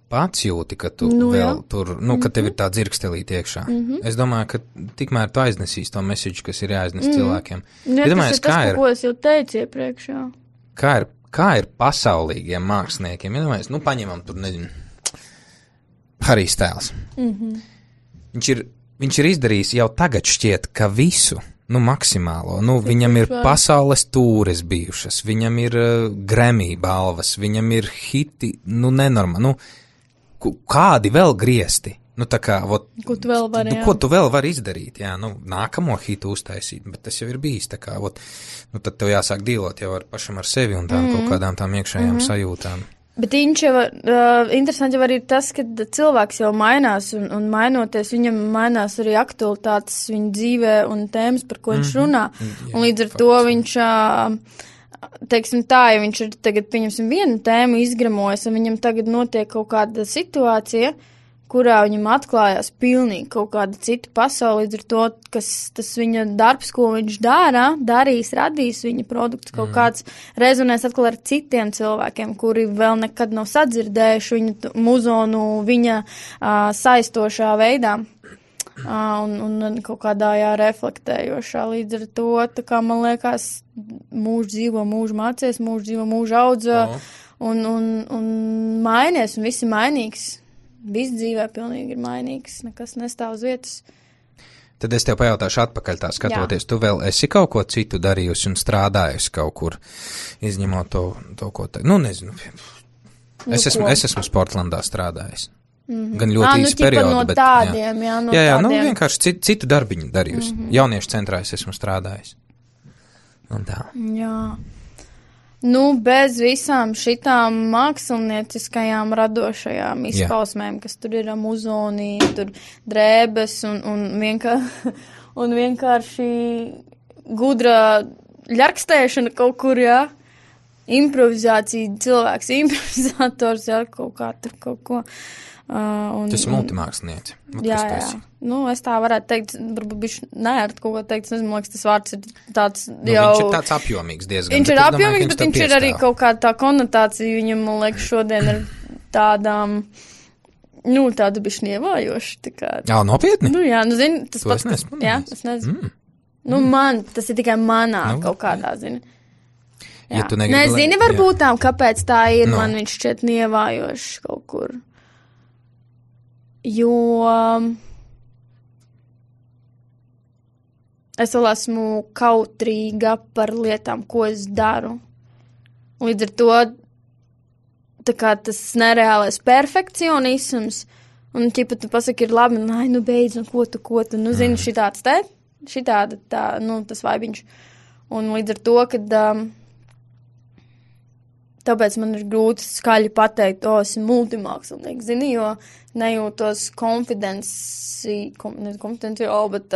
pats jūti, ka tu vēl tur, ka tev ir tā dzirkstelīt iekšā. Es domāju, ka tikmēr tu aiznesīs to mesiģu, kas ir jāiznes cilvēkiem. Tas ir tas, ko es jau teicu iepriekš, jā. Kā ir pasaulīgiem māksliniekiem? Paņemam tur, nezinu, Harijs Styles. Viņš ir izdarījis jau tagad šķiet, ka visu, maksimālo. Viņam ir pasaules tūres bijušas, viņam ir Grammy balvas, viņam ir hiti, nenormāli. Kādi vēl griezti? Ko tu vēl vari, jā. Ko tu vēl vari izdarīt, jā, nākamo hitu uztaisīt, bet tas jau ir bijis, tā kā, tad tev jāsāk dīlot jau pašam ar sevi un tām kaut kādām tām iekšējām sajūtām. Bet interesanti jau arī tas, ka cilvēks jau mainās un mainoties, viņam mainās arī aktualitātes viņa dzīvē un tēmas, par ko viņš runā, un līdz ar to viņš... Teiksim tā, ja viņš ir tagad, pieņemsim, vienu tēmu izgramojas, un viņam tagad notiek kaut kāda situācija, kurā viņam atklājās pilnīgi kaut kāda cita pasaule, līdz ar to, tas viņa darbs, ko viņš darīs, radīs viņa produkts, kaut kāds rezonēs atkal ar citiem cilvēkiem, kuri vēl nekad nav sadzirdējuši viņu muzonu, viņa saistošā veidā. Un kaut kādā reflektējošā līdz ar to, tā kā man liekas, mūžu dzīvo, mūžu mācies, mūžu dzīvo, mūžu audzē, un mainies, un viss ir mainīgs. Viss dzīvē pilnīgi ir mainīgs, nekas nestāv uz vietas. Tad es tev pajautāšu atpakaļ tā skatoties, tu vēl esi kaut ko citu darījusi un strādājusi kaut kur, izņemot to ko te, nezinu. Es esmu Sportlandā strādājis. Gan ļoti īsi periodu, no bet tādiem, jā, vienkārši citu darbiņu darījusi. Jauniešu centrā es esmu strādājis. Un tā. Jā. Bez visām šitām mākslinieckajām radošajām izpausmēm, kas tur ir muzonī, tur drēbes un vienkārši gudra ļarkstēšana kaut kur, improvizācija, cilvēks, improvizators, kaut kā tur kaut ko. Tas ir multimākslinieci. Jā. Es tā varētu teikt, varbūt bišķi neērt kaut ko teikt, es nezinu, liekas, tas vārds ir tāds jau... Viņš ir tāds apjomīgs diezgan. Viņš ir apjomīgs, bet viņš ir arī kaut kā tā konotācija, viņam, man liekas, šodien ir tādām, tāda bišķi nievājoša, tā kā... Jā, nopietni? Zini, tas to pats... es nesmu. Jā, es nezinu. Man, tas ir tikai manā kaut kādā, zini. Ja tu negribi... Nezini, varbūt tām, kāpēc tā ir, man viņš šķiet nievājošs kaut kur. Jo es vēl esmu kautrīga par lietām, ko es daru. Līdz ar to tā kā tas nereālais perfekcionisms, un ķipa tu pasaki, ir labi, beidz, un ko tu, zini, šitāda tā, tas vaibiņš. Un līdz ar to, kad tāpēc man ir grūti skaļi pateikt, esmu multimākslinieks, zini, jo nejūtos bet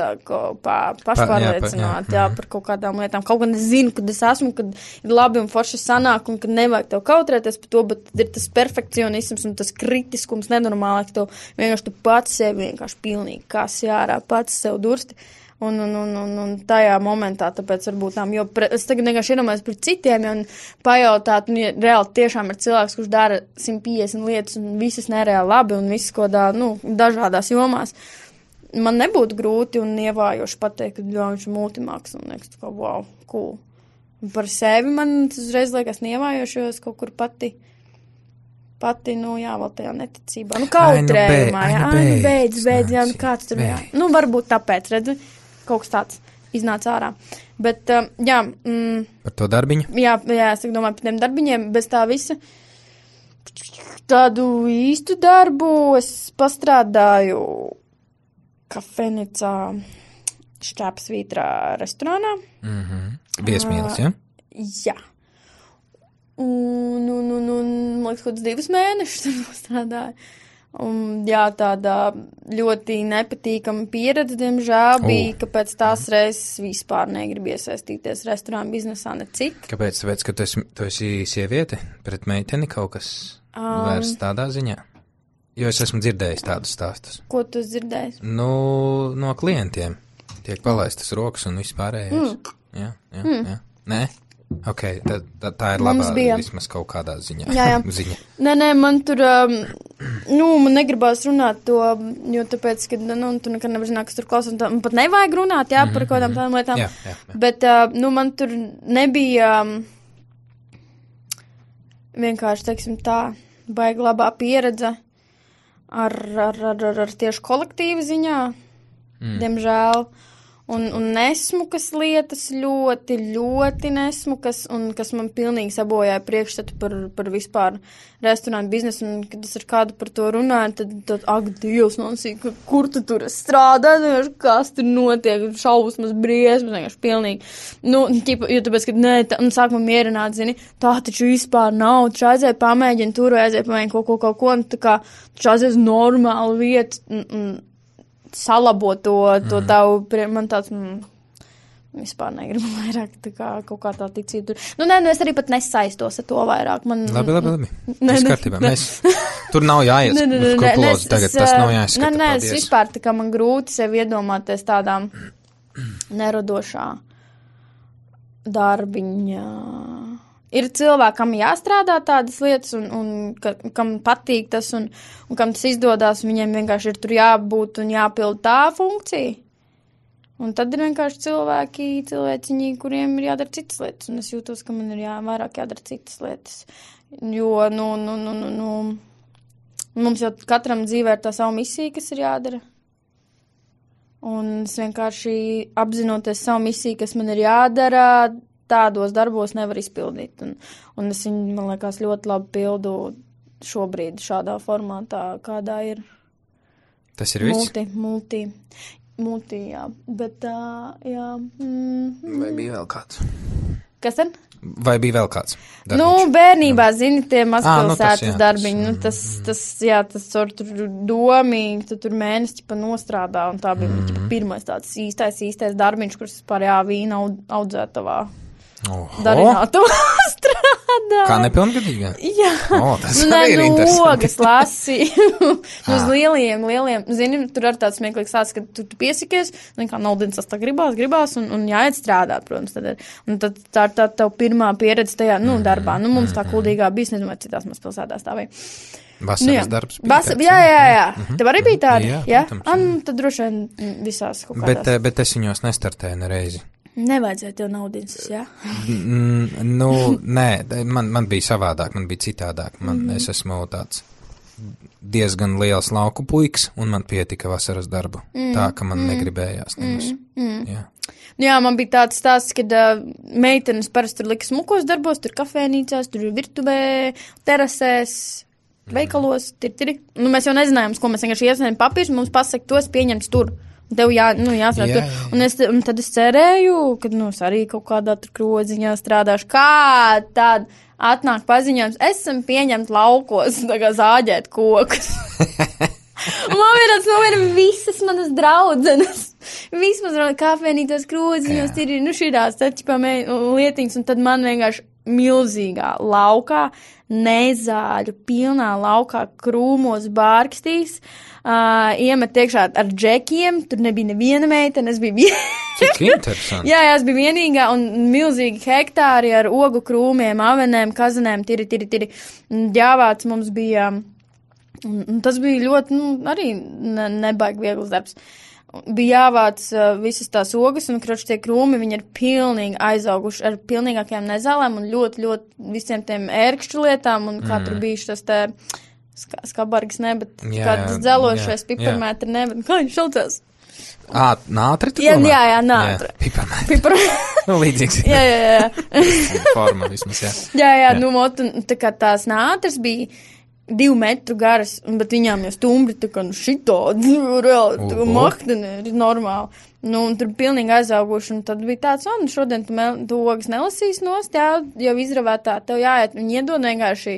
pašpārliecināti, par kaut kādām lietām. Kaut gan es zinu, kad es esmu, kad ir labi un forši sanāk, un kad nevajag tev kautrēties par to, bet ir tas perfekcionisms un tas kritiskums nenormāli, ka tev vienkārši tu pats sevi vienkārši pilnīgi kasi ārā, pats sev dursti. Un tajā momentā, tāpēc varbūt tām, jo es tagad vienkārši iedomājos par citiem, un pajautāt, ja reāli tiešām ir cilvēks, kurš dara 150 lietas, un visas nereāli labi, un visas kodā, dažādās jomās. Man nebūtu grūti un ievājoši pateikt, ka viņš ir multimākslinieks, tā kā, wow, cool. Un par sevi man tas uzreiz liekas nievājoši, jo es kaut kur pati, vēl tajā neticībā. Kautrējumā, beidz, kāds tur, varbūt tāpēc, redzi, kaut kas tāds iznāca ārā. Bet, par to darbiņu? Jā, es domāju par tiem darbiņiem, bez tā visa. Tādu īstu darbu es pastrādāju kafejnīcā Šķēpsvītrā restorānā. Viesmīlis, ja? Jā. Un, liekas, kaut kāds 2 mēnešus tur strādāju. Un, tāda ļoti nepatīkama pieredze, diemžēl, bija, ka pēc tās reizes vispār negribu iesaistīties restorānu biznesā necik. Kāpēc? Tāpēc, ka tu esi sieviete pret meiteni kaut kas vairs tādā ziņā? Jo es esmu dzirdējis tādus stāstus. Ko tu dzirdējis? No klientiem. Tiek palaistas rokas un vispārējais. Jā. Nē? Ok, tā ir labā vismaz kaut kādā ziņā. Jā. Ziņa. Nē, man tur, man negribās runāt to, jo tāpēc, ka, tu nekad nevar zināt, kas tur klausās, un man pat nevajag runāt, par kaut kādām tādām lietām. Jā. Bet, man tur nebija vienkārši, teiksim tā, baigi labā pieredze ar tieši kolektīva ziņā, diemžēl. Un nesmukas lietas ļoti, ļoti nesmukas, un kas man pilnīgi sabojāja priekšstatu par vispār restorānu biznesu, un kad es ar kādu par to runāju, tad ak, Dievs, nosīk, kur tu tur strādā, kas tur notiek, šausmas, briesmas, vienkārši pilnīgi. Jo tāpēc, kad sākumā mierināt, zini, tā taču vispār nav, taču aizēja pamēģina tur, aizēja pamēģina kaut ko, un tā kā taču aizēja uz normālu vietu, salabo to tavu, man tāds, Vispār negribu vairāk kaut kā tā ticība. Nē, es arī pat nesaistos ar to vairāk. Labi. Viss kārtībā. Tur nav jāiet klozi tagad, tas nav jāizskata. Nē, es vispār tā kā man grūti sevi iedomāties tādā neradošā darbiņā. Ir cilvēkam jāstrādā tādas lietas, un kam patīk tas, un kam tas izdodās, viņiem vienkārši ir tur jābūt un jāpild tā funkcija. Un tad ir vienkārši cilvēciņi, kuriem ir jādara citas lietas, un es jūtos, ka man ir vairāk jādara citas lietas. Jo, mums jau katram dzīvē ir tā savu misiju, kas ir jādara. Un es vienkārši apzinoties savu misiju, kas man ir jādara, tādos darbos nevar izpildīt. Un es viņu, man liekas, ļoti labi pildu šobrīd šādā formātā, kādā ir. Tas ir viss? Multi, jā. Bet, jā. Vai bija vēl kāds? Kas tad? Vai bija vēl kāds darbiņš? Bērnībā, zini, tie mazpilsētas darbiņi. Tas tur domīgi, tu tur mēnesi pa nostrādā, un tā bija pirmais tāds īstais darbiņš, kurš vispār vīna audzētavā. Darinātavā strādā. Kā nepilngadīgā? Jā. Tas arī ir interesanti. Ogas lasīju. Uz lieliem. Zini, tur ar tāds smieklīgs sāc, ka tu piesikies, kā naudins tas tā gribās, un jāiet strādāt, protams. Un tad tā ir tā tev pirmā pieredze tajā, darbā. Mums tā kuldīgā bija, nezinu, vai citās mazpilsētās tā vai. Vasaras darbs bija tāds. Jā. Tev arī bija tādi? Jā. Tad droši vien visās kaut kādās. Bet es viņos nestartēju nereizi. Nevajadzēja tev naudins, jā? Nē, man bija savādāk, man bija citādāk. Es esmu tāds diezgan liels lauku puiks, un man pietika vasaras darbu. Tā, ka man negribējās nemaz. Jā, man bija tāds stāsts, kad meitenes parasti tur lika smukos darbos, tur kafēnīcās, tur virtuvē, terasēs, veikalos, mēs jau nezinājām, ko mēs vienkārši iesniedzam papīrs, mums pasaka, tos pieņemts tur. Tev jāstrādā. Un tad es cerēju, ka arī kaut kādā tur krodziņā strādāšu. Kā tad atnāk paziņojums, esam pieņemt laukos, tā kā zāģēt kokus. Man ir visas manas draudzenes. Vismaz kafēnītās krodziņos ir šitās lietiņas, un tad man vienkārši milzīgā laukā, nezāļu, pilnā laukā, krūmos bārkstīs, iemet iekšā ar džekiem, tur nebija neviena meitene, es biju Cik interesanti. Jā, es biju vienīgā, un milzīgi hektāri ar ogu krūmiem, avenēm, kazanēm, tiri. Ģāvāts mums bija, un tas bija ļoti, arī nebaigi viegls darbs. Bija jāvāc visas tās ogas, un tie krūmi, viņi ir pilnīgi aizauguši ar pilnīgākajām nezālēm un ļoti, ļoti visiem tiem ērkšķu lietām, un kā tur bija šis tas skabargs, bet kāds dzelošais piparmētri, bet kā viņš šaucās? Nātri tu domā? Jā, nātri. Piparmētri. Līdzīgs. Jā. Forma vismaz, jā. Jā, tā kā tās nātris bija 2 metru garas, bet viņām jau stumbri tā kā šitādi, reāli, tā kā mahteni ir normāli. Un tur pilnīgi aizauguši, un tad bija tāds, šodien tu ogas nelasīs nost, jau izravētā, tev jāiet, viņi iedod vienkārši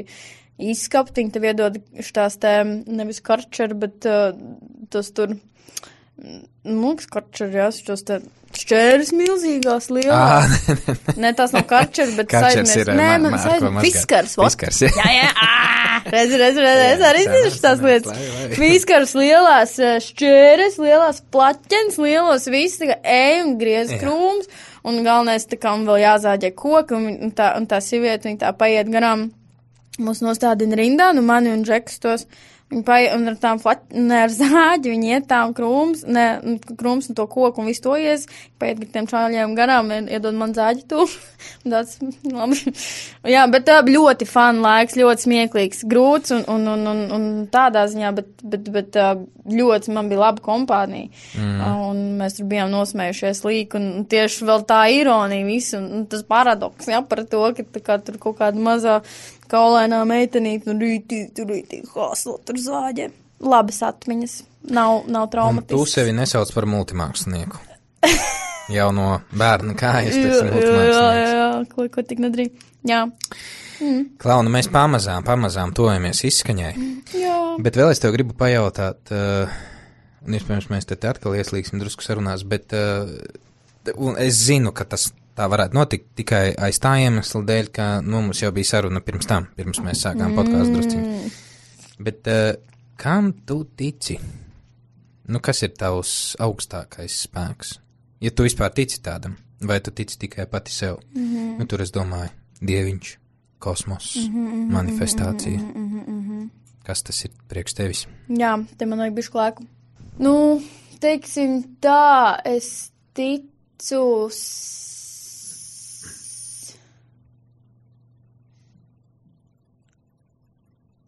izskaptiņu, tev iedod šitās nevis karčeri, bet tas tur, karčeri, šos šķēris milzīgās lielās. Ne, tās nav karčeri, bet saidnieks. Nē, man saidnieks. Fiskars. Jā. Redz, arī zinu tās lietas. Fiskars lielās šķēris, lielās plaķens, lielos viss, tā kā un griez krūms, un galvenais tā kā un vēl jāzāģē koki, un tā sivieta, viņa tā paiet garām, mūs nostādina rindā, mani un Džekus tos. Un ar tām ar zāģi viņi iet tām krūms un to koku un visu to ies, paiet ar tiem čāļiem garām, iedod man zāģi tu. Tāds, labi. Jā, bet ļoti fun laiks, ļoti smieklīgs, grūts un tādā ziņā, bet ļoti man bija laba kompānija. Un mēs tur bijām nosmējušies līk, un tieši vēl tā ironija visu, un tas paradoks, par to, ka tā kā tur kaut kāda mazā kaulainā meitenīte, rītī, hāslo, tur zāģē. Labas atmiņas, nav traumatisks. Tu sevi nesauc par multimākslinieku. Jau no bērna kājas pēc multimākslinieku. Jā, ko tik nedrīk. Jā. Klauna, mēs pamazām tojamies izskaņai. Jā. Bet vēl es tev gribu pajautāt, un iespējams mēs te atkal ieslīgsim drusku sarunās, bet Un es zinu, ka tas tā varētu notikt tikai aiz tā iemesla dēļ, ka mums jau bija saruna pirms mēs sākām podkāstu drusciņu. Bet kam tu tici? Kas ir tavs augstākais spēks? Ja tu vispār tici tādam, vai tu tici tikai pati sev? Tur es domāju, dieviņš, kosmos, manifestācija. Kas tas ir priekš tevis? Jā, te man vajag bišku laiku. Teiksim tā, es ticu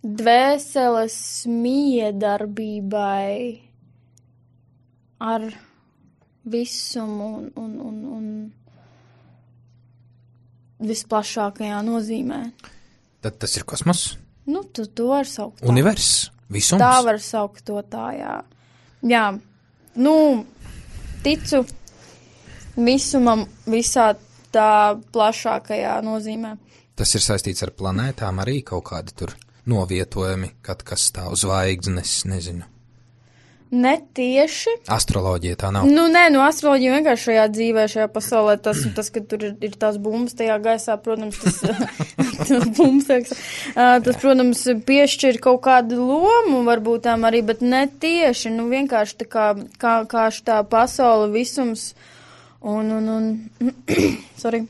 dvēseles miedarbībai ar visumu un visplašākajā nozīmē. Tad tas ir kosmos? Tu var saukt tā. Universs? Visums? Tā var saukt to tā, jā. Jā, ticu visumam visā tā plašākajā nozīmē. Tas ir saistīts ar planētām arī kaut kādi tur novietojumi, kas stāv zvaigznes, nezinu. Netieši. Astroloģija tā nav. Astroloģija vienkārši šajā dzīvē, šajā pasaulē, tas, ka tur ir tās bumbas tajā gaisā, protams, tas, protams, piešķir kaut kādu lomu, varbūt tām arī, bet netieši, vienkārši tā kā šitā pasaule visums sorry.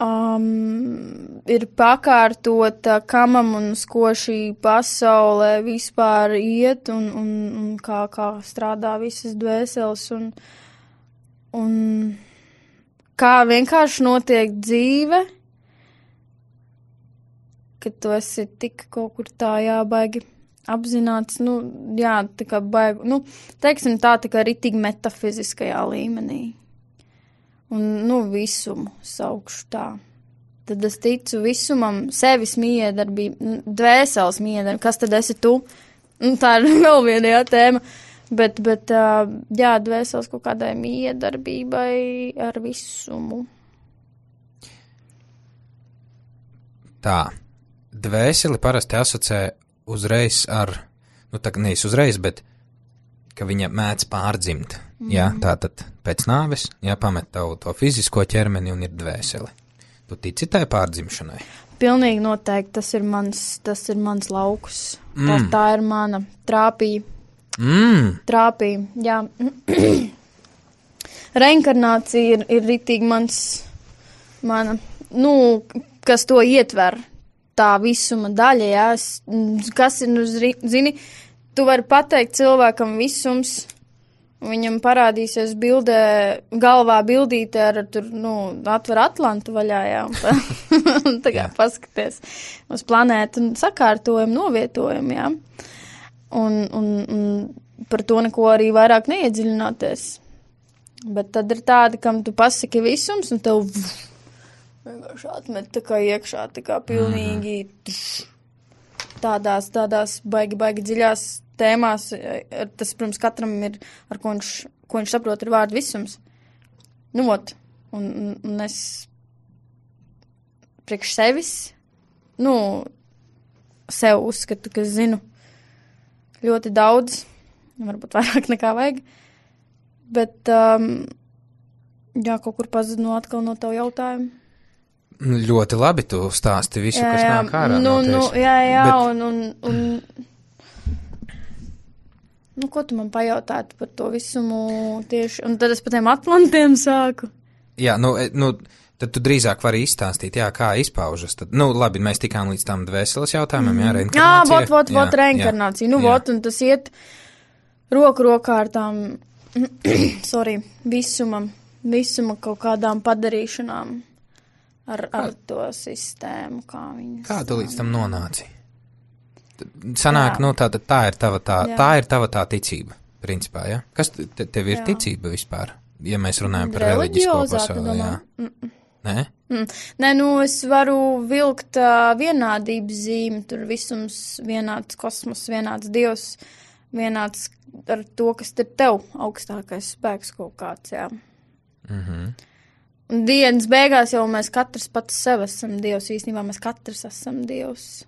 Ir pakārtota, kamam un uz ko šī pasaulē vispār iet un kā strādā visas dvēseles un kā vienkārši notiek dzīve, ka tu esi tik kaut kur tā jābaigi apzināts, tā kā baigi, teiksim tā kā ritīgi metafiziskajā līmenī. Un, visumu saukšu tā. Tad es ticu visumam, sevis miedarbību, dvēseles miedarbību. Kas tad esi tu? Tā ir vēl viena tēma. Bet dvēseles kaut kādai miedarbībai ar visumu. Tā. Dvēseli parasti asociē uzreiz ar, nevis uzreiz, bet ka viņa mēdz pārdzimt. Jā, tātad pēc nāves, pamet tavu to fizisko ķermeni un ir dvēseli. Tu tici tai pārdzimšanai? Pilnīgi noteikti, tas ir mans lauks. Tā ir mana trāpīja. Trāpīja, jā. Reinkarnācija ir ritīgi mana, kas to ietver, tā visuma daļa, jā. Kas ir, zini, tu vari pateikt cilvēkam visums, viņam parādīsies galvā bildīte ar atver Atlantu vaļā, jā, un tā paskaties uz planētu un sakārtojumu, novietojumu, jā. Un par to neko arī vairāk neiedziļināties. Bet tad ir tādi, kam tu pasaki visums, un tev vienkārši atmet tā kā iekšā, tā kā pilnīgi tādās baigi dziļās tēmās, tas, protams, katram ir, ar ko viņš saprot, ir vārdu visums. Un es priekš sevis, sev uzskatu, ka zinu ļoti daudz, varbūt vairāk nekā vajag, bet, kaut kur pazudinu atkal no tavu jautājumu. Ļoti labi tu stāsti visu, kas nāk ārā no tevis. Bet... ko tu man pajautātu par to visumu tieši, un tad es par tiem Atlantiem sāku. Jā, tad tu drīzāk vari izstāstīt, kā izpaužas. Tad, labi, mēs tikām līdz tam dvēseles jautājumam, reinkarnācija. Reinkarnācija, un tas iet roku rokā ar tām, visuma kaut kādām padarīšanām ar to sistēmu, kā viņas. Kā tu līdz tam nonāci? Sanāk, tā ir tava tā ticība, principā, ja? Kas tev ir ticība vispār, ja mēs runājam par reliģisko pasauli, jā? Nē? Nē, es varu vilkt vienādības zīmi, tur visums vienāds kosmos, vienāds dievs, vienāds ar to, kas ir tev augstākais spēks kaut kāds, jā. Un dienas beigās jau mēs katrs pats sev esam dievs, īstenībā mēs katrs esam dievs.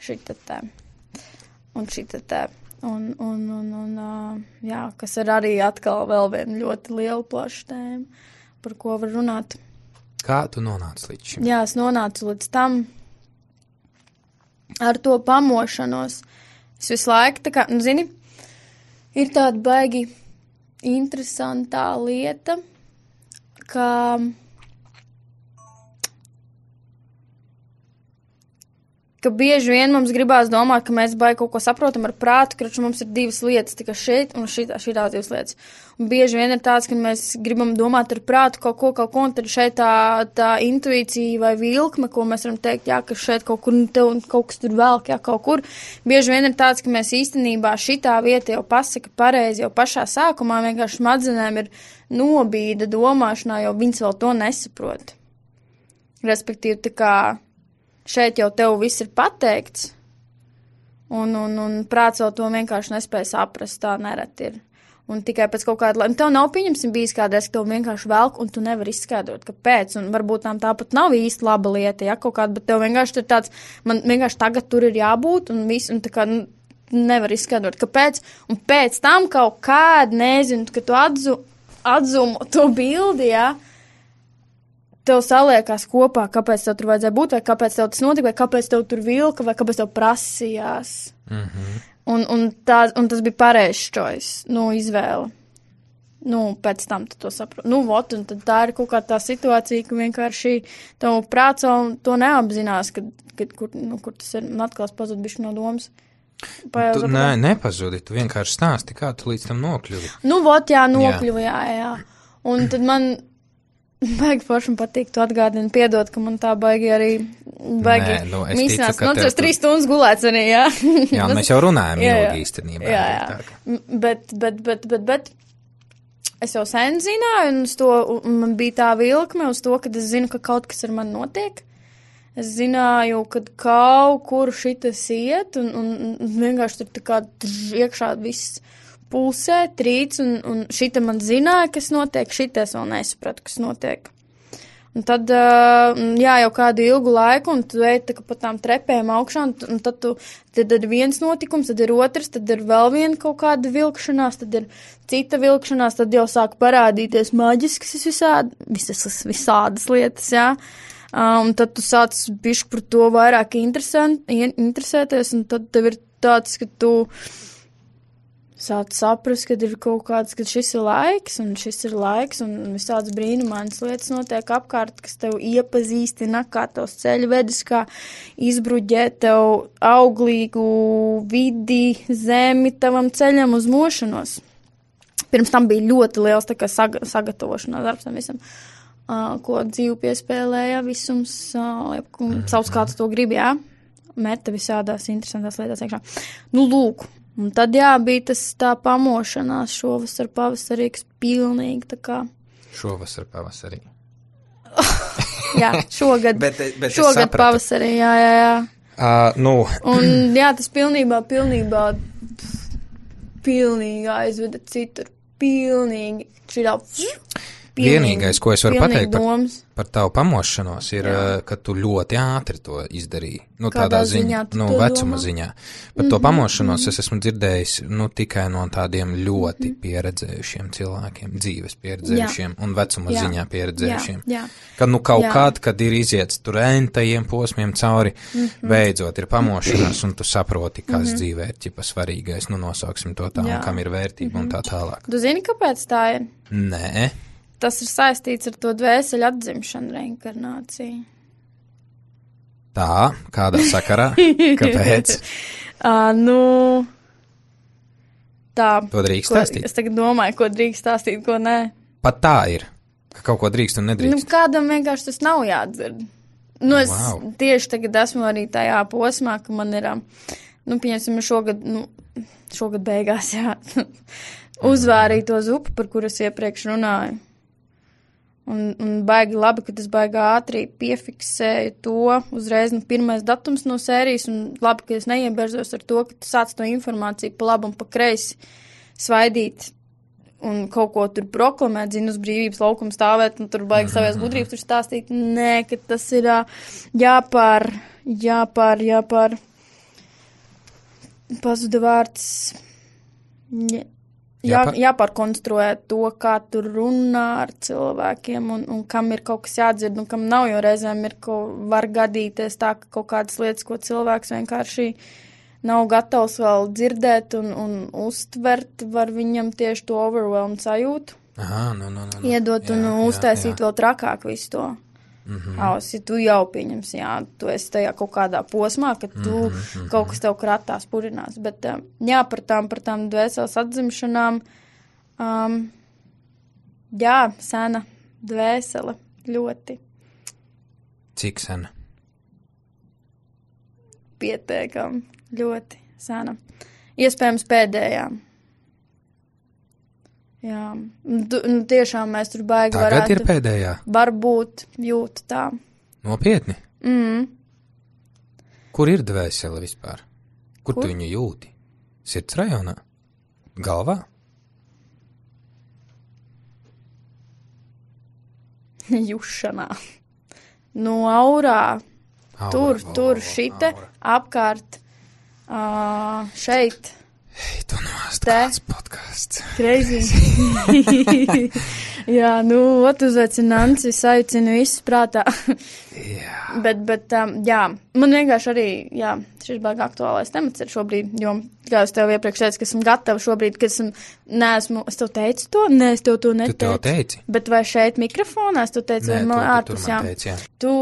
Šitā tā. Un šitā tā. Jā, kas ir arī atkal vēl viena ļoti liela plaša tēma, par ko var runāt. Kā tu nonāci līdz šim? Jā, es nonācu līdz tam ar to pamošanos. Es visu laiku, tā kā, zini, ir tāda baigi interesantā lieta, ka bieži vien mums gribās domāt, ka mēs baigi kaut ko saprotam ar prātu, ka mums ir divas lietas, tikai šeit un šitās divas lietas. Un bieži vien ir tāds, ka mēs gribam domāt ar prātu kaut ko, un tad šeit tā intuīcija vai vilkme, ko mēs varam teikt, jā, ka šeit kaut kur kaut kas tur velk, jā, kaut kur. Bieži vien ir tāds, ka mēs īstenībā šitā vieta jau pasaka pareizi, jau pašā sākumā vienkārši smadzenēm ir nobīda domāšanā, jo viņas vēl to nesaprot. Respektīvi, tā kā šeit jau tev viss ir pateikts, un prāts vēl to vienkārši nespēja saprast, tā nereti ir. Un tikai pēc kaut kāda laika, tev nav pieņemsim bijis kādreiz, ka tev vienkārši velk, un tu nevari izskaidrot, kāpēc, un varbūt tām tāpat nav īsti laba lieta, ja, kaut kāda, bet tev vienkārši tur tāds, man vienkārši tagad tur ir jābūt, un viss, un tā kā nevar izskaidrot, kāpēc, un pēc tam kaut kāda, nezinu, ka tu atzumo to bildi, ja, tev saliekās kopā, kāpēc tev tur vajadzēja būt, vai kāpēc tev tas notika, vai kāpēc tev tur vilka, vai kāpēc tev prasījās. Mhm. Un tas bija pareizs choice, izvēle. Pēc tam tu to saproti. Un tad tā ir kaut kā tā situācija, ka vienkārši tev prāts to neapzinās, kur tas ir, un atkal pazud bišķi no domas. Nepazudi, tu vienkārši stāsti, kā tu līdz tam nokļuvi. Nokļuvi, jā. Un tad man baigi forši patīk, tu atgādini, piedod, ka man tā baigi arī mīsnās. Tas 3 stundas gulēts arī, jā. Jā, mēs jau runājam ilgi īstenībā. Jā. Bet es jau sen zināju, un man bija tā vilkme uz to, ka es zinu, ka kaut kas ar mani notiek. Es zināju, ka kaut kur šitas iet, un vienkārši tur tā kā iekšā viss pulsē, trīc, un šita man zināja, kas notiek, šitas vēl nesapratu, kas notiek. Un tad, jau kādu ilgu laiku, un tu ej tā kā pa tām trepēm augšā, un tad ir viens notikums, tad ir otrs, tad ir vēl viena kaut kāda vilkšanās, tad ir cita vilkšanās, tad jau sāk parādīties maģiskas visādas lietas, jā. Un tad tu sāc bišķi par to vairāk interesēties, un tad tev ir tāds, ka tu sāc saprast, kad ir kaut kāds, ka šis ir laiks, un visādas brīnumainas lietas notiek apkārt, kas tev iepazīstina, kā tavs ceļu vedis, kā izbruģēt tev auglīgu vidi, zemi tavam ceļam uz mošanos. Pirms tam bija ļoti liels tā kā sagatavošanās darbs tam visam, ko dzīvu piespēlēja visums, savs kāds to grib, jā, meta visādās interesantās lietās iekšā. Lūk. Un tad, bija tas tā pamošanās šovasar pavasarī, kas pilnīgi tā kā. Šovasar pavasarī. Jā, šogad. bet šogad pavasarī, jā. Un tas pilnīgi aizveda citur. Pilnīgi. Vienīgais, ko es varu pateikt par tavu pamošanos, ir, ka tu ļoti ātri to izdarīji. Tādā ziņā, vecuma ziņā. Par to pamošanos es esmu dzirdējis, tikai no tādiem ļoti pieredzējušiem cilvēkiem, dzīves pieredzējušiem un vecuma ziņā pieredzējušiem. Kad, kad ir iziets tur entajiem posmiem cauri, beidzot ir pamošanās, un tu saproti, kas dzīvē ir ķipa svarīgais, nosauksim to tā, un kam ir vērtība un tā tālāk. Tu zini, kāpēc tā ir? Nē. Tas ir saistīts ar to dvēseli atzimšanu, reinkarnāciju. Tā, kādā sakarā? Kāpēc? Tā. To drīkst stāstīt? Es tagad domāju, ko drīkst stāstīt, ko nē. Pat tā ir, ka kaut ko drīkst un nedrīkst. Kādam vienkārši tas nav jādzird. Es tieši tagad esmu arī tajā posmā, ka man ir, pieņemsim, šogad beigās, uzvārīja to zupu, par kuru es iepriekš runāju. Un baigi labi, ka tas baigi ātri piefiksēju to uzreiz, pirmais datums no sērijas, un labi, ka es neieberzos ar to, ka tu sāc to informāciju pa labu un pa kreisi svaidīt un kaut ko tur proklamēt, uz brīvības laukumu stāvēt, un tur baigi savies gudrības tur stāstīt. Nē, ka tas ir jāpār. Pazuda vārds. Jāpārkonstruē to, kā tu runā ar cilvēkiem un kam ir kaut kas jādzird un kam nav, jo reizēm var gadīties tā, ka kaut kādas lietas, ko cilvēks vienkārši nav gatavs vēl dzirdēt un uztvert, var viņam tieši to overwhelm sajūtu. Iedot un uztaisīt vēl trakāk visu to. Ja tu jau pieņems, tu esi tajā kaut kādā posmā, ka tu kaut kas tev kratās, purinās, bet par tām dvēseles atzimšanām, sena dvēsele ļoti. Cik sena? Pietiekam, ļoti sena. Iespējams pēdējā. Jā, tiešām mēs tur baigi Tagad varētu. Ir pēdējā? Varbūt jūtu tā. Nopietni? Kur ir dvēsele vispār? Kur tu viņu jūti? Sirds rajonā? Galvā? Jušanā. Aurā. Tur šite apkārt šeit. Ei, tu nāst kāds podcasts. Crazy. Jā, uzveicinu Nanci, saicinu visus prātā. Bet, man vienkārši arī, šis baigi aktuālais temats ir šobrīd, jo, kā es tev iepriekš teicu, ka esmu gatava šobrīd, ka es tev teicu to? Nē, es tev to neteicu. Tu tev teici? Bet vai šeit mikrofonā es tev teicu, vai man ārpus, jā? Teici, jā. Tu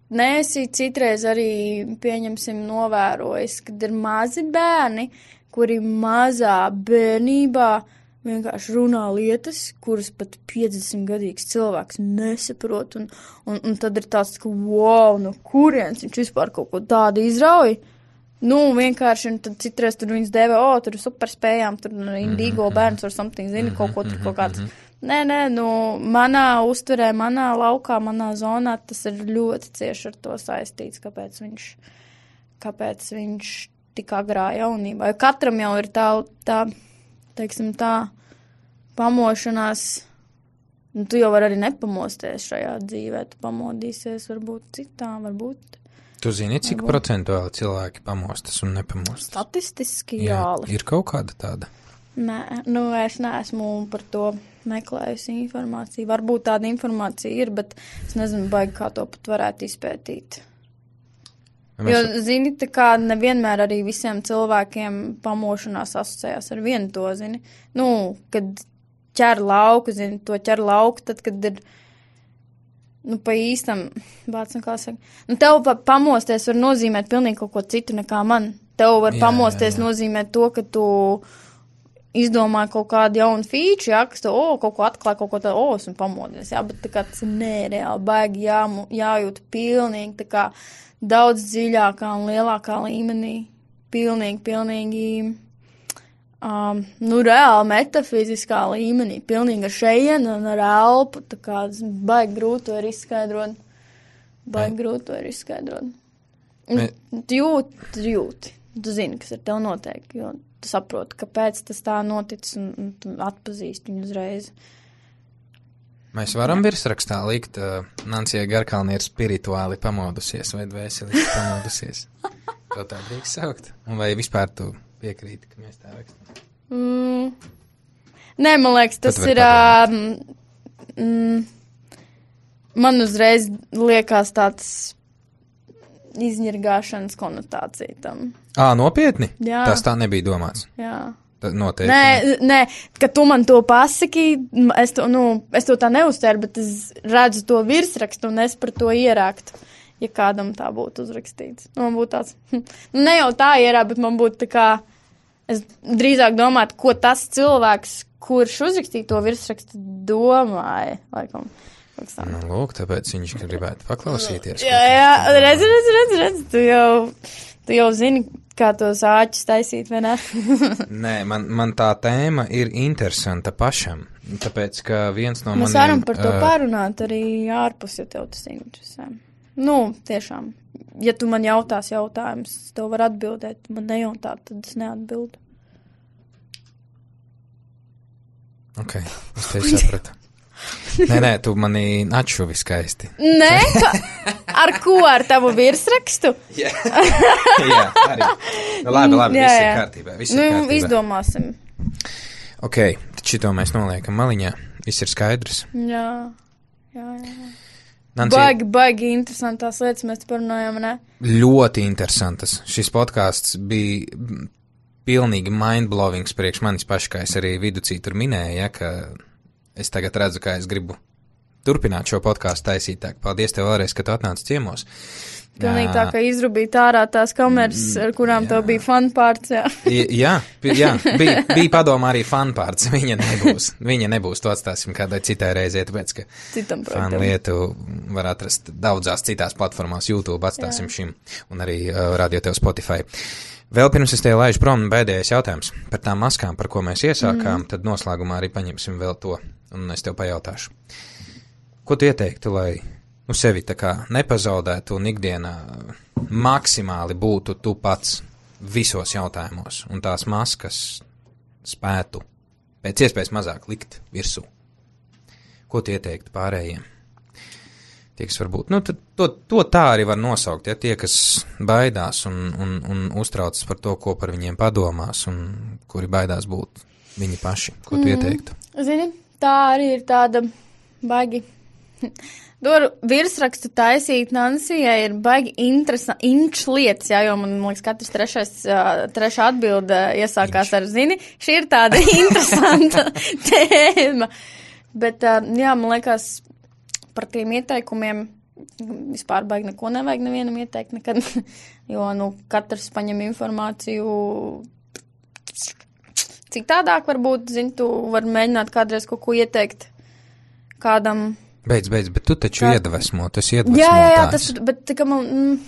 neesi citreiz arī, pieņemsim, novērojis, kad ir mazi bērni, kuri mazā bērnībā vienkārši runā lietas, kuras pat 50-gadīgs cilvēks nesaprot, un tad ir tāds, ka wow, kurienes viņš vispār kaut ko tādu izrauj? Vienkārši, un tad citreiz tur viņas dēvē, tur ir superspējām, tur Indigo bērns or something, zini, kaut ko tur kaut kāds. Nē, manā uztverē, manā laukā, manā zonā tas ir ļoti cieši ar to saistīts, kāpēc viņš tik agrā jaunībā. Jo katram jau ir tā, teiksim tā, pamošanās, tu jau var arī nepamosties šajā dzīvē, tu pamodīsies varbūt citā, varbūt. Tu zini, cik procentuāli cilvēki pamostas un nepamostas? Statistiski jāli. Ir kaut kāda tāda? Nē, es neesmu par to meklējusi informāciju. Varbūt tāda informācija ir, bet es nezinu, baigi kā to pat varētu izpētīt. Jo, zini, tā kā nevienmēr arī visiem cilvēkiem pamošanās asociējās ar vienu to, zini. Kad ķer lauku, zini, to ķer lauku, tad, kad ir, pa īstam, kā saka, tev pamosties var nozīmēt pilnīgi kaut ko citu nekā man. Tev var pamosties nozīmēt to, ka tu izdomāja kaut kādu jaunu feature, kas tu, kaut ko atklāja, kaut ko tādu, esmu pamodies, bet tā kā tas ir nereāli, baigi jājūt pilnīgi, tā kā daudz dziļākā un lielākā līmenī, pilnīgi, reāli metafiziskā līmenī, pilnīgi ar šejienu un ar elpu, tā kā baigi grūti to ir izskaidrot. Tu jūti, tu zini, kas ar tev notiek, jo tu saproti, kāpēc tas tā noticis un tu atpazīsti viņu uzreiz. Mēs varam virsrakstā likt, Nancija Garkalni ir spirituāli pamodusies vai dvēseliski pamodusies. To tā drīkst saukt? Un vai vispār tu piekrīti, ka mēs tā rakstam? Nē, man liekas, tas ir... man uzreiz liekas tāds izņirgāšanas konotācija tam. Nopietni? Jā. Tas tā nebija domāts? Jā. Noteikti. Nē, kad tu man to pasaki, es to tā neuztveru, bet es redzu to virsrakstu un es par to ierāktu, ja kādam tā būtu uzrakstīts. Man būtu tāds, ne jau tā ierāk, bet man būtu tā kā, es drīzāk domātu, ko tas cilvēks, kurš uzrakstīja to virsrakstu, domāja, laikam. Lūk, tāpēc viņš gribētu paklausīties. Jā, redz, tu jau zini, kā tos āķus taisīt, vai ne? Nē, man tā tēma ir interesanta pašam, tāpēc, ka viens no maniem... Mēs varam par to pārunāt arī ārpus, ja tev tas interesē. Tiešām, ja tu man jautās jautājumus, tev var atbildēt, man nejautāt, tad es neatbildu. Ok, es tevi sapratu. Nē, tu mani atšuvi skaisti. Nē, Ar ko? Ar tavu virsrakstu? Jā, arī. Nu, labi, viss ir kārtībā. Izdomāsim. Ok, tad šito mēs noliekam maliņā. Viss ir skaidrs. Jā. Nancy, baigi interesantās lietas mēs parunājam, ne? Ļoti interesantas. Šis podcasts bija pilnīgi mindblowings priekš manis paši, kā es arī viducī tur minēju, ja, ka es tagad redzu, kā es gribu turpināt šo podcastu taisīt. Tā, paldies tev vēlreiz, ka tu atnāci ciemos. Pilnīgi tā, ka izrubīt ārā tās kameras, ar kurām tev bija fanpārts, jā, bija padomā arī fanpārts. Viņa nebūs, to atstāsim kādai citai reizē, tāpēc, ka fan lietu var atrast daudzās citās platformās, YouTube atstāsim šim, un arī radio tev Spotify. Vēl pirms es tev laižu prom, bēdējais jautājums par tām maskām, par ko mēs iesākām, tad noslēgumā arī paņemsim vēl to, un es tev pajautāšu. Ko tu ieteiktu, lai sevi tā kā nepazaudētu un ikdienā maksimāli būtu tu pats visos jautājumos, un tās maskas spētu pēc iespējas mazāk likt virsū? Ko tu ieteiktu pārējiem? Tie, kas varbūt, to tā arī var nosaukt, ja tie, kas baidās un uztraucas par to, ko par viņiem padomās, un kuri baidās būt viņi paši. Ko tu ieteiktu? Zini, tā arī ir tāda baigi. Tur virsrakstu taisīt Nansijai ir baigi interesantas lietas, jā, jo man liekas, katrs trešā atbilde iesākās ar zini. Šī ir tāda interesanta tēma. Bet, jā, man liekas, par tiem ieteikumiem vispār baigi neko nevajag nevienam ieteikt nekad, jo, katrs paņem informāciju citādāk varbūt, zini, tu var mēģināt kādreiz kaut ko ieteikt kādam. Beidz, bet tu taču iedvesmo, tas iedvesmo jā, tas, bet tā kā man,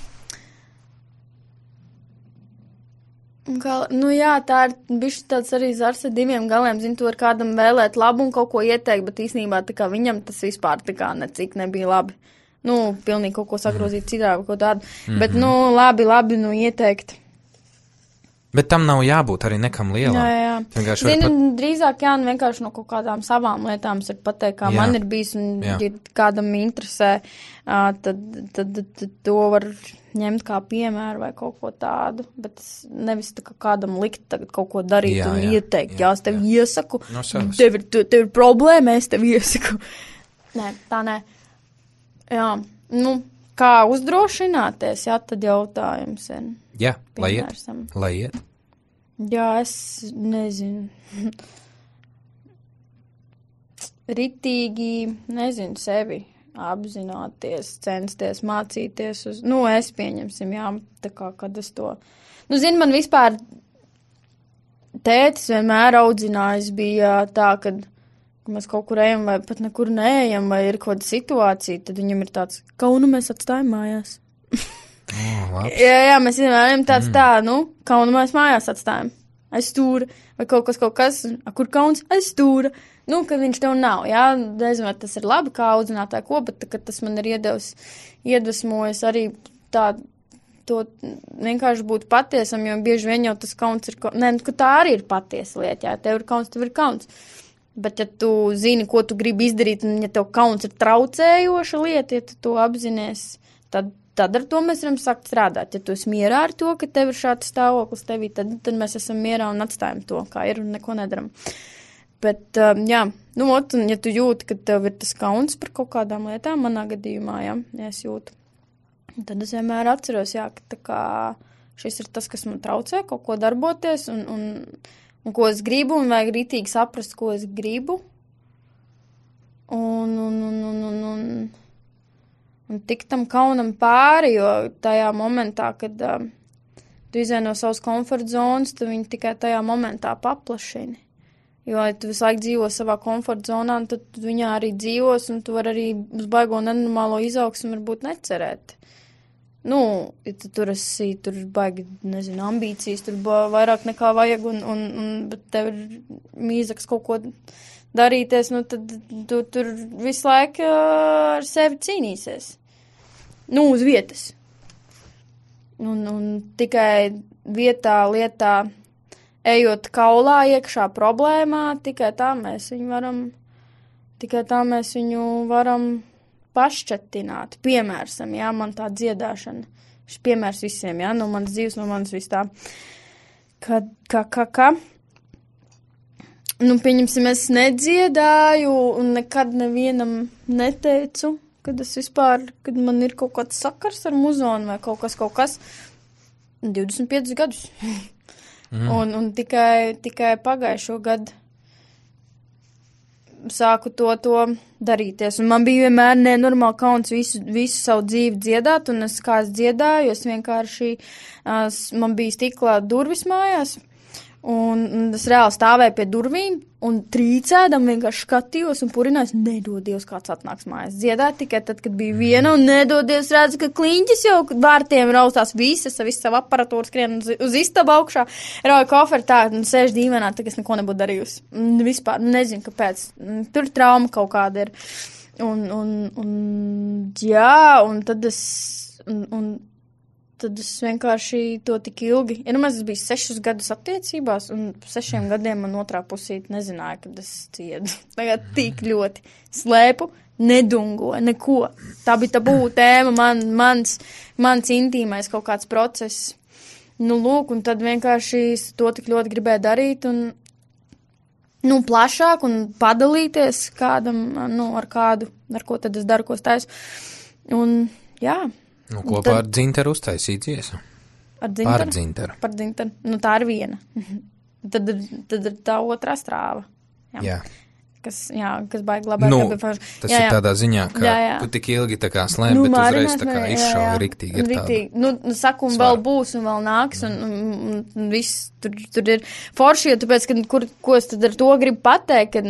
tā ir bišķi tāds arī zars ar diviem galiem, zini, tu var kādam vēlēt labu un kaut ko ieteikt, bet īstenībā tā kā viņam tas vispār tā kā necik nebija labi. Pilnīgi kaut ko sagrozīt citā vai kaut tādu, bet, labi, ieteikt. Bet tam nav jābūt arī nekam lielam. Jā. Zini, drīzāk vienkārši no kaut kādām savām lietām ir pateikt, kā man ir bijis, un ja kādam interesē, tad to var ņemt kā piemēru vai kaut ko tādu, bet nevis tā kā kādam likt tagad kaut ko darīt un ieteikt. Jā, es tev iesaku, tev ir problēma, es tev iesaku. Nē, tā nē. Jā, kā uzdrošināties, tad jautājums ir. Jā, lai iet. Jā, es nezinu. Ritīgi, sevi apzināties, censties mācīties uz, es pieņemsim, jā, tā kā, kad es to, zini, man vispār tētis vienmēr audzinājis bija tā, kad mēs kaut kur ejam vai pat nekur neejam, vai ir kaut kāda situācija, tad viņam ir tāds, kaunu mēs atstājam mājās. Jā, mēs vienmēr tāds kaunu mēs mājās atstājam. Aiz stūra. Vai kaut kas, kur kauns aiz stūra. Kad viņš tev nav, jā. Nezinu, vai tas ir labi, kā audzinātāji ko, bet tas man ir iedvesmojis arī to vienkārši būt patiesam, jo bieži vien jau tas kauns ir, ka tā arī ir patiesa lieta, jā. Tev ir kauns. Bet, ja tu zini, ko tu gribi izdarīt, un ja tev kauns ir traucējoša lieta, ja tu to apzinies, tad ar to mēs varam sākt strādāt. Ja tu esi mierā ar to, ka tev ir šāds stāvoklis tevī, tad mēs esam mierā un atstājam to, kā ir, un neko nedaram. Bet, un ja tu jūti, ka tev ir tas kauns par kaut kādām lietām, manā gadījumā, ja es jūtu, tad es vienmēr atceros, ka tā kā šis ir tas, kas man traucē kaut ko darboties, un ko es gribu, un vajag rītīgi saprast, ko es gribu. Un tik tam kaunam pāri, jo tajā momentā, kad tu izēj no savas komforta zonas, tu viņu tikai tajā momentā paplašini. Jo, ja tu visu laiku dzīvo savā komforta zonā, tad viņā arī dzīvos, un tu vari arī uz baigo nenormālo izaugsmu varbūt necerēt. Ja tu tur baigi, ambīcijas, tur vairāk nekā vajag, bet tev ir mīzaks kaut ko darīties, tad tu tur visu laiku ar sevi cīnīsies. Uz vietas. Un tikai lietā, ejot kaulā iekšā problēmā, tikai tā mēs viņu varam pašķetināt. Piemērsam, jā, man tā dziedāšana. Šis piemērs visiem, jā, no manas dzīves, no manas viss tā. Kā? Nu, pieņemsim, es nedziedāju un nekad nevienam neteicu, kad man ir kaut kāds sakars ar muzonu vai kaut kas. 25 gadus. Un tikai pagājušo gadu sāku to darīties. Un man bija vienmēr nenormāli kauns visu savu dzīvi dziedāt, un es dziedāju, es vienkārši, man bija stiklā durvis mājās, un es reāli stāvēju pie durvīm, un trīcēdam vienkārši skatījos un purinājos, nedodies, kāds atnāks mājās. Dziedāt tikai tad, kad bija viena, un nedodies redzu, ka kliņķis jau vārtiem raustās visu savu aparatūru skrien uz istabu augšā, rauja koferi tā, un sēž dīvainā, tā, ka es neko nebūtu darījusi. Vispār nezinu, kāpēc. Tur trauma kaut kāda ir. Un tad es vienkārši to tik ilgi. Es biju 6 gadus attiecībās, un 6 gadiem man otrā pusīte nezināja, kad es ciedu. Tagad tik ļoti slēpu, nedungoju, neko. Tā bija tabū tēma, mans intīmais kaut kāds process. Nu, lūk, un tad vienkārši to tik ļoti gribēju darīt, un plašāk, un padalīties kādam, ar ko tad es daru, ko es taisu. Un, jā. Nu, kopā ar Dzintaru uztaisīt dziesu. Ar Dzintaru? Par Dzintaru. Nu, tā ir viena. Tad ir tā otrā strāva. Jā. Kas baigi labāk. Tas ir tādā ziņā, ka tu tik ilgi tā kā slēp, bet uzreiz tā kā izšauja riktīgi. Saku, un vēl būs, un vēl nāks, un viss tur ir forši, jo tāpēc, ko es tad ar to gribu pateikt, ka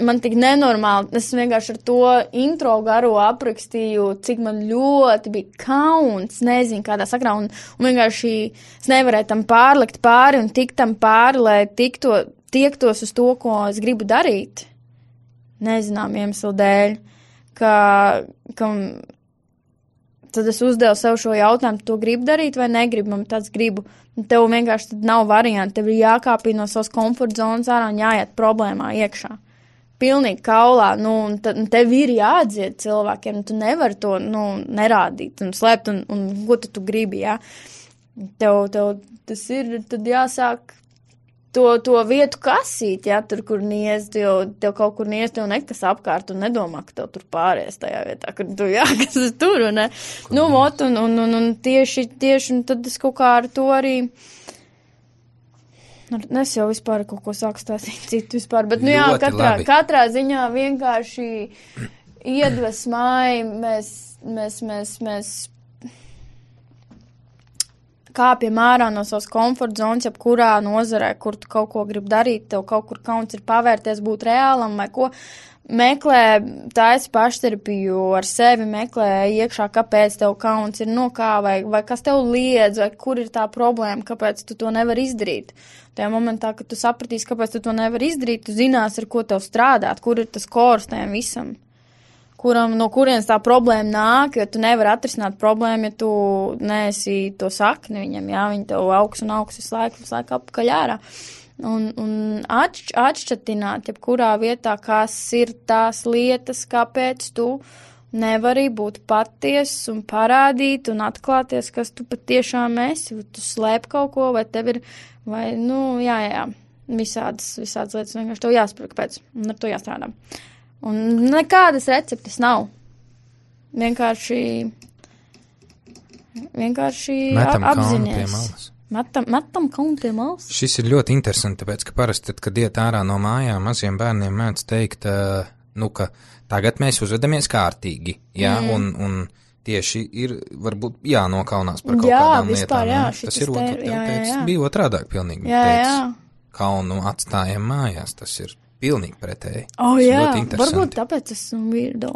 man tik nenormāli, es vienkārši ar to intro garu aprakstīju, cik man ļoti bija kauns, nezinu, kādā sakrā, un vienkārši es nevarēju tam pārlikt pāri un tikt tam pāri, lai tiektos uz to, ko es gribu darīt. Nezinām iemeslu dēļ, ka tad es uzdevu sev šo jautājumu, tu gribi darīt vai negribi, man tāds gribu. Tev vienkārši tad nav varianti, tev ir jākāpī no savas komforta zonas ārā un jāiet problēmā iekšā. Pilnīgi kaulā, un tev ir jāatdzied cilvēkiem, tu nevari to, nerādīt un slēpt, un ko tu gribi, jā. Tev tas ir, tad jāsāk to vietu kasīt, jā, tur, kur niez, tev kaut kur niez, tev nekas apkārt, un nedomā, ka tev tur pāries tajā vietā, kur tu jākas tur, un ne. Un tieši, un tad es kaut kā ar to arī. Es jau vispār kaut ko sāku stāstīt citu vispār, bet, katrā ziņā vienkārši iedvesmāji mēs kāpjam ārā no savas komforta zonas, jebkurā nozarē, kur tu kaut ko gribi darīt, tev kaut kur kauns ir pavērties, būt reālam vai ko. Meklē taisi pašterapiju ar sevi, meklē iekšā, kāpēc tev kauns ir vai kas tev liedz, vai kur ir tā problēma, kāpēc tu to nevari izdarīt. Tajā momentā, kad tu sapratīsi, kāpēc tu to nevari izdarīt, tu zināsi, ar ko tev strādāt, kur ir tas kors tajam visam, no kurienes tā problēma nāk, jo tu nevari atrisināt problēmu, ja tu neesi to sakni viņam, jā, viņi tev augs visu laiku apakaļ ārā. Un atšķatināt, jebkurā vietā, kas ir tās lietas, kāpēc tu nevari būt patiess un parādīt un atklāties, kas tu patiešām esi, vai tu slēp kaut ko, vai tev ir, visādas lietas, vienkārši tev jāsaprot, kāpēc, un ar to jāstrādā. Un nekādas receptes nav. Vienkārši apzinies. Metam kaunu pie malas. Šis ir ļoti interesanti, tāpēc, ka parasti, kad iet ārā no mājām, maziem bērniem mēdz teikt, ka tagad mēs uzvedamies kārtīgi, jā, un tieši ir, varbūt, jānokaunās par kaut kādām lietām. Jā, tas ir bija otrādāk pilnīgi. Jā. Kaunu atstājam mājās, tas ir pilnīgi pretēji. Jā, varbūt tāpēc esmu weirdo.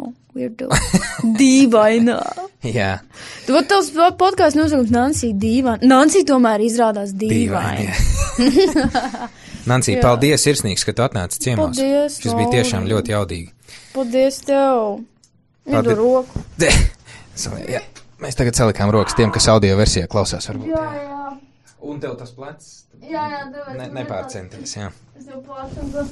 Dīvainā. Jā. Tu vat tavs podkāsts nosaukums Nancy dīvaina. Nancy tomēr izrādās dīvaina. Nancy, paldies sirsnīgs, ka tu atnāci ciemos. Paldies. Šis bija tiešām ļoti jaudīgi. Paldies tev. Idu roku. Jā. Mēs tagad salikām rokas tiem, kas audio versijā klausās varbūt. Jā. Un tev tas plecs? Jā, nepārcenties, jā. Es jau plācu.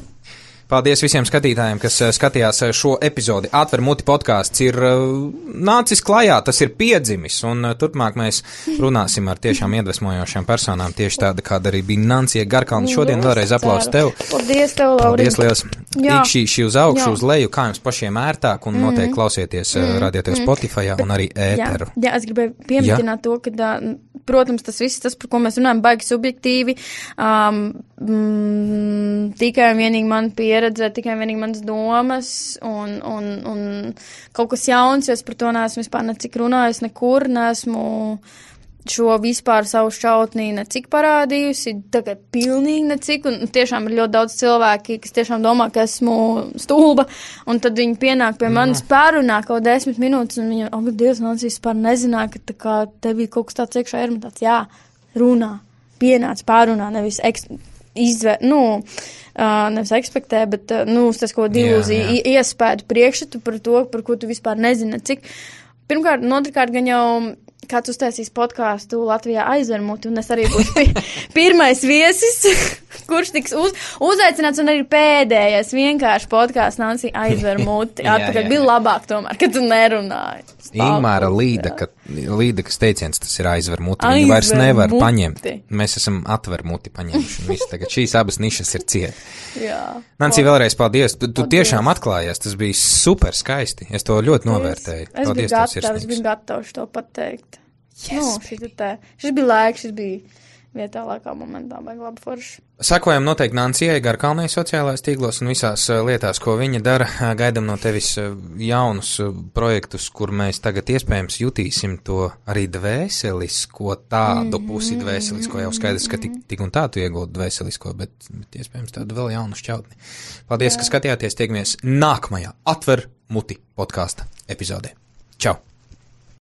Paldies visiem skatītājiem, kas skatījās šo epizodi. Atver muti podkāsts ir nācis klajā, tas ir piedzimis, un turpmāk mēs runāsim ar tiešām iedvesmojošām personām, tieši tāda, kāda arī bija Nancija Garkalna. Šodien vēlreiz aplausi tev. Paldies tev, Lauri. Paldies liels. Ikšķīši uz augšu, uz leju, kā jums pašiem ērtāk, un noteikti klausieties radiotēv Spotifyā un arī ēteru. Jā, es gribēju pieminēt to, ka, protams, tas viss, tas, par ko mēs runājam, baigi subjektīvi, tikai un vienīgi man pieredze, tikai un vienīgi manas domas un kaut kas jauns, jo es par to neesmu vispār necik runājis, nekur neesmu šo vispār savu šautnī necik parādījusi, tagad pilnīgi necik, un tiešām ir ļoti daudz cilvēki, kas tiešām domā, ka esmu stulba, un tad viņi pienāk pie manis pārunā kaut 10 minūtes, un viņi, ak, Dievs, man vispār nezināja, ka tā kā tev bija kaut kas tāds iekšā ir, man tāds, jā, runā, pienāc pārunā, nevis nevis ekspektē, bet, tas kaut ilūziju iespēju priekšstatu par to, par ko tu vispār nezini, cik. Pirmkārt, otrkārt, gan jau kāds uztaisīs podkāstu Latvijā aizvermuti, un es arī būšu pirmais viesis, kurš tiks uzaicināts, un arī pēdējais vienkārši podkāsts Nancija aizvermuti. Atpakaļ bija labāk tomēr, kad tu nerunāji. Ingmāra Līdekas teiciens, tas ir aizvermuti. Viņi vairs nevar paņemt. Mēs esam atvermuti paņemši. Visi tagad šīs abas nišas ir ciet. Nancija, vēlreiz paldies. Tu tiešām atklājies. Tas bija super skaisti. Es to ļoti novērtēju. Es biju gatavs to pateikt. Šis bija laiks, šis bija vietā laikā momentā, vai labi forši. Sakojam noteikti Nancijai Garkalnai sociālais tīklos un visās lietās, ko viņa dara. Gaidam no tevis jaunus projektus, kur mēs tagad iespējams jutīsim to arī dvēselisko, tādu pusi dvēselisko. Jau skaidrs, ka tik un tā tu iegūti dvēselisko, bet iespējams tādu vēl jaunu šķautni. Paldies, ka skatījāties. Tiekamies nākamajā Atver muti podkāsta epizodē. Čau!